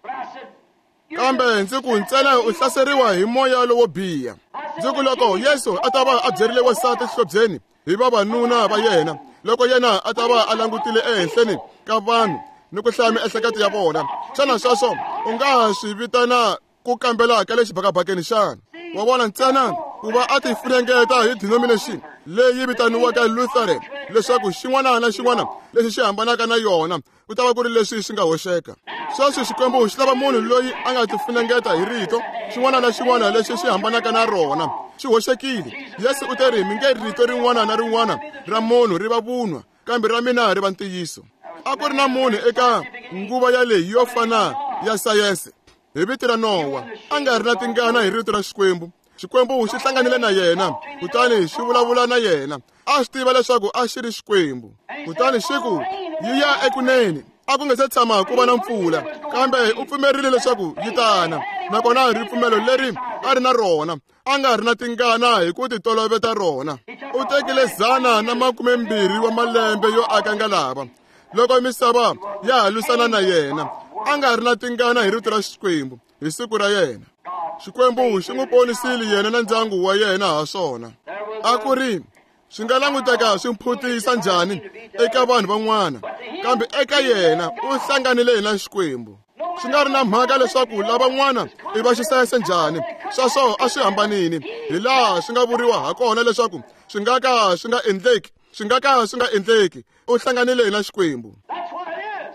Kambe ndzi ku, ntsena u hlaseriwa hi moya lowo biha. Ndzi ku, loko Yesu a ta va a byerile wansati xihlobyeni hi vavanuna va yena, loko yena a ta va a langutile ehenhleni ka vanhu ni ku hlaya miehleketo ya vona, xana sweswo u nga swi vitana ku kambela ka le xibakabakeni xana? Wa vona, ntsena ku va a tifunengeta hi denomination leyi vitaniwaka Lutheran, leswaku xin'wana na xin'wana lexi xi hambanaka na yona ku ta va ku ri leswi swi nga hoxeka. Sweswi Xikwembu xi lava munhu loyi a nga tifunengeta hi rito, xin'wana na xin'wana lexi xi hambanaka na rona xi hoxekile. Yesu u teri, mi nge rito rin'wana na rin'wana ra munhu ri va vunwa, kambe ra mina ri va ntiyiso. A ku ri na munhu eka nguva yaleyi yo fana ya sayense hi vito ra Nowa, a nga ri na tingana hi rito ra Xikwembu. Xikwembu xi hlanganile na yena, kutani xi vulavula na yena. A swi tiva leswaku a xi ri Xikwembu. Kutani xi ku, yi ya ekunene. A ku nga se tshama ku va na mpfula, kambe u pfumerile leswaku yi tana. Nakona ripfumelo leri a ri na rona, a nga ri na tingana hi ku titoloveta rona. U tekile 120 wa malembe yo aka ngalava. Loko misava ya ha lwisana na yena, a nga ri na tingana hi rito ra Xikwembu hi siku ra yena. Xikwembu xi n'wi ponisile yena na ndyangu wa yena ha swona. A ku ri swi nga languteka swi mphutisa njhani eka vanhu van'wana, kambe eka yena u hlanganile na Xikwembu. Swi nga ri na mhaka leswaku lavan'wana i va xisayese njhani, sweswo a swi hambanini hi laha swi nga vuriwa ha kona leswaku swi nga ka swi nga endleki, swi nga ka swi nga endleki. U hlanganile na Xikwembu.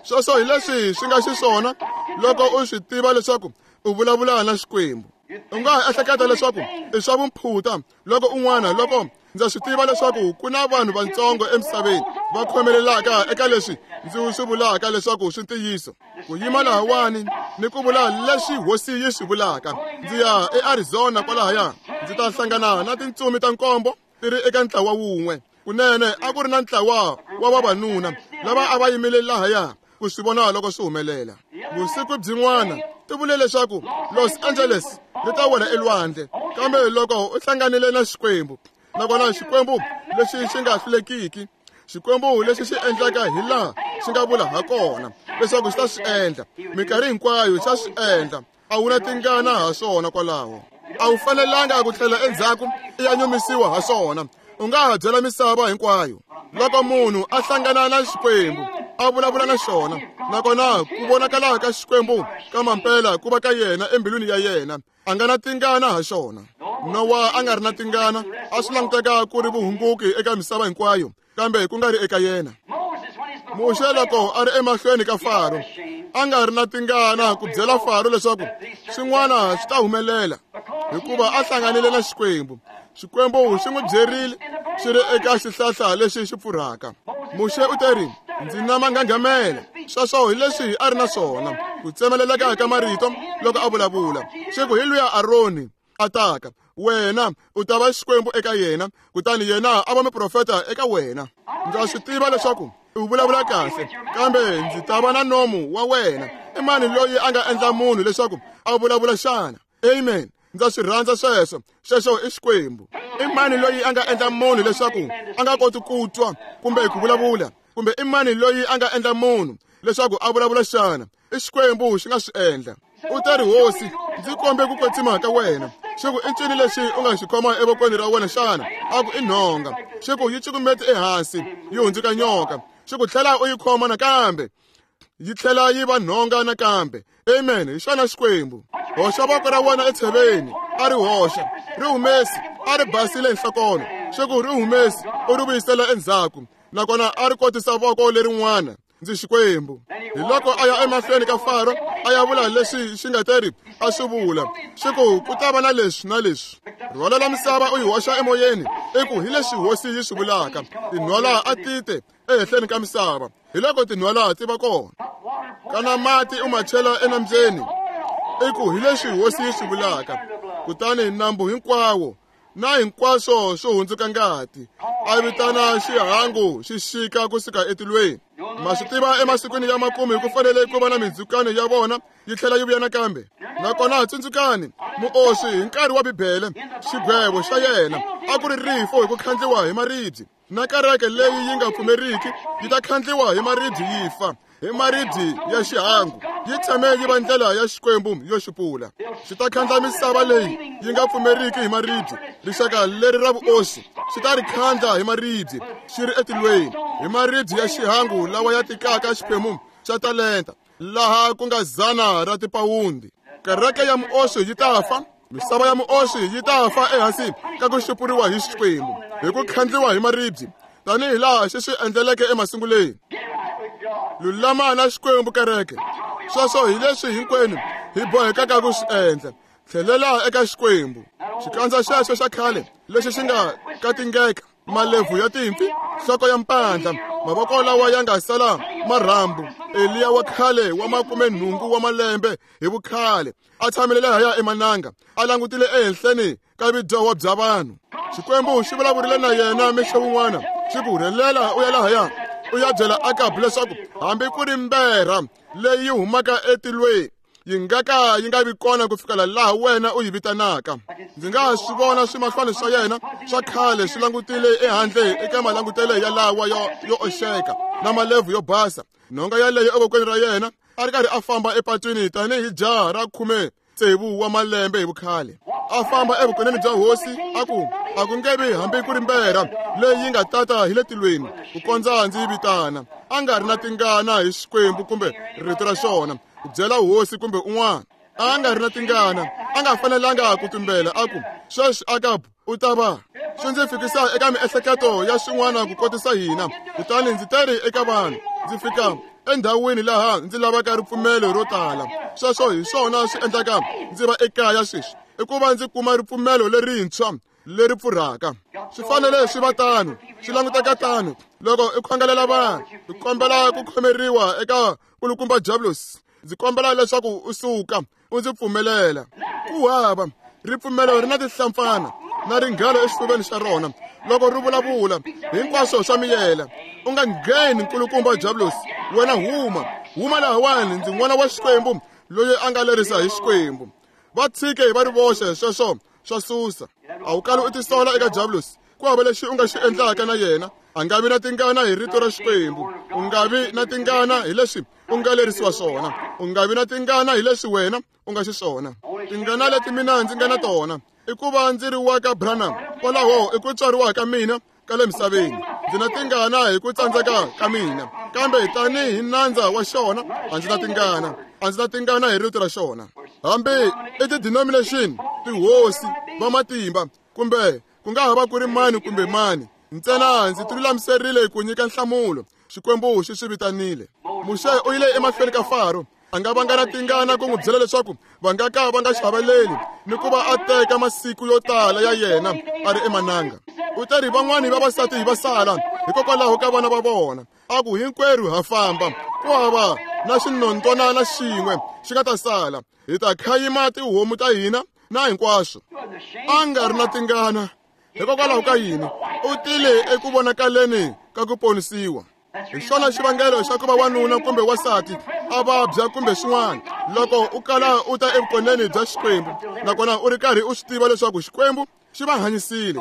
Sweswo hi leswi swi nga xiswona loko u swi tiva leswaku u vulavula na Xikwembu. U nga ha ehleketa leswaku i swa vumphuta loko un'wana, loko ndza swi tiva leswaku ku na vanhu vantsongo emisaveni va khomelelaka eka leswi ndzi swi vulaka leswaku swi ntiyiso. Ku yima lahawani ni ku vula leswi hosi yi swi vulaka. Ndzi ya eArizona kwalahaya, ndzi ta hlangana na tintsumi ta nkombo ti ri eka ntlawa wun'we. Kunene a ku ri na ntlawa wa vavanuna lava a va yimile lahaya ku swi vona loko swi humelela. Vusiku byin'wana ti vule leswaku Los Angeles ri ta wela elwandle, kambe loko u hlanganile na Xikwembu, nakona Xikwembu lexi xi nga hlulekiki, Xikwembu lexi xi endlaka hi laha xi nga vula ha kona leswaku xi ta swi endla, minkarhi hinkwayo xa swi endla. A wu na tingana ha swona kwalaho. A wu fanelanga ku tlhela endzhaku i ya nyumisiwa ha swona. U nga ha byela misava hinkwayo. Loko munhu a hlangana na Xikwembu, a vulavula na xona, nakona ku vonakala ka Xikwembu ka mampela ku va ka yena embilwini ya yena, a nga na tingana ha xona. Nowa a nga ri na tingana, a swi languteka ku ri vuhunguki eka misava hinkwayo, kambe ku nga ri eka yena. Muxe loko a ri emahlweni ka Faro, a nga ri na tingana ku byela Faro leswaku swin'wana swi ta humelela, hikuva a hlanganile na Xikwembu. Xikwembu xi n'wi byerile xi ri eka xihlahla lexi xi pfurhaka. Muxe u teri, ndzi na manghanghamela. Sweswo hi leswi a ri na swona, ku tsemeleleka ka marito loko a vulavula. Xi ku hi luya Aroni a taka, wena u ta va Xikwembu eka yena, kutani yena a va muprofeta eka wena. Ndza swi tiva leswaku u vulavula kahle, kambe ndzi ta va na nomu wa wena. I mani loyi a nga endla munhu leswaku a vulavula xana? Amen. Ndza swi rhandza sweswo. Xexo i Xikwembu. I mani loyi a nga endla munhu leswaku a nga koti ku twa kumbe ku vulavula? Kumbe i mani loyi a nga endla munhu leswaku a vulavula xana? I Xikwembu xi nga swi endla. U ta ri, Hosi, ndzi kombe ku kwetsima ka wena. Xi ku, i ncini lexi u nga xi khoma evokweni ra wena xana? A ku, i nhonga. Xi ku, yi cukumete ehansi, yi hundzuka nyoka. Xi ku, tlhela u yi khoma nakambe, yi tlhela yi va nhonga nakambe. Amen. Hi xona Xikwembu. Hoxa voko ra wena etsheveni, a ri hoxa, ri humesi, a ri basile nhlokolo. Xi ku, ri humesi, u ri vuyisela endzhaku. Nakona a ri kotisa voko lerin'wana. Ndzi Xikwembu. Hi loko a ya emahlweni ka Faro, a ya vula leswi xi nga teri a swi vula. Xi ku, ku ta va na leswi na leswi. Rhwalela misava u yi hoxa emoyeni, i ku hi leswi hosi yi swi vulaka. Tinhwala a ti te ehenhleni ka misava. Hi loko tinhwala ti va kona. Kana mati u ma chela enambyeni, i ku hi leswi hosi yi swi vulaka. Kutani nambu hinkwawo na hinkwaswo swo hundzuka ngati, a vitana xihangu xi xika kusuka etilweni. Ma swi tiva emasikwini ya makumu ku fanele ku va na mindzhukano ya vona yi tlhela yi vuya nakambe. Nakona tsundzukani, muoswi hi nkarhi wa Bibele, xigwevo xa yena a ku ri rifu hi ku khandliwa hi maribye. Na kereke leyi yi nga pfumeriki yi ta khandliwa hi maribye yi fa, hi maribye ya xihangu. Yi tshame yi va ndlela ya Xikwembu yo xupula. Xi ta khandla misava leyi yi nga pfumeriki hi maribye. Rixaka leri ra vuoswi xi ta ri khandla hi maribye xi ri etilweni, hi maribye ya xihangu lawa ya tikaka xiphemu xa talenta, laha ku nga 100 ra tipawundi. Kereke ya muoswi yi ta fa, misava ya muoswi yi ta fa ehansi ka ku xupuriwa hi Xikwembu hi ku khandliwa hi maribye, tanihi laha xi swi endleleke emasunguleni. Lulama na Xikwembu kereke. Sweswo hi leswi hinkwenu hi bohekaka ku swi endla. Tlhelela eka Xikwembu. Xikandza xexo xa khale lexi xi nga katingeka. Malebvu ya timpfi, nhloko ya mpandla, mavoko lawa ya nga sala marhambu. Eliya wa khale wa 80 wa malembe hi vukhale a tshamile lahaya emananga, a langutile ehenhleni ka vudyoho bya vanhu. Xikwembu xi vulavurile na yena mixo wun'wana, xi ku rhelela u ya lahaya u ya byela Akabu leswaku hambi ku ri mberha leyi humaka etilweni yi nga ka yi nga vi kona ku fikela laha wena u yi vitanaka. Ndzi nga swi vona swimahlwana swa yena swa khale swi langutile ehandle eka malangutelo ya lawa yo oxeka na malebvu yo basa. Nhonga yaleyo evokweni ra yena a ri karhi a famba epatwini tanihi jaha ra 16 wa malembe hi vukhale. A famba evukoneni bya hosi a ku a ku nge vi hambi ku ri mberha leyi yi nga tata hi le tilweni ku kondza ndzi yi vitana. A nga ri na tingana hi Xikwembu kumbe rito ra xona ku byela hosi kumbe un'wana. A nga ri na tingana, a nga fanelanga ku tumbela a ku sweswi Akabu u ta va. Swi ndzi fikisa eka miehleketo ya swin'wana ku kotisa hina. Kutani ndzi teri eka vanhu, ndzi fika endhawini laha ndzi lavaka ripfumelo ro tala. Sweswo hi swona swi endlaka ndzi va ekaya sweswi, i ku va ndzi kuma ripfumelo lerintshwa leri pfurhaka. Swi fanele swi va tano, swi languteka tano loko i khongelela vanhu. Ndzi kombela ku khomeriwa eka kulukumba Diablos. Ndzi kombela leswaku u suka u ndzi pfumelela. Ku hava ripfumelo ri na tinhlampfana na ringhalo exifuveni xa rona loko ri vulavula hinkwaswo swa miyela. U nga ngheni nkulukumba Diablos, wena huma, huma lahawani, ndzi n'wana wa Xikwembu loyi a nga lerisa hi Xikwembu. Va tshike va ri voxe, sweswo swa susa. A wu kali u tisola eka Diablos. Ku hava lexi u nga xi endlaka na yena. A nga vi na tingana hi rito ra Xikwembu. U nga vi na tingana hi leswi u nga lerisiwa swona. U nga vi na tingana hi leswi wena u nga xiswona. Tingana leti mina ndzi nga na tona i ku va ndzi ri wa ka Branham. Kwalaho i ku tswariwa ka mina ka le misaveni. Ndzi na tingana hi ku tsandzeka ka mina, kambe tanihi nandza wa xona a ndzi na tingana. A ndzi na tingana hi rito ra xona. Hambi i ti-denomination, tihosi, vamatimba, kumbe ku nga ha va ku ri mani kumbe mani, ntsena ndzi tilulamiserile ku nyika nhlamulo. Xikwembu xi swi vitanile. Muxe u yile emahlweni ka Faro. A nga vanga na tingana ku n'wi byela leswaku va nga ka va nga xaveleli ni ku va a teka masiku yo tala ya yena a ri emananga. U teri van'wani vavasati va sala hikokwalaho ka vana va vona. A ku hinkwerhu ha famba, ku hava na xinondzwana xin'we xi nga ta sala. Hi ta khayima tihomu ta hina na hinkwaswo. A nga ri na tingana hikokwalaho ka yini? U tile eku vonakaleni ka ku ponisiwa. Hi xona xivangelo xa ku va wanuna kumbe wansati a vabya kumbe swin'wana. Loko u kala u ta evukoneni bya Xikwembu nakona u ri karhi u swi tiva leswaku Xikwembu xi va hanyisile,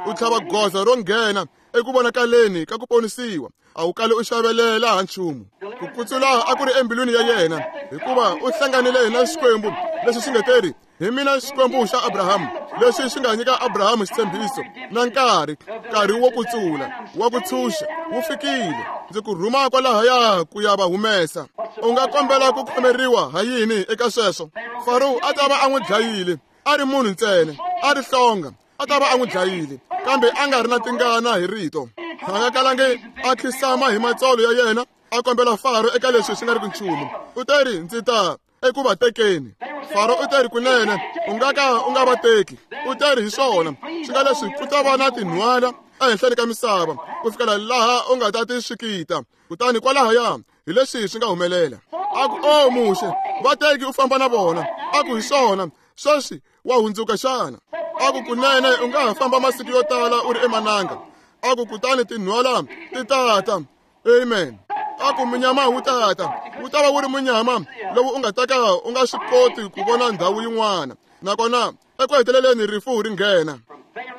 u tlhava goza ro nghena eku vonakaleni ka ku ponisiwa. A wu kali u xavelela ha nchumu. Ku kutsula a ku ri embilwini ya yena, hikuva u hlanganile na Xikwembu lexi xi nga teri hi mina Xikwembu xa Abrahamu, lexi xi nga nyika Abrahamu xitshembiso na nkarhi wo kutsula, wa ku tshunxa wu fikile. Ndzi ku rhuma kwalahaya ku ya va humesa. U nga kombela ku khomeriwa ha yini eka sweswo? Faro a ta va a n'wi dlayile, a ri munhu ntsena, a ri hlonga, a ta va a n'wi dlayile, kambe a nga ri na tingana hi rito. A nga kalangi a khisama hi matsolo ya yena a kombela Faro eka leswi swi nga ri ku nchumu. U teri ndzi ta eku va tekeni. Faro u teri kunene u nga ka u nga va teki. U teri hi swona swi nga leswi ku ta va na tinhwala ehenhleni ka misava ku fikela laha u nga ta ti swikita. Kutani kwalahaya hi leswi swi nga humelela. A ku o Muxe, va teki u famba na vona. A ku hi swona sweswi wa hundzuka xana? A ku kunene u nga ha famba masiku yo tala u ri emananga. A ku kutani tinhwala ti tata. Amen. A ku munyama wu tata, wu ta va wu ri munyama lowu u nga ta ka u nga swi koti ku vona ndhawu yin'wana. Nakona eku heteleleni rifu ri nghena.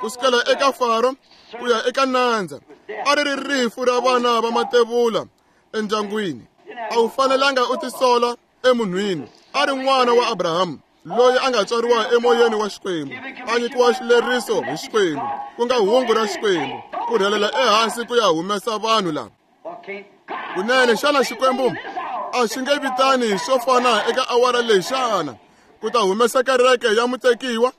Ku sukela eka Faro ku ya eka nandza, a ri ri rifu ra vana va matevula endyangwini. A wu fanelanga u tisola emunhwini. A ri n'wana wa Abrahamu loyi a nga tswariwa emoyeni wa Xikwembu, a nyikiwa xileriso hi Xikwembu, ku nga hungu ra Xikwembu, ku rhelela ehansi ku ya humesa vanhu lava. Kunene xana Xikwembu a xi nge vitani swo fana eka awara leyi xana ku ta humesa kereke ya mutekiwa?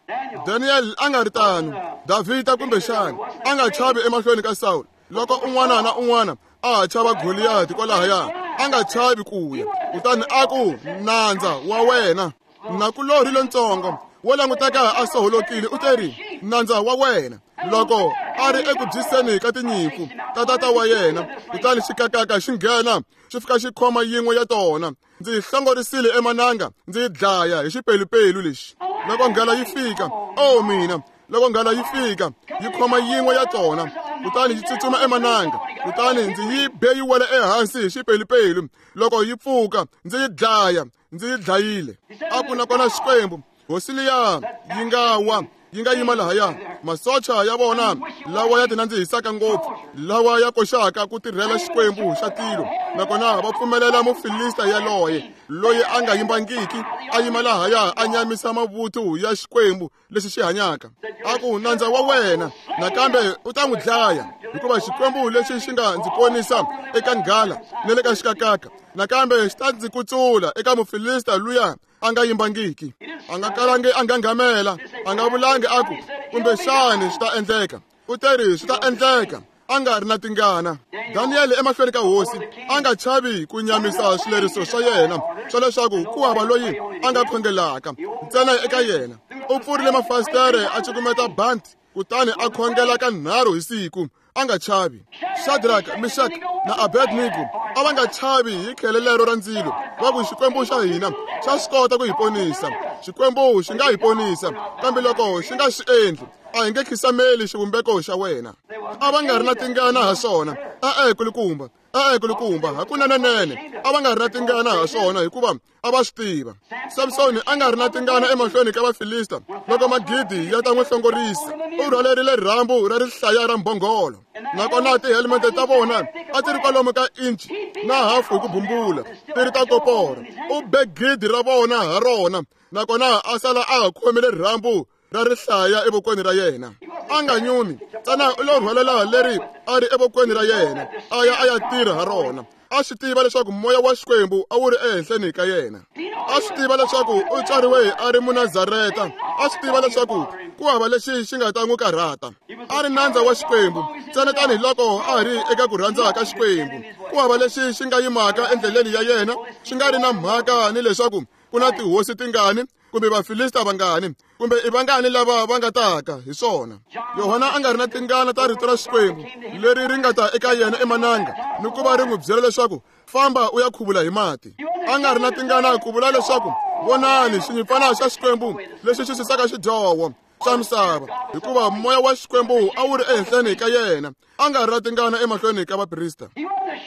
Daniel a nga ri tano, Davhida kumbe xana a nga chavi emahlweni ka Sawulo loko un'wana na un'wana a ha chava Goliyati kwalahaya, a nga chavi ku ya. Kutani a ku nandza wa wena, nakulorhi lontsongo wo languteka a soholokile, u teri nandza wa wena. Loko A ri eku byiseni ka tinyimpfu ta tata wa yena, kutani xikakaka xi nghena xi fika xi khoma yin'we ya tona. Ndzi yi hlongorisile emananga, ndzi yi dlaya hi xipelupelu lexi. Loko nghala yi fika, o mina, loko nghala yi fika yi khoma yin'we ya tona, kutani yi tsutsuma emananga, kutani ndzi yi be yi wela ehansi hi xipelupelu. Loko yi pfuka ndzi yi dlaya, ndzi yi dlayile. A ku nakona Xikwembu, hosi liya yi nga wa, yi nga yima lahaya, masocha ya vona lawa ya tinandzihisaka ngopfu, lawa ya koxaka ku tirhela Xikwembu xa tilo, nakona va pfumelela Mufilista yaloye loyi a nga yimbangiki a yima lahaya a nyamisa mavuthu ya Xikwembu lexi xi hanyaka. A ku, nandza wa wena nakambe u ta n'wi dlaya, hikuva Xikwembu lexi xi nga ndzi ponisa eka nghala ni le ka xikakaka, nakambe xi ta ndzi kutsula eka Mufilista luya a nga yimbangiki. A nga kalangi a nghanghamela, a nga vulangi a ku, kumbexani swi ta endleka. U teri swi ta endleka, a nga ri na tingana. Daniyele emahlweni ka hosi a nga chavi ku nyamisa swileriso swa yena swa leswaku ku hava loyi a nga khongelaka ntsena eka yena. U pfurile mafasitere a cukumeta banti, kutani a khongela ka nharhu hi siku, a nga chavi. Shadrach, Meshach na Abednego a va nga chavi hi khele lero ra ndzilo. Va ku, Xikwembu xa hina xa swi kota ku hi ponisa, Xikwembu xi nga hi ponisa, kambe loko xi nga swi endli, a hi nge khisameli xivumbeko xa wena. A va nga ri na tingana ha swona. E-e, kulukumba, e-e, kulukumba, hakunenenene a va nga ri na tingana ha swona, hikuva a va swi tiva. Samsoni a nga ri na tingana emahlweni ka Vafilista loko magidi ya ta n'wi hlongorisa. U rhwalerile rhambu ra rihlaya ra mbhongolo, nakona tihelmete ta vona a ti ri kwalomu ka inchi na hafu hi ku bumbula, ti ri ta koporo. U be gidi ra vona ha rona, nakona a sala a ha khomile rhambu ra rihlaya evokweni ra yena. A nga nyumi, ntsena u lo rhwalela leri a ri evokweni ra yena, a ya a ya tirha ha rona. A swi tiva leswaku moya wa Xikwembu a wu ri ehenhleni ka yena. A swi tiva leswaku u tswariwe a ri Munazareta. A swi tiva leswaku ku hava lexi xi nga ta n'wi karhata. A ri nandza wa Xikwembu ntsena tanihiloko a ri eka ku rhandza ka Xikwembu. Ku hava lexi xi nga yimaka endleleni ya yena, xi nga ri na mhaka ni leswaku ku na tihosi tingani kumbe Vafilista vangani kumbe i vangani lava va nga taka hi swona. Yohana a nga ri na tingana ta rito ra Xikwembu leri ri nga ta eka yena emananga ni ku va ri n'wi byela leswaku famba u ya khuvula hi mati. A nga ri na tingana ku vula leswaku vonani xinyimpfana xa Xikwembu lexi xi susaka xidyoho xa misava, hikuva moya wa Xikwembu a wu ri ehenhleni ka yena. A nga ri na tingana emahlweni ka vaprista.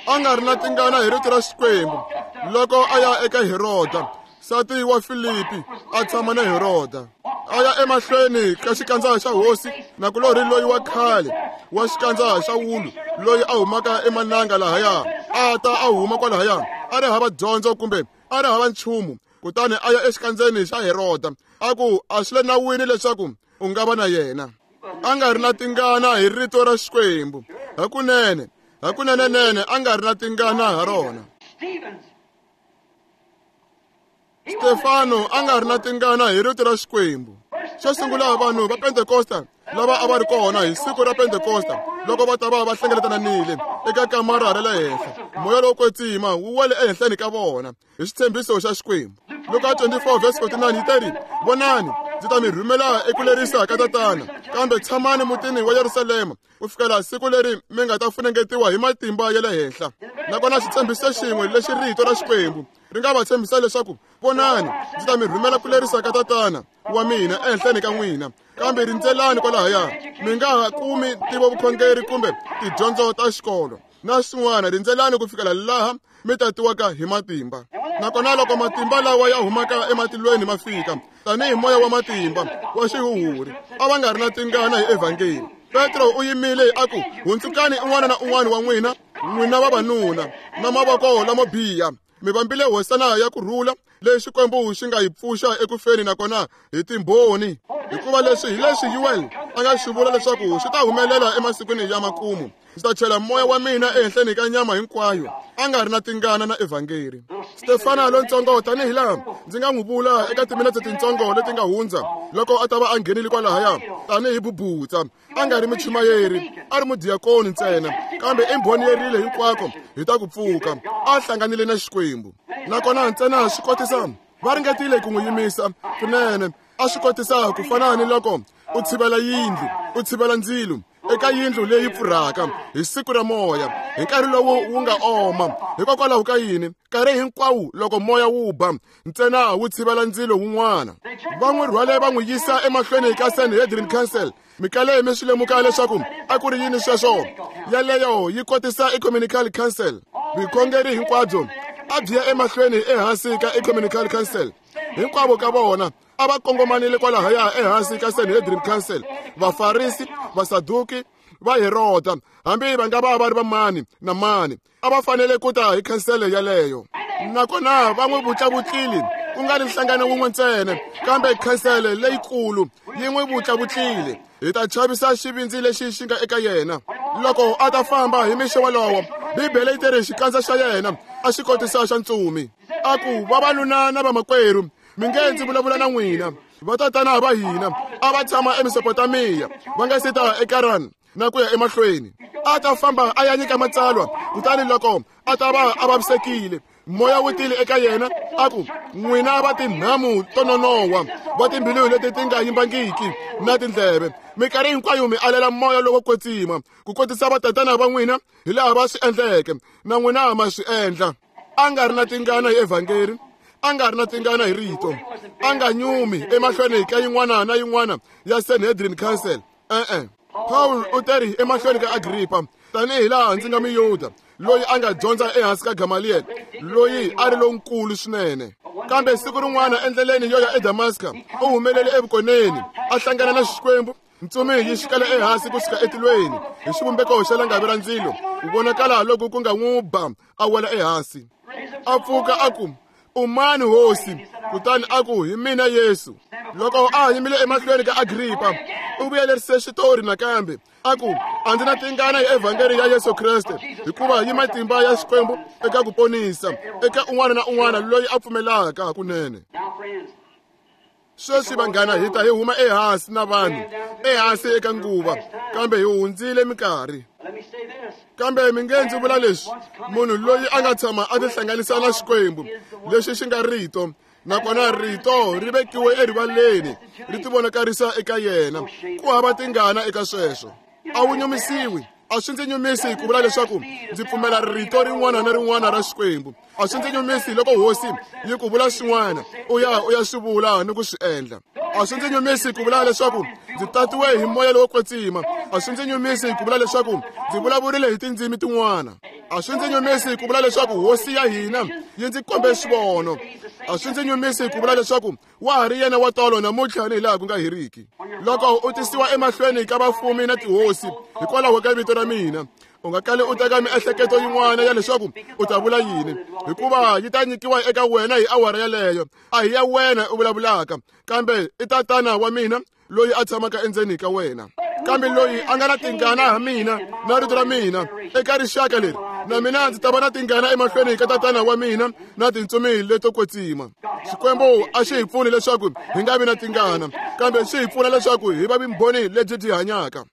A nga ri na tingana hi rito ra Xikwembu loko a ya eka Heroda, nsati wa Filipi a tshama na Heroda. A ya emahlweni ka xikandza xa hosi nakulorhi loyi wa khale wa xikandza xa wulu loyi a humaka emananga lahaya, a ta a huma kwalahaya a ri hava dyondzo kumbe a ri hava nchumu, kutani a ya exikandzeni xa Heroda a ku a swi le nawini leswaku u nga va na yena. A nga ri na tingana hi rito ra Xikwembu. Hakunene, hakunenenene a nga ri na tingana ha rona. Stefano a nga ri na tingana hi rito ra Xikwembu. Xo sungula, vanhu va Pentekosta lava a va ri kona hi siku ra Pentekosta loko va ta va va hlengeletananile eka kamara ra le henhla, moya lowo kwetsima wu wele ehenhleni ka vona hi xitshembiso xa Xikwembu. Luka 24 verse 49 yi teri, vonani, ndzi ta mi rhumela eku lerisa ka Tatana, kambe tshamani mutini wa Yerusalema ku fikela siku leri mi nga ta funengetiwa hi matimba ya le henhla. Nakona xitshembiso xin'we lexi rito ra Xikwembu ri nga va tshembisa leswaku vonani, ndzi ta mi rhumela ku lerisa ka Tatana wa mina ehenhleni ka n'wina, kambe rindzelani kwalahaya, mi nga ha kumi ntivovukhongeri kumbe tidyondzo ta xikolo na swin'wana, rindzelani ku fikela laha mi tatiwaka hi matimba. Nakona loko matimba lawa ya humaka ematilweni ma fika tanihi moya wa matimba wa xihuhuri, a va nga ri na tingana hi evhangeli. Petro u yimile a ku, hundzukani un'wana na un'wana wa n'wina, n'wina vavanuna na mavoko lamo biha, mi vambile hosana ya ku rhula leyi Xikwembu xi nga yi pfuxa eku feni, nakona hi timbhoni. Hikuva leswi hi leswi Yuel a nga swi vula leswaku swi ta humelela emasikwini ya makumu, ndzi ta chela moya wa mina ehenhleni ka nyama hinkwayo. A nga ri na tingana na evhangeli. Stefana lontsongo, tanihi laha ndzi nga n'wi vula eka timinetse tintsongo leti nga hundza, loko a ta va a nghenile kwalahaya tanihi bubutsa, a nga ri muchumayeri, a ri mudiyakoni ntsena, kambe i mbhoni yerile hinkwako hi ta ku pfuka, a hlanganile na Xikwembu. Nakona ntsena swi kotisa va ringetile ku n'wi yimisa kunene, a swi kotisa ku fana ni loko u tshivela yindlu, u tshivela ndzilo. Eka yindlu leyi pfurhaka hi siku ra moya, hi nkarhi lowu wu nga oma. Hikokwalaho ka yini? Nkarhi hinkwawo loko moya wu ba, ntsena wu tshivela ndzilo wun'wana. Va n'wi rhwale va n'wi yisa emahlweni ka Sanhedrin Council. Mikale mi swi lemuka leswaku a ku ri yini sweswo? Yaleyo yi kotisa Ecumenical Council. Vukhongeri hinkwabyo a byi ya emahlweni ehansi ka Ecumenical Council. Hinkwavo ka vona a va kongomanile kwalahaya ehansi ka Sanhedrin Council. Vafarisi, Vasaduki, va Heroda, hambi va nga va va ri va mani na mani, a va fanele ku ta hi khansele yaleyo. Nakona va n'wi vutlavutlile, ku nga ri nhlangano wun'we ntsena, kambe khansele leyikulu yi n'wi vutlavutlile. Hi ta chavisa xivindzi lexi xi nga eka yena. Loko a ta famba hi mixo wolowo, Bibele yi teri xikandza xa yena a xi kotisa xa ntsumi. A ku, vavanuna na vamakwerhu, mi nge ndzi vulavula na n'wina. Vatatana va hina a va tshama eMesopotamiya, va nga si ta eKaran na ku ya emahlweni. A ta famba a ya nyika matsalwa, kutani loko a ta va a vavisekile, moya wu tile eka yena, a ku, n'wina va tinhamu to nonowa, va timbilu leti ti nga yimbangiki na tindleve, minkarhi hinkwayo mi alela moya lowo kwetsima, ku kotisa vatatana va n'wina hi laha va swi endleke, na n'wina ma swi endla. A nga ri na tingana hi evhangeri, a nga ri na tingana hi rito, a nga nyumi emahlweni ka yin'wana na yin'wana ya Sanhedrin Council. E-e. Paul u teri emahlweni ka Agrippa, tanihi laha ndzi nga Muyuda loyi a nga dyondza ehansi ka Gamaliel, loyi a ri lonkulu swinene. Kambe siku rin'wana endleleni yo ya eDamaska, u humelele evukoneni, a hlangana na Xikwembu. Ntsumi yi xikela ehansi kusuka etilweni hi xivumbeko xa langavi ra ndzilo, ku vonakala loku ku nga n'wi ba a wela ehansi. A pfuka a ku, u mani hosi? Kutani a ku, hi mina Yesu. Loko a yimile emahlweni ka Agrippa, u vuyelerise xitori nakambe, a ku, a ndzi na tingana hi evhangeli ya Yesu Kreste, hikuva yi matimba ya Xikwembu eka ku ponisa eka un'wana na un'wana loyi a pfumelaka hakunene. Sweswi vanghana, hi ta hi huma ehansi na vanhu ehansi eka nguva, kambe hi hundzile minkarhi. Kambe mi nge ndzi vula leswi, munhu loyi a nga tshama a tihlanganisa na Xikwembu lexi xi nga rito, nakona rito ri vekiwe erivaleni, ri tivonakarisa eka yena, ku hava tingana eka sweswo. A wu nyumisiwi. A swi ndzi nyumisi ku vula leswaku ndzi pfumela rito rin'wana na rin'wana ra Xikwembu. A swi ndzi nyumisi loko hosi yi ku vula swin'wana, u ya u ya swi vula ni ku swi endla. A swi ndzi nyumisi ku vula leswaku ndzi tatiwe hi moya lowo kwetsima. A swi ndzi nyumisi ku vula leswaku ndzi vulavurile hi tindzimi tin'wana. A swi ndzi nyumisi ku vula leswaku hosi ya hina yi ndzi kombe xivono. A swi ndzi nyumisi ku vula leswaku wa ha ri yena wa tolo namuntlha ni hilaha ku nga heriki. Loko u tisiwa emahlweni ka vafumi na tihosi hikwalaho ka vito ra mina, u nga kali u teka miehleketo yin'wana ya leswaku u ta vula yini, hikuva yi ta nyikiwa eka wena hi awara yaleyo. A hi ya wena u vulavulaka, kambe i Tatana wa mina loyi a tshamaka endzeni ka wena. Kambe loyi a nga na tingana ha mina na rito ra mina eka rixaka leri, na mina ndzi ta va na tingana emahlweni ka Tatana wa mina na tintsumi leto kwetsima. Xikwembu a xi hi pfuni leswaku hi nga vi na tingana, kambe xi hi pfuna leswaku hi va vumbhoni lebyi byi hanyaka.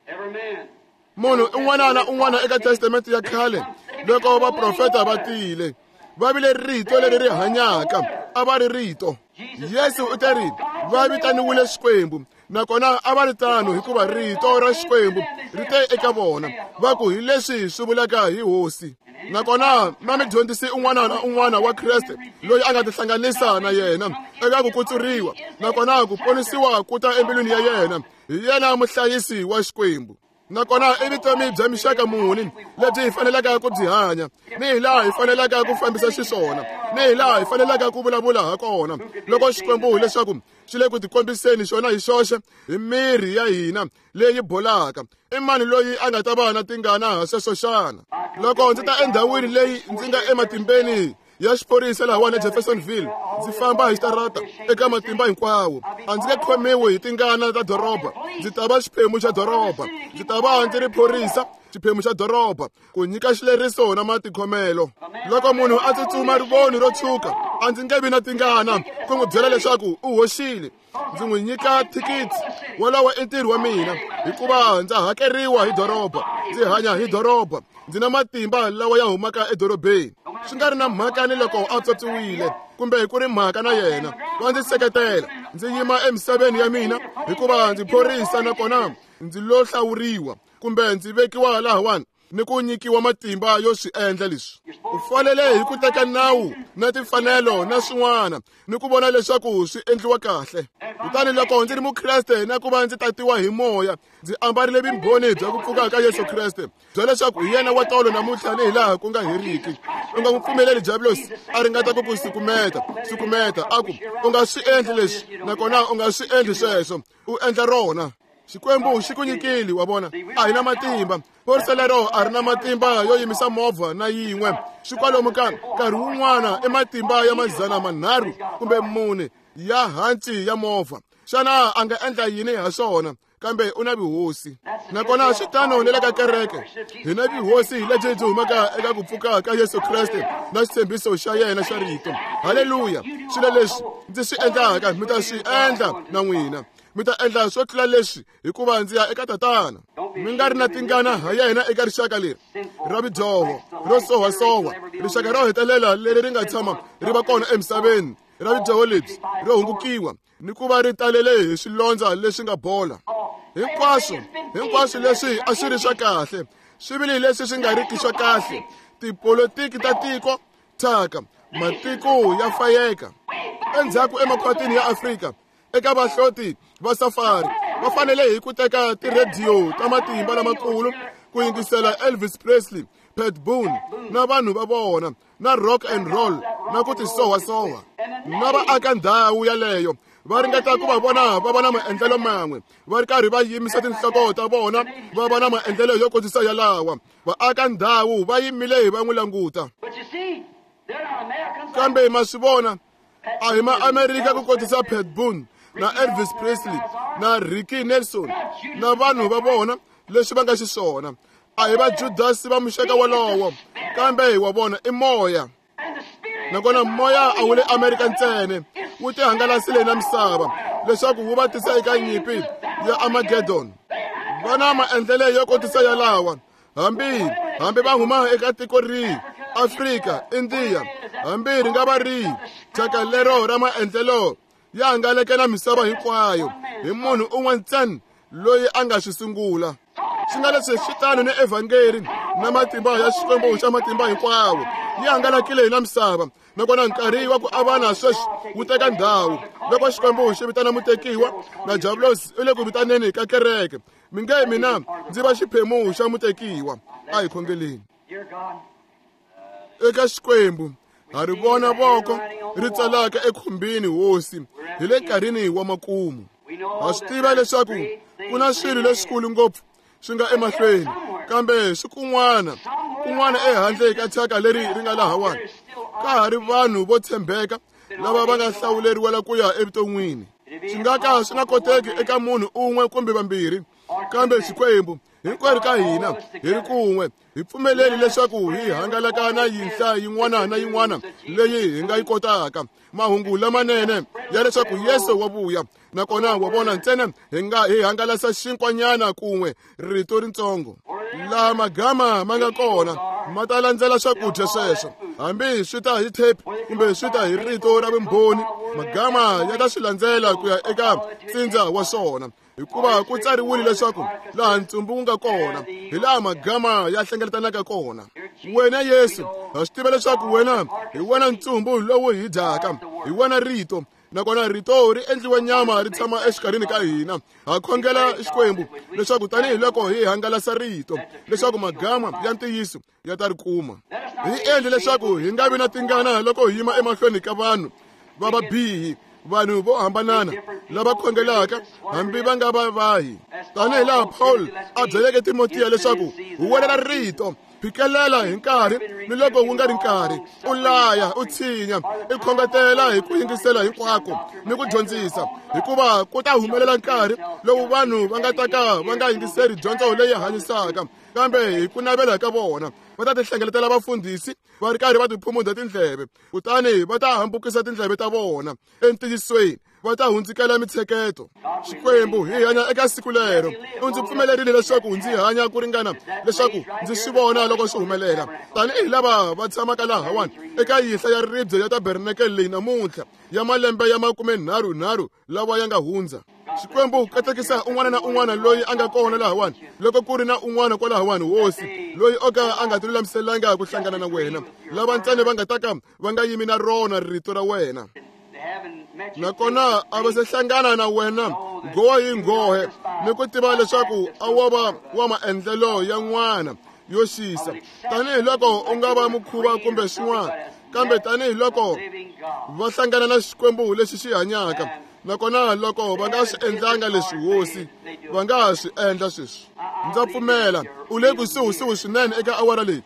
Munhu un'wana na un'wana eka Testamente ya khale, loko vaprofeta va tile, va vile rito leri ri hanyaka, a va ri rito. Yesu u teri va vitaniwile Xikwembu, nakona a va ri tano hikuva rito ra Xikwembu ri te eka vona, va ku hi leswi swi vulaka hi hosi. Nakona ma mi dyondzisi un'wana na un'wana wa Kreste loyi a nga tihlanganisa na yena eka ku kutsuriwa, nakona ku ponisiwa ku ta embilwini ya yena. Hi yena muhlayisi wa Xikwembu. Nakona i vutomi bya mixaka muni lebyi hi fanelaka ku byi hanya, ni hi laha hi fanelaka ku fambisa xiswona, ni hi laha hi fanelaka ku vulavula ha kona, loko Xikwembu hileswaku xi le ku tikombiseni xona hi xoxe hi miri ya hina leyi bolaka. I mani loyi a nga ta va na tingana ha sweswo xana? Loko ndzi ta endhawini leyi ndzi nga ematimbeni ya xiphorisa lahawani eJeffersonville, ndzi famba hi xitarata eka matimba hinkwawo, a ndzi nge khomiwi hi tingana ta doroba. Ndzi ta va xiphemu xa doroba, ndzi ta va ndzi ri phorisa, xiphemu xa doroba, ku nyika xileriso na matikhomelo. Loko munhu a tsutsuma rivoni ro tshuka, a ndzi nge vi na tingana ku n'wi byela leswaku u hoxile. Ndzi n'wi nyika thikithi. Wolowo i ntirho wa mina, hikuva ndza hakeriwa hi doroba, ndzi hanya hi doroba, ndzi na matimba lawa ya humaka edorobeni. Swi nga ri na mhaka ni loko a tswotswiwile kumbe ku ri mhaka na yena, wa ndzi seketela. Ndzi yima emisaveni ya mina hikuva ndzi phorisa, nakona ndzi lo hlawuriwa. kumbe ndzi vekiwa lahawani ni ku nyikiwa matimba yo swi endla leswi. U fanele hi ku teka nawu na timfanelo na swin'wana ni ku vona leswaku swi endliwa kahle. Kutani loko ndzi ri Mukreste na ku va ndzi tatiwa hi moya, ndzi ambarile vumbhoni bya ku pfuka ka Yesu Kreste bya leswaku hi yena wa tolo namuntlha ni hi laha ku nga heriki. U nga n'wi pfumeleli diabulosi a ringeta ku ku sukumeta a ku u nga swi endli leswi nakona u nga swi endli sweswo, u endla rona. Xikwembu xi ku nyikile, wa vona. A hi na matimba. Phorisa lero a ri na matimba yo yimisa movha na yin'we. Swi kwalomu ka nkarhi wun'wana i matimba ya 300 kumbe 4 ya hanci ya movha. Xana a nga endla yini ha swona? Kambe u na vuhosi. Nakona swi tano ni le ka kereke. Hi na vuhosi lebyi byi humaka eka ku pfuka ka Yesu Kreste na xitshembiso xa yena xa rito. Haleluya! Swilo leswi ndzi swi endlaka mi ta swi endla na n'wina. Mi ta endla swo tlula leswi hikuva ndzi ya eka Tatana. Mi nga ri na tingana ha yena eka rixaka leri ra vudyoho ro sohasoha, rixaka ro hetelela leri ri nga tshama ri va kona emisaveni ra vudyoho lebyi ro hungukiwa ni ku va ri talele hi swilondza leswi nga bola. Hinkwaswo leswi a swi ri swa kahle, swi vile leswi swi nga riki swa kahle. Tipolotiki ta tiko thyaka, matiko ya fayeka. Endzhaku emakhwatini ya Afrika, eka vahloti va safari va fanele hi ku teka tirhediyo ta matimba lamakulu ku yingisela Elvis Presley, Pat Boone na vanhu va vona na rock and roll na ku tisohasoha. Na vaaka ndhawu yaleyo va ringeta ku va vona va va na maendlelo man'we, va ri karhi va yimisa tinhloko ta vona va va na maendlelo yo kotisa yalawa. Vaaka ndhawu va yimile va n'wi languta. Kambe ma swi vona, a hi ma-Amerika ku kotisa Pat Boone na Elvis Presley na Ricky Nelson na vanhu va vona leswi va nga xiswona. A hi va Judasi va muxaka wolowo, kambe hi wa vona i moya. Nakona moya a wu le Amerika ntsena, wu tihangalasile na misava leswaku wu va tisa eka nyimpi ya Armageddon. Va na maendlelo yo kotisa yalawa, hambi va huma eka tiko rihi, Afrika, India, hambi ri nga va rihi, thyaka lero ra maendlelo ya hangaleke na misava hinkwayo hi munhu un'we ntsena loyi a nga swi sungula. Swi nga leswi swi tano ni evhangeri na matimba ya Xikwembu xa matimba hinkwawo yi hangalakile hi na misava. Nakona nkarhi wa ku avana sweswi wu teka ndhawu loko Xikwembu xi vitana mutekiwa na diabulosi u le ku vitaneni ka kereke. Mi nge mina ndzi va xiphemu xa mutekiwa. A hi khongeleni. Eka Xikwembu ha ri vona voko ri tsalaka ekhumbini hosi hi le nkarhini wa makumu. Ha swi tiva leswaku ku na swilo leswikulu ngopfu swi nga emahlweni, kambe swi kun'wana ehandle ka thyaka leri ri nga lahawani ka ha ri vanhu vo tshembeka lava va nga hlawuleriwela ku ya evuton'wini. Swi nga ka swi nga koteki eka munhu un'we kumbe vambirhi, kambe Xikwembu hinkwerhu ka hina hi ri kun'we hi pfumeleli leswaku hi hangalaka na yinhla yin'wana na yin'wana leyi hi nga yi kotaka. Mahungu lamanene ya leswaku Yesu wa vuya, nakona wa vona ntsena hi nga hi hangalasa xinkwanyana kun'we rito rintsongo. Laha magama ma nga kona ma ta landzela swakudya sweswo, hambi swi ta hi tape kumbe swi ta hi rito ra vumbhoni, magama ya ta swi landzela ku ya eka ntsindza wa swona. Hikuva ku tsariwile leswaku laha ntsumbu wu nga kona hi laha magama ya hlengeletanaka kona. Wena Yesu, ha swi tiva leswaku wena hi wena ntsumbu lowu hi dyaka, hi wena rito, nakona rito ri endliwe nyama ri tshama exikarhini ka hina. Ha khongela Xikwembu leswaku tanihiloko hi hangalasa rito leswaku magama ya ntiyiso ya ta ri kuma. Hi endle leswaku hi nga vi na tingana loko hi yima emahlweni ka vanhu va vabihi, vanhu vo hambanana lava khongelaka hambi va nga va vahi. Tanihi laha Paul a byeleke Timotiya leswaku huwelela rito, phikelela hi nkarhi ni loko wu nga ri nkarhi, u laya, u tshinya, i khongetela hi ku yingisela hinkwako ni ku dyondzisa, hikuva ku ta humelela nkarhi lowu vanhu va nga ta ka va nga yingiseri dyondzo leyi hanyisaka, kambe hi ku navela ka vona va ta tihlengeletela vafundhisi va ri karhi va tiphumunda tindleve, kutani va ta hambukisa tindleve ta vona entiyisweni, va ta hundzukela mitsheketo. Xikwembu, hi hanya eka siku lero. U ndzi pfumelerile leswaku ndzi hanya ku ringana leswaku ndzi swi vona loko swi humelela. Tanihi lava va tshamaka lahawani eka yinhla ya ribye ya tabernakele leyi namuntlha ya malembe ya 33 lawa ya nga hundza. Xikwembu katekisa un'wana na un'wana loyi a nga kona lahawani. Loko ku ri na un'wana kwalahawani, Hosi, loyi o ka a nga tilulamiselanga ku hlangana na wena, lava ntsena va nga ta ka va nga yimi na rona rito ra wena, nakona a va se hlangana na wena nghohe hi nghohe, ni ku tiva leswaku a wo va wa maendlelo ya n'wana yo xisa, tanihiloko u nga va mukhuva kumbe xin'wana, kambe tanihiloko va hlangana na Xikwembu lexi xi hanyaka, nakona loko va nga swi endlanga leswi, Hosi, va nga ha swi endla sweswi. Ndza pfumela u le kusuhisuhi swinene eka awara leyi.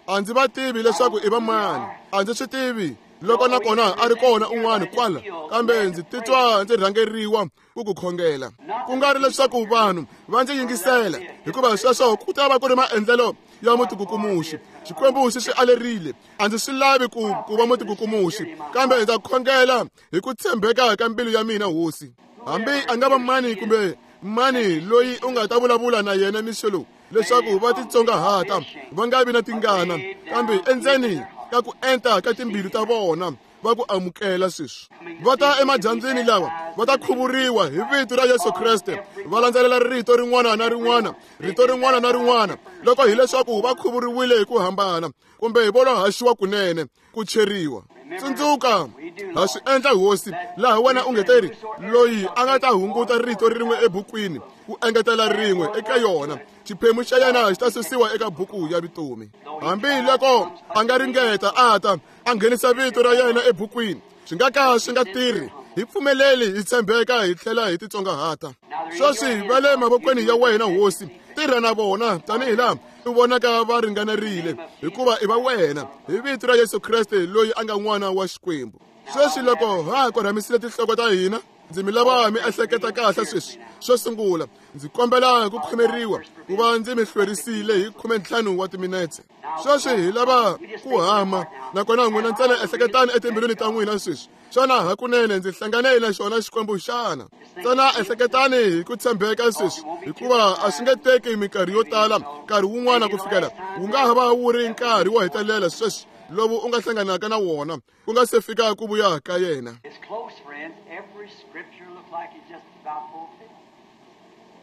A ndzi va tivi leswaku i va mani, a ndzi swi tivi loko nakona a ri kona un'wana kwala, kambe ndzi titwa ndzi rhangeriwa ku ku khongela. Ku nga ri leswaku vanhu va ndzi yingisela, hikuva sweswo ku ta va ku ri maendlelo ya mutikukumuxi. Xikwembu xi swi alerile. A ndzi swi lavi ku va mutikukumuxi, kambe ndza khongela hi ku tshembeka ka mbilu ya mina, Hosi. Hambi a nga va mani kumbe mani loyi u nga ta vulavula na yena mixo lowu, leswaku va titsongahata, va nga vi na tingana, kambe endzeni ka ku enta ka timbilu ta vona va ku amukela sweswi. Va ta emadyambyini lawa, va ta khuvuriwa hi vito ra Yesu Kreste, va landzelela rito rin'wana na rin'wana, rito rin'wana na rin'wana, loko hileswaku va khuvuriwile hi ku hambana kumbe hi vo haxiwa kunene ku cheriwa. Tsundzuka, ha swi endla, Hosi, laha wena u nge teri loyi a nga ta hunguta rito rin'we ebukwini ku engetela rin'we eka yona, xiphemu xa yena xi ta susiwa eka buku ya vutomi. Hambi loko a nga ringeta a ta a nghenisa vito ra yena ebukwini, swi nga ka swi nga tirhi. Hi pfumeleli hi tshembeka hi tlhela hi titsongahata. Sweswi va le mavokweni ya wena, Hosi, tirha na vona tanihi laha u vonaka va ringanerile, hikuva i va wena, hi vito ra Yesu Kreste loyi a nga n'wana wa Xikwembu. Sweswi loko ha korhamisile tinhloko ta hina, ndzi mi lava mi ehleketa kahle sweswi. Xo sungula, ndzi kombela ku khomeriwa ku va ndzi mi hlwerisile hi 15 wa timinetse. Sweswi hi lava ku hama, nakona n'wina ntsena ehleketani etimbilwini ta n'wina sweswi. Xana hakunene ndzi hlangane na xona Xikwembu xana? Ntsena ehleketani hi ku tshembeka sweswi, hikuva a swi nge teki minkarhi yo tala, nkarhi wun'wana ku fikela wu nga ha va wu ri nkarhi wo hetelela sweswi lowu u nga hlanganaka na wona, ku nga se fika ku vuya ka yena. It's close, friends. Every scripture looks like it's just about fulfilled.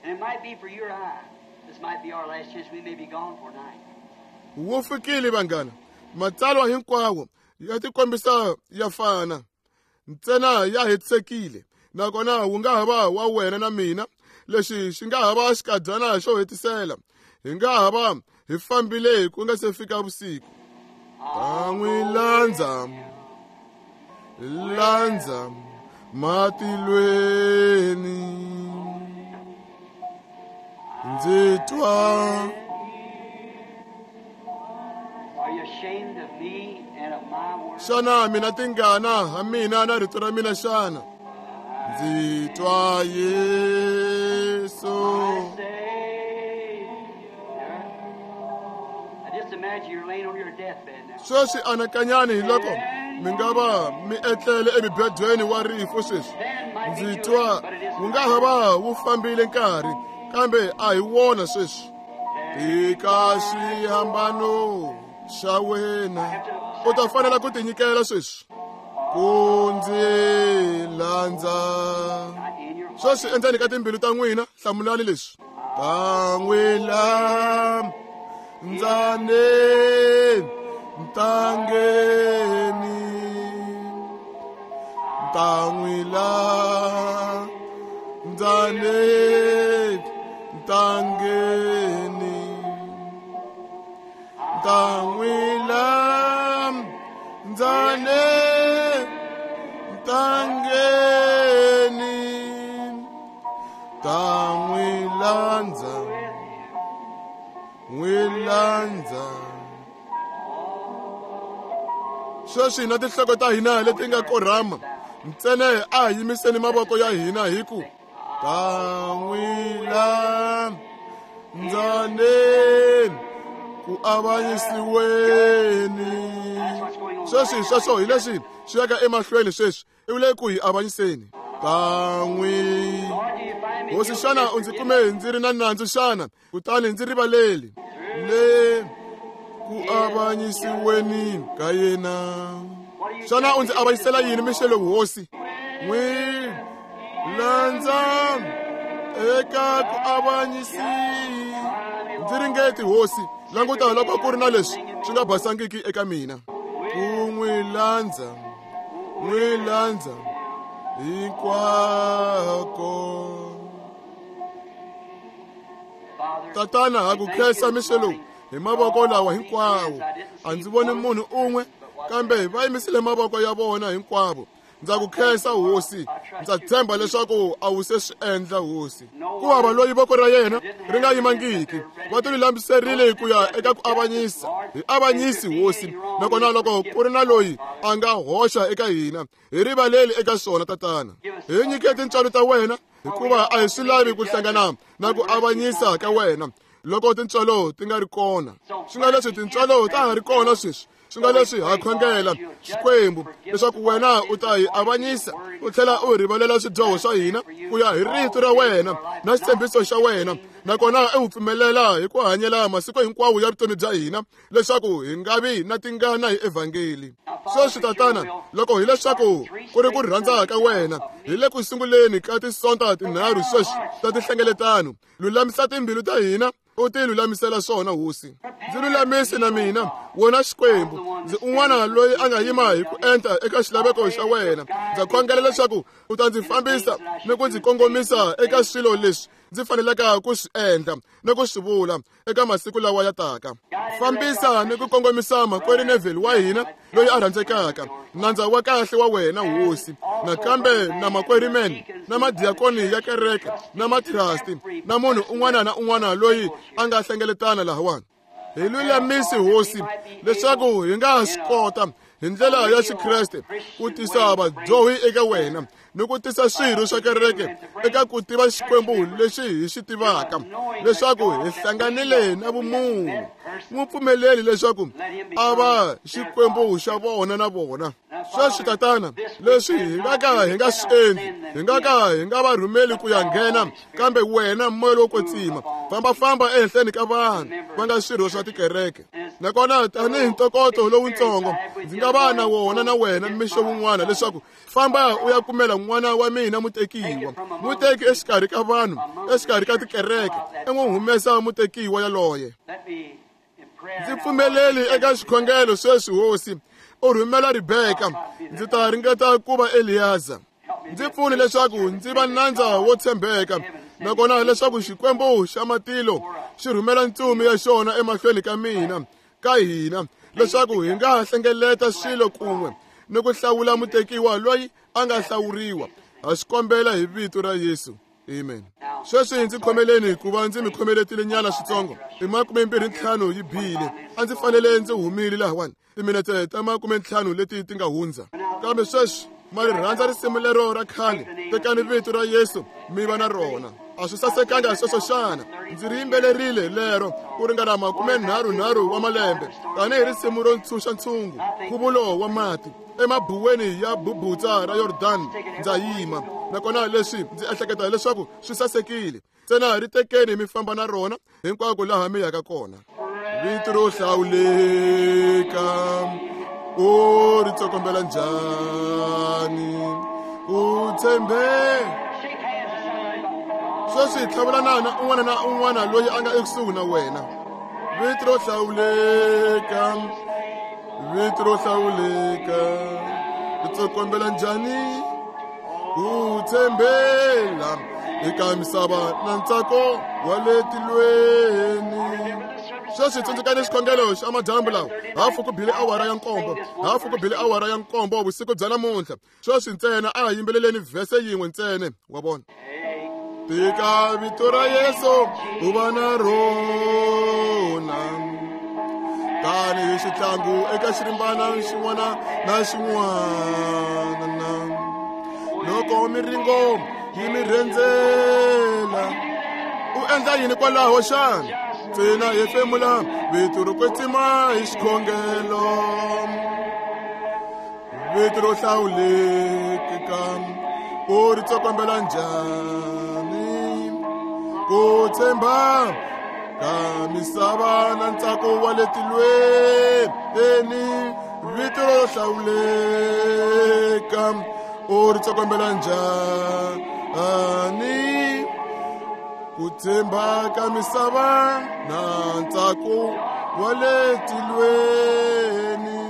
And it might be for your eye. This might be our last chance. We may be gone for a night. Wu fikile, vanghana. Matsalwa hinkwawo ya tikombisa ya fana, ntsena ya hetisekile, nakona wu nga ha va wa wena na mina. Lexi xi nga ha va xikadyana xo hetisela, hi nga ha va hi fambile ku nga se fika vusiku. Ta n'wi landza, landza matilweni, ndzi twa. Are you ashamed of me and of my word? Xana mina tingana ha mina na rito ra mina xana? Ndzi twa Yesu. My Savior. Now just imagine you're laying on your deathbed now. Sweswi anakanyani hi loko mi nga va mi etlele emubedweni wa rifu sweswi. Then might be Ndzi too twa late, but it isn't. wu nga ha va wu fambile nkarhi, kambe a hi wona sweswi. Tika xihambano xa wena, u ta fanela ku tinyikela sweswi ku ndzi landza. Not in your heart. Sweswi endzeni ka timbilu ta n'wina, hlamulani leswi. Ta n'wi landza ntangeni, ta n'wi landza ntangeni, ta n'wi landza ntangeni, ta n'wi landza, n'wi landza. Sweswi na tinhloko ta hina leti nga korhama, ntsena a hi yimiseni mavoko ya hina hi ku ta n'wi landza ku avanyisiweni. Sweswi sweswo hi leswi swi yaka emahlweni sweswi, i le ku hi avanyiseni. Ta n'wi Lord, do you find me Hosi, guilty xana of u ndzi forgiveness? kume ndzi ri na nandzu xana? Kutani ndzi rivaleli le ku avanyisiweni ka yena. Xana u ndzi avanyisela yini mixo lowu, Hosi? N'wi landza Eka ku avanyisi ndzi ringeti hosi languta loko ku ri na leswi swi nga basangiki eka mina ku n'wi landza n'wi landza hinkwako. Tatana ha ku khensa mixo lowu hi mavoko lawa hinkwawo a ndzi voni munhu un'we kambe va yimisile mavoko ya vona hinkwavo. Ndza ku khensa hosi, ndza tshemba leswaku a wu se swi endla hosi. Ku hava loyi voko ra yena ri nga yimangiki, va ti lulamiserile ku ya eka ku avanyisa. Hi avanyisi hosi, nakona loko ku ri na loyi a nga hoxa eka hina, hi rivaleli eka swona tatana. Hi nyike tintswalo ta wena, hikuva a hi swi lavi ku hlangana na ku avanyisa ka wena loko tintswalo ti nga ri kona. Swi nga leswi tintswalo ta ha ri kona sweswi, swi nga leswi ha khongela Xikwembu leswaku wena u ta hi avanyisa u tlhela u rivalela swidyoho swa hina ku ya hi rito ra wena na xitshembiso xa wena, nakona u pfumelela hi ku hanyela masiku hinkwawo ya vutomi bya hina leswaku hi nga vi na tingana hi evhangeli. Sweswi tatana, loko hileswaku ku ri ku rhandza ka wena, hi le ku sunguleni ka tisonta tinharhu sweswi ta tinhlengeletano, lulamisa timbilu ta hina u ti lulamisela swona hosi. Ndzi lulamise na mina wena Xikwembu, ndzi un'wana loyi a nga yima hi ku enta eka xilaveko xa wena. Ndza khongela leswaku u ta ndzi fambisa ni ku ndzi kongomisa eka swilo leswi ndzi fanelaka ku swi endla ni ku swi vula eka masiku lawa ya taka. Fambisa ni ku kongomisa makwerhu Neville wa hina loyi a rhandzekaka, nandza wa kahle wa wena hosi, nakambe na makwerhu Men na madiakoni ya kereke na matrasti na munhu un'wana na un'wana loyi a nga hlengeletana lahawani. Hi lulamisi hosi leswaku hi nga swi kota hi ndlela ya Xikreste ku tisa vadyohi eka wena ni ku tisa swirho swa kereke eka ku tiva Xikwembu lexi hi xi tivaka, leswaku hi hlanganile na vumunhu. N'wi pfumeleli leswaku a va Xikwembu xa vona na vona. Sweswi tatana, leswi hi nga ka hi nga swi endli, hi nga ka hi nga va rhumeli ku ya nghena, kambe wena moya lowo kwetsima fambafamba ehenhleni ka vanhu va nga swirho swa tikereke. Nakona tanihi ntokoto lowutsongo ndzi nga va na wona na wena mixo wun'wana leswaku famba u ya kumela n'wana wa mina mutekiwa, muteki exikarhi ka vanhu, exikarhi ka tikereke, i n'wi humesa mutekiwa yaloye. Ndzi pfumeleli eka xikhongelo sweswi hosi, u rhumela Rebeka, ndzi ta ringeta ku va Eliyaza. Ndzi pfuni leswaku ndzi va nandza wo tshembeka, nakona leswaku Xikwembu xa matilo xi rhumela ntsumi ya xona emahlweni ka mina, ka hina, leswaku hi nga hlengeleta swilo kun'we ni ku hlawula mutekiwa loyi a nga hlawuriwa. Ha swi kombela hi vito ra Yesu. Amen. Sweswi ndzi khomeleni hikuva ndzi mi khomeletile nyana switsongo. I 25 yi bile. A ndzi fanele ndzi humile lahawani timinete ta 50 leti ti nga hundza. Kambe sweswi ma ri rhandza risimu lero ra khale, tekani vito ra Yesu mi va na rona. A swi sasekanga sweswo xana? Ndzi ri yimbelerile lero ku ringana 33 wa malembe tanihi risimu ro ntshunxa ntshungu, nkhuvulo wa mati emabuweni ya bubutsa ra Yordan ndza yima. Nakona leswi ndzi ehleketa leswaku swi sasekile, ntsena ri tekeni mi famba na rona hinkwako laha mi yaka kona. Vito ro hlawuleka u ri tsokombela njhani, u tshembe. Sweswi tlhavulanana na un'wana na un'wana loyi a nga ekusuhi na wena. Vito ro hlawuleka, vito ro hlawuleka, ri tsokombela njhani, u tshembela eka misava na ntsako wa le tilweni. Sweswi tsundzukani xikhongelo xa madyambu lawa, hafu ku bile awara ya 7, hafu ku bile awara ya 7 vusiku bya namuntlha. Sweswi ntsena a hi yimbeleleni vhese yin'we ntsena, wa vona. Tika vito ra Yesu u va na rona, tanihi xitlangu eka xirimbana xin'wana na xin'wana. Loko miringo yi mi rhendzela, u endla yini kwalaho xana? Ntsena hefemula vito ro kwetsima hi xikhongelo. Vito ro hlawuleka u ri tsokombela njhani, ku tshemba ka misava na ntsako wa le tilweni. Vito ro hlawuleka u ri tsokombela njhani, Ku tshemba ka misava na ntsako wa le tilweni.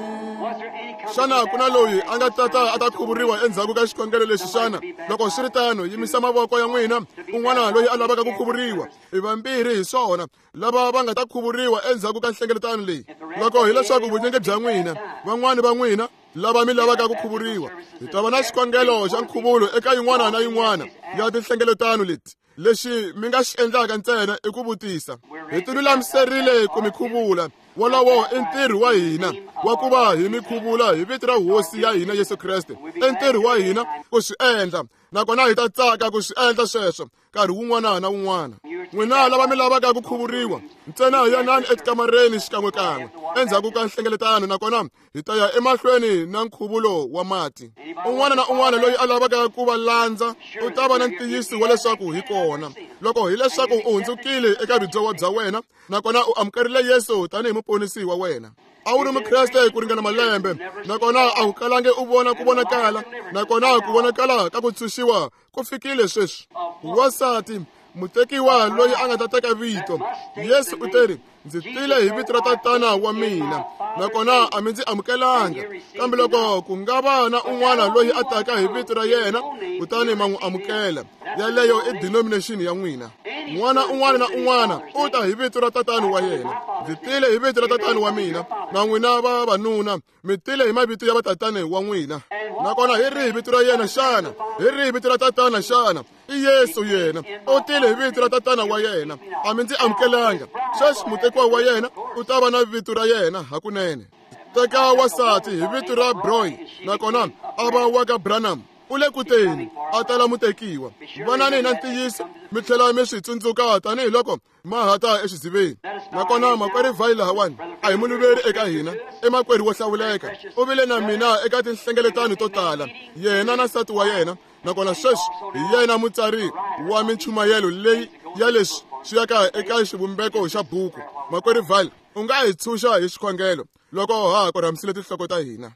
Xana ku na loyi a nga tata a ta khuvuriwa endzhaku ka xikhongelo lexi xana? Loko swi ri tano, yimisa mavoko ya n'wina. Un'wana loyi a lavaka ku khuvuriwa, i vambirhi hi swona lava va nga ta khuvuriwa endzhaku ka nhlengeletano leyi. Loko hileswaku vunyingi bya n'wina, van'wani va n'wina lava mi lavaka ku khuvuriwa, hi ta va na xikhongelo xa nkhuvulo eka yin'wana na yin'wana ya tinhlengeletano leti. Lexi mi nga xi endlaka ntsena i ku vutisa. Hi tilulamiserile ku mi khuvula. Wolowo i ntirho wa hina wa ku va hi mi khuvula hi vito ra Hosi ya hina Yesu Kreste. I ntirho wa hina ku swi endla, nakona hi ta tsaka ku swi endla sweswo nkarhi wun'wana na wun'wana. N'wina lava mi lavaka ku khuvuriwa, ntsena yanani etikamareni xikan'wekan'we endzhaku ka nhlengeletano, nakona hi ta ya emahlweni na nkhuvulo wa mati. Un'wana na un'wana loyi a lavaka ku va landza u ta va na ntiyiso wa leswaku hi kona. Loko hileswaku u hundzukile eka vudyoho bya wena nakona u amukerile Yesu tanihi muponisi wa wena, a wu ri mukreste ku ringana malembe, nakona a wu kalangi u vona ku vonakala, nakona ku vonakala ka ku tshunxiwa ku fikile sweswi. Wansati mutekiwa loyi a nga ta teka vito, Yesu u teri, ndzi tile hi vito ra Tatana wa mina, nakona a mi ndzi amukelanga. Kambe loko ku nga va na un'wana loyi a taka hi vito ra yena, kutani ma n'wi amukela. Yaleyo i denomination ya n'wina. N'wana un'wana na un'wana u ta hi vito ra tatani wa yena. Ndzi tile hi vito ra tatani wa mina, na n'wina vavanuna mi tile hi mavito ya vatatani wa n'wina. Nakona hi rihi vito ra yena xana? Hi rihi vito ra tatana xana? I Yesu yena. U tile hi vito ra tatana wa yena, a mi ndzi amukelanga. Sweswi mutekiwa wa yena u ta va na vito ra yena hakunene. Teka wansati hi vito ra Broy, nakona a va wa ka Branham. U le ku teni a tala mutekiwa. Vanani na ntiyiso mi tlhela mi swi tsundzuka tanihiloko ma ha ta exidziveni. Nakona makwerhu Vayle lahawani a hi muluveri eka hina, i makwerhu wo hlawuleka. U vile na mina eka tinhlengeletano to tala, yena na nsati wa yena, nakona sweswi hi yena mutsari wa minchumayelo leyi ya leswi swi yaka eka xivumbeko xa buku. Makwerhu Vayle, u nga hi tshunxa hi xikhongelo loko ha ha korhamisile tinhloko ta hina.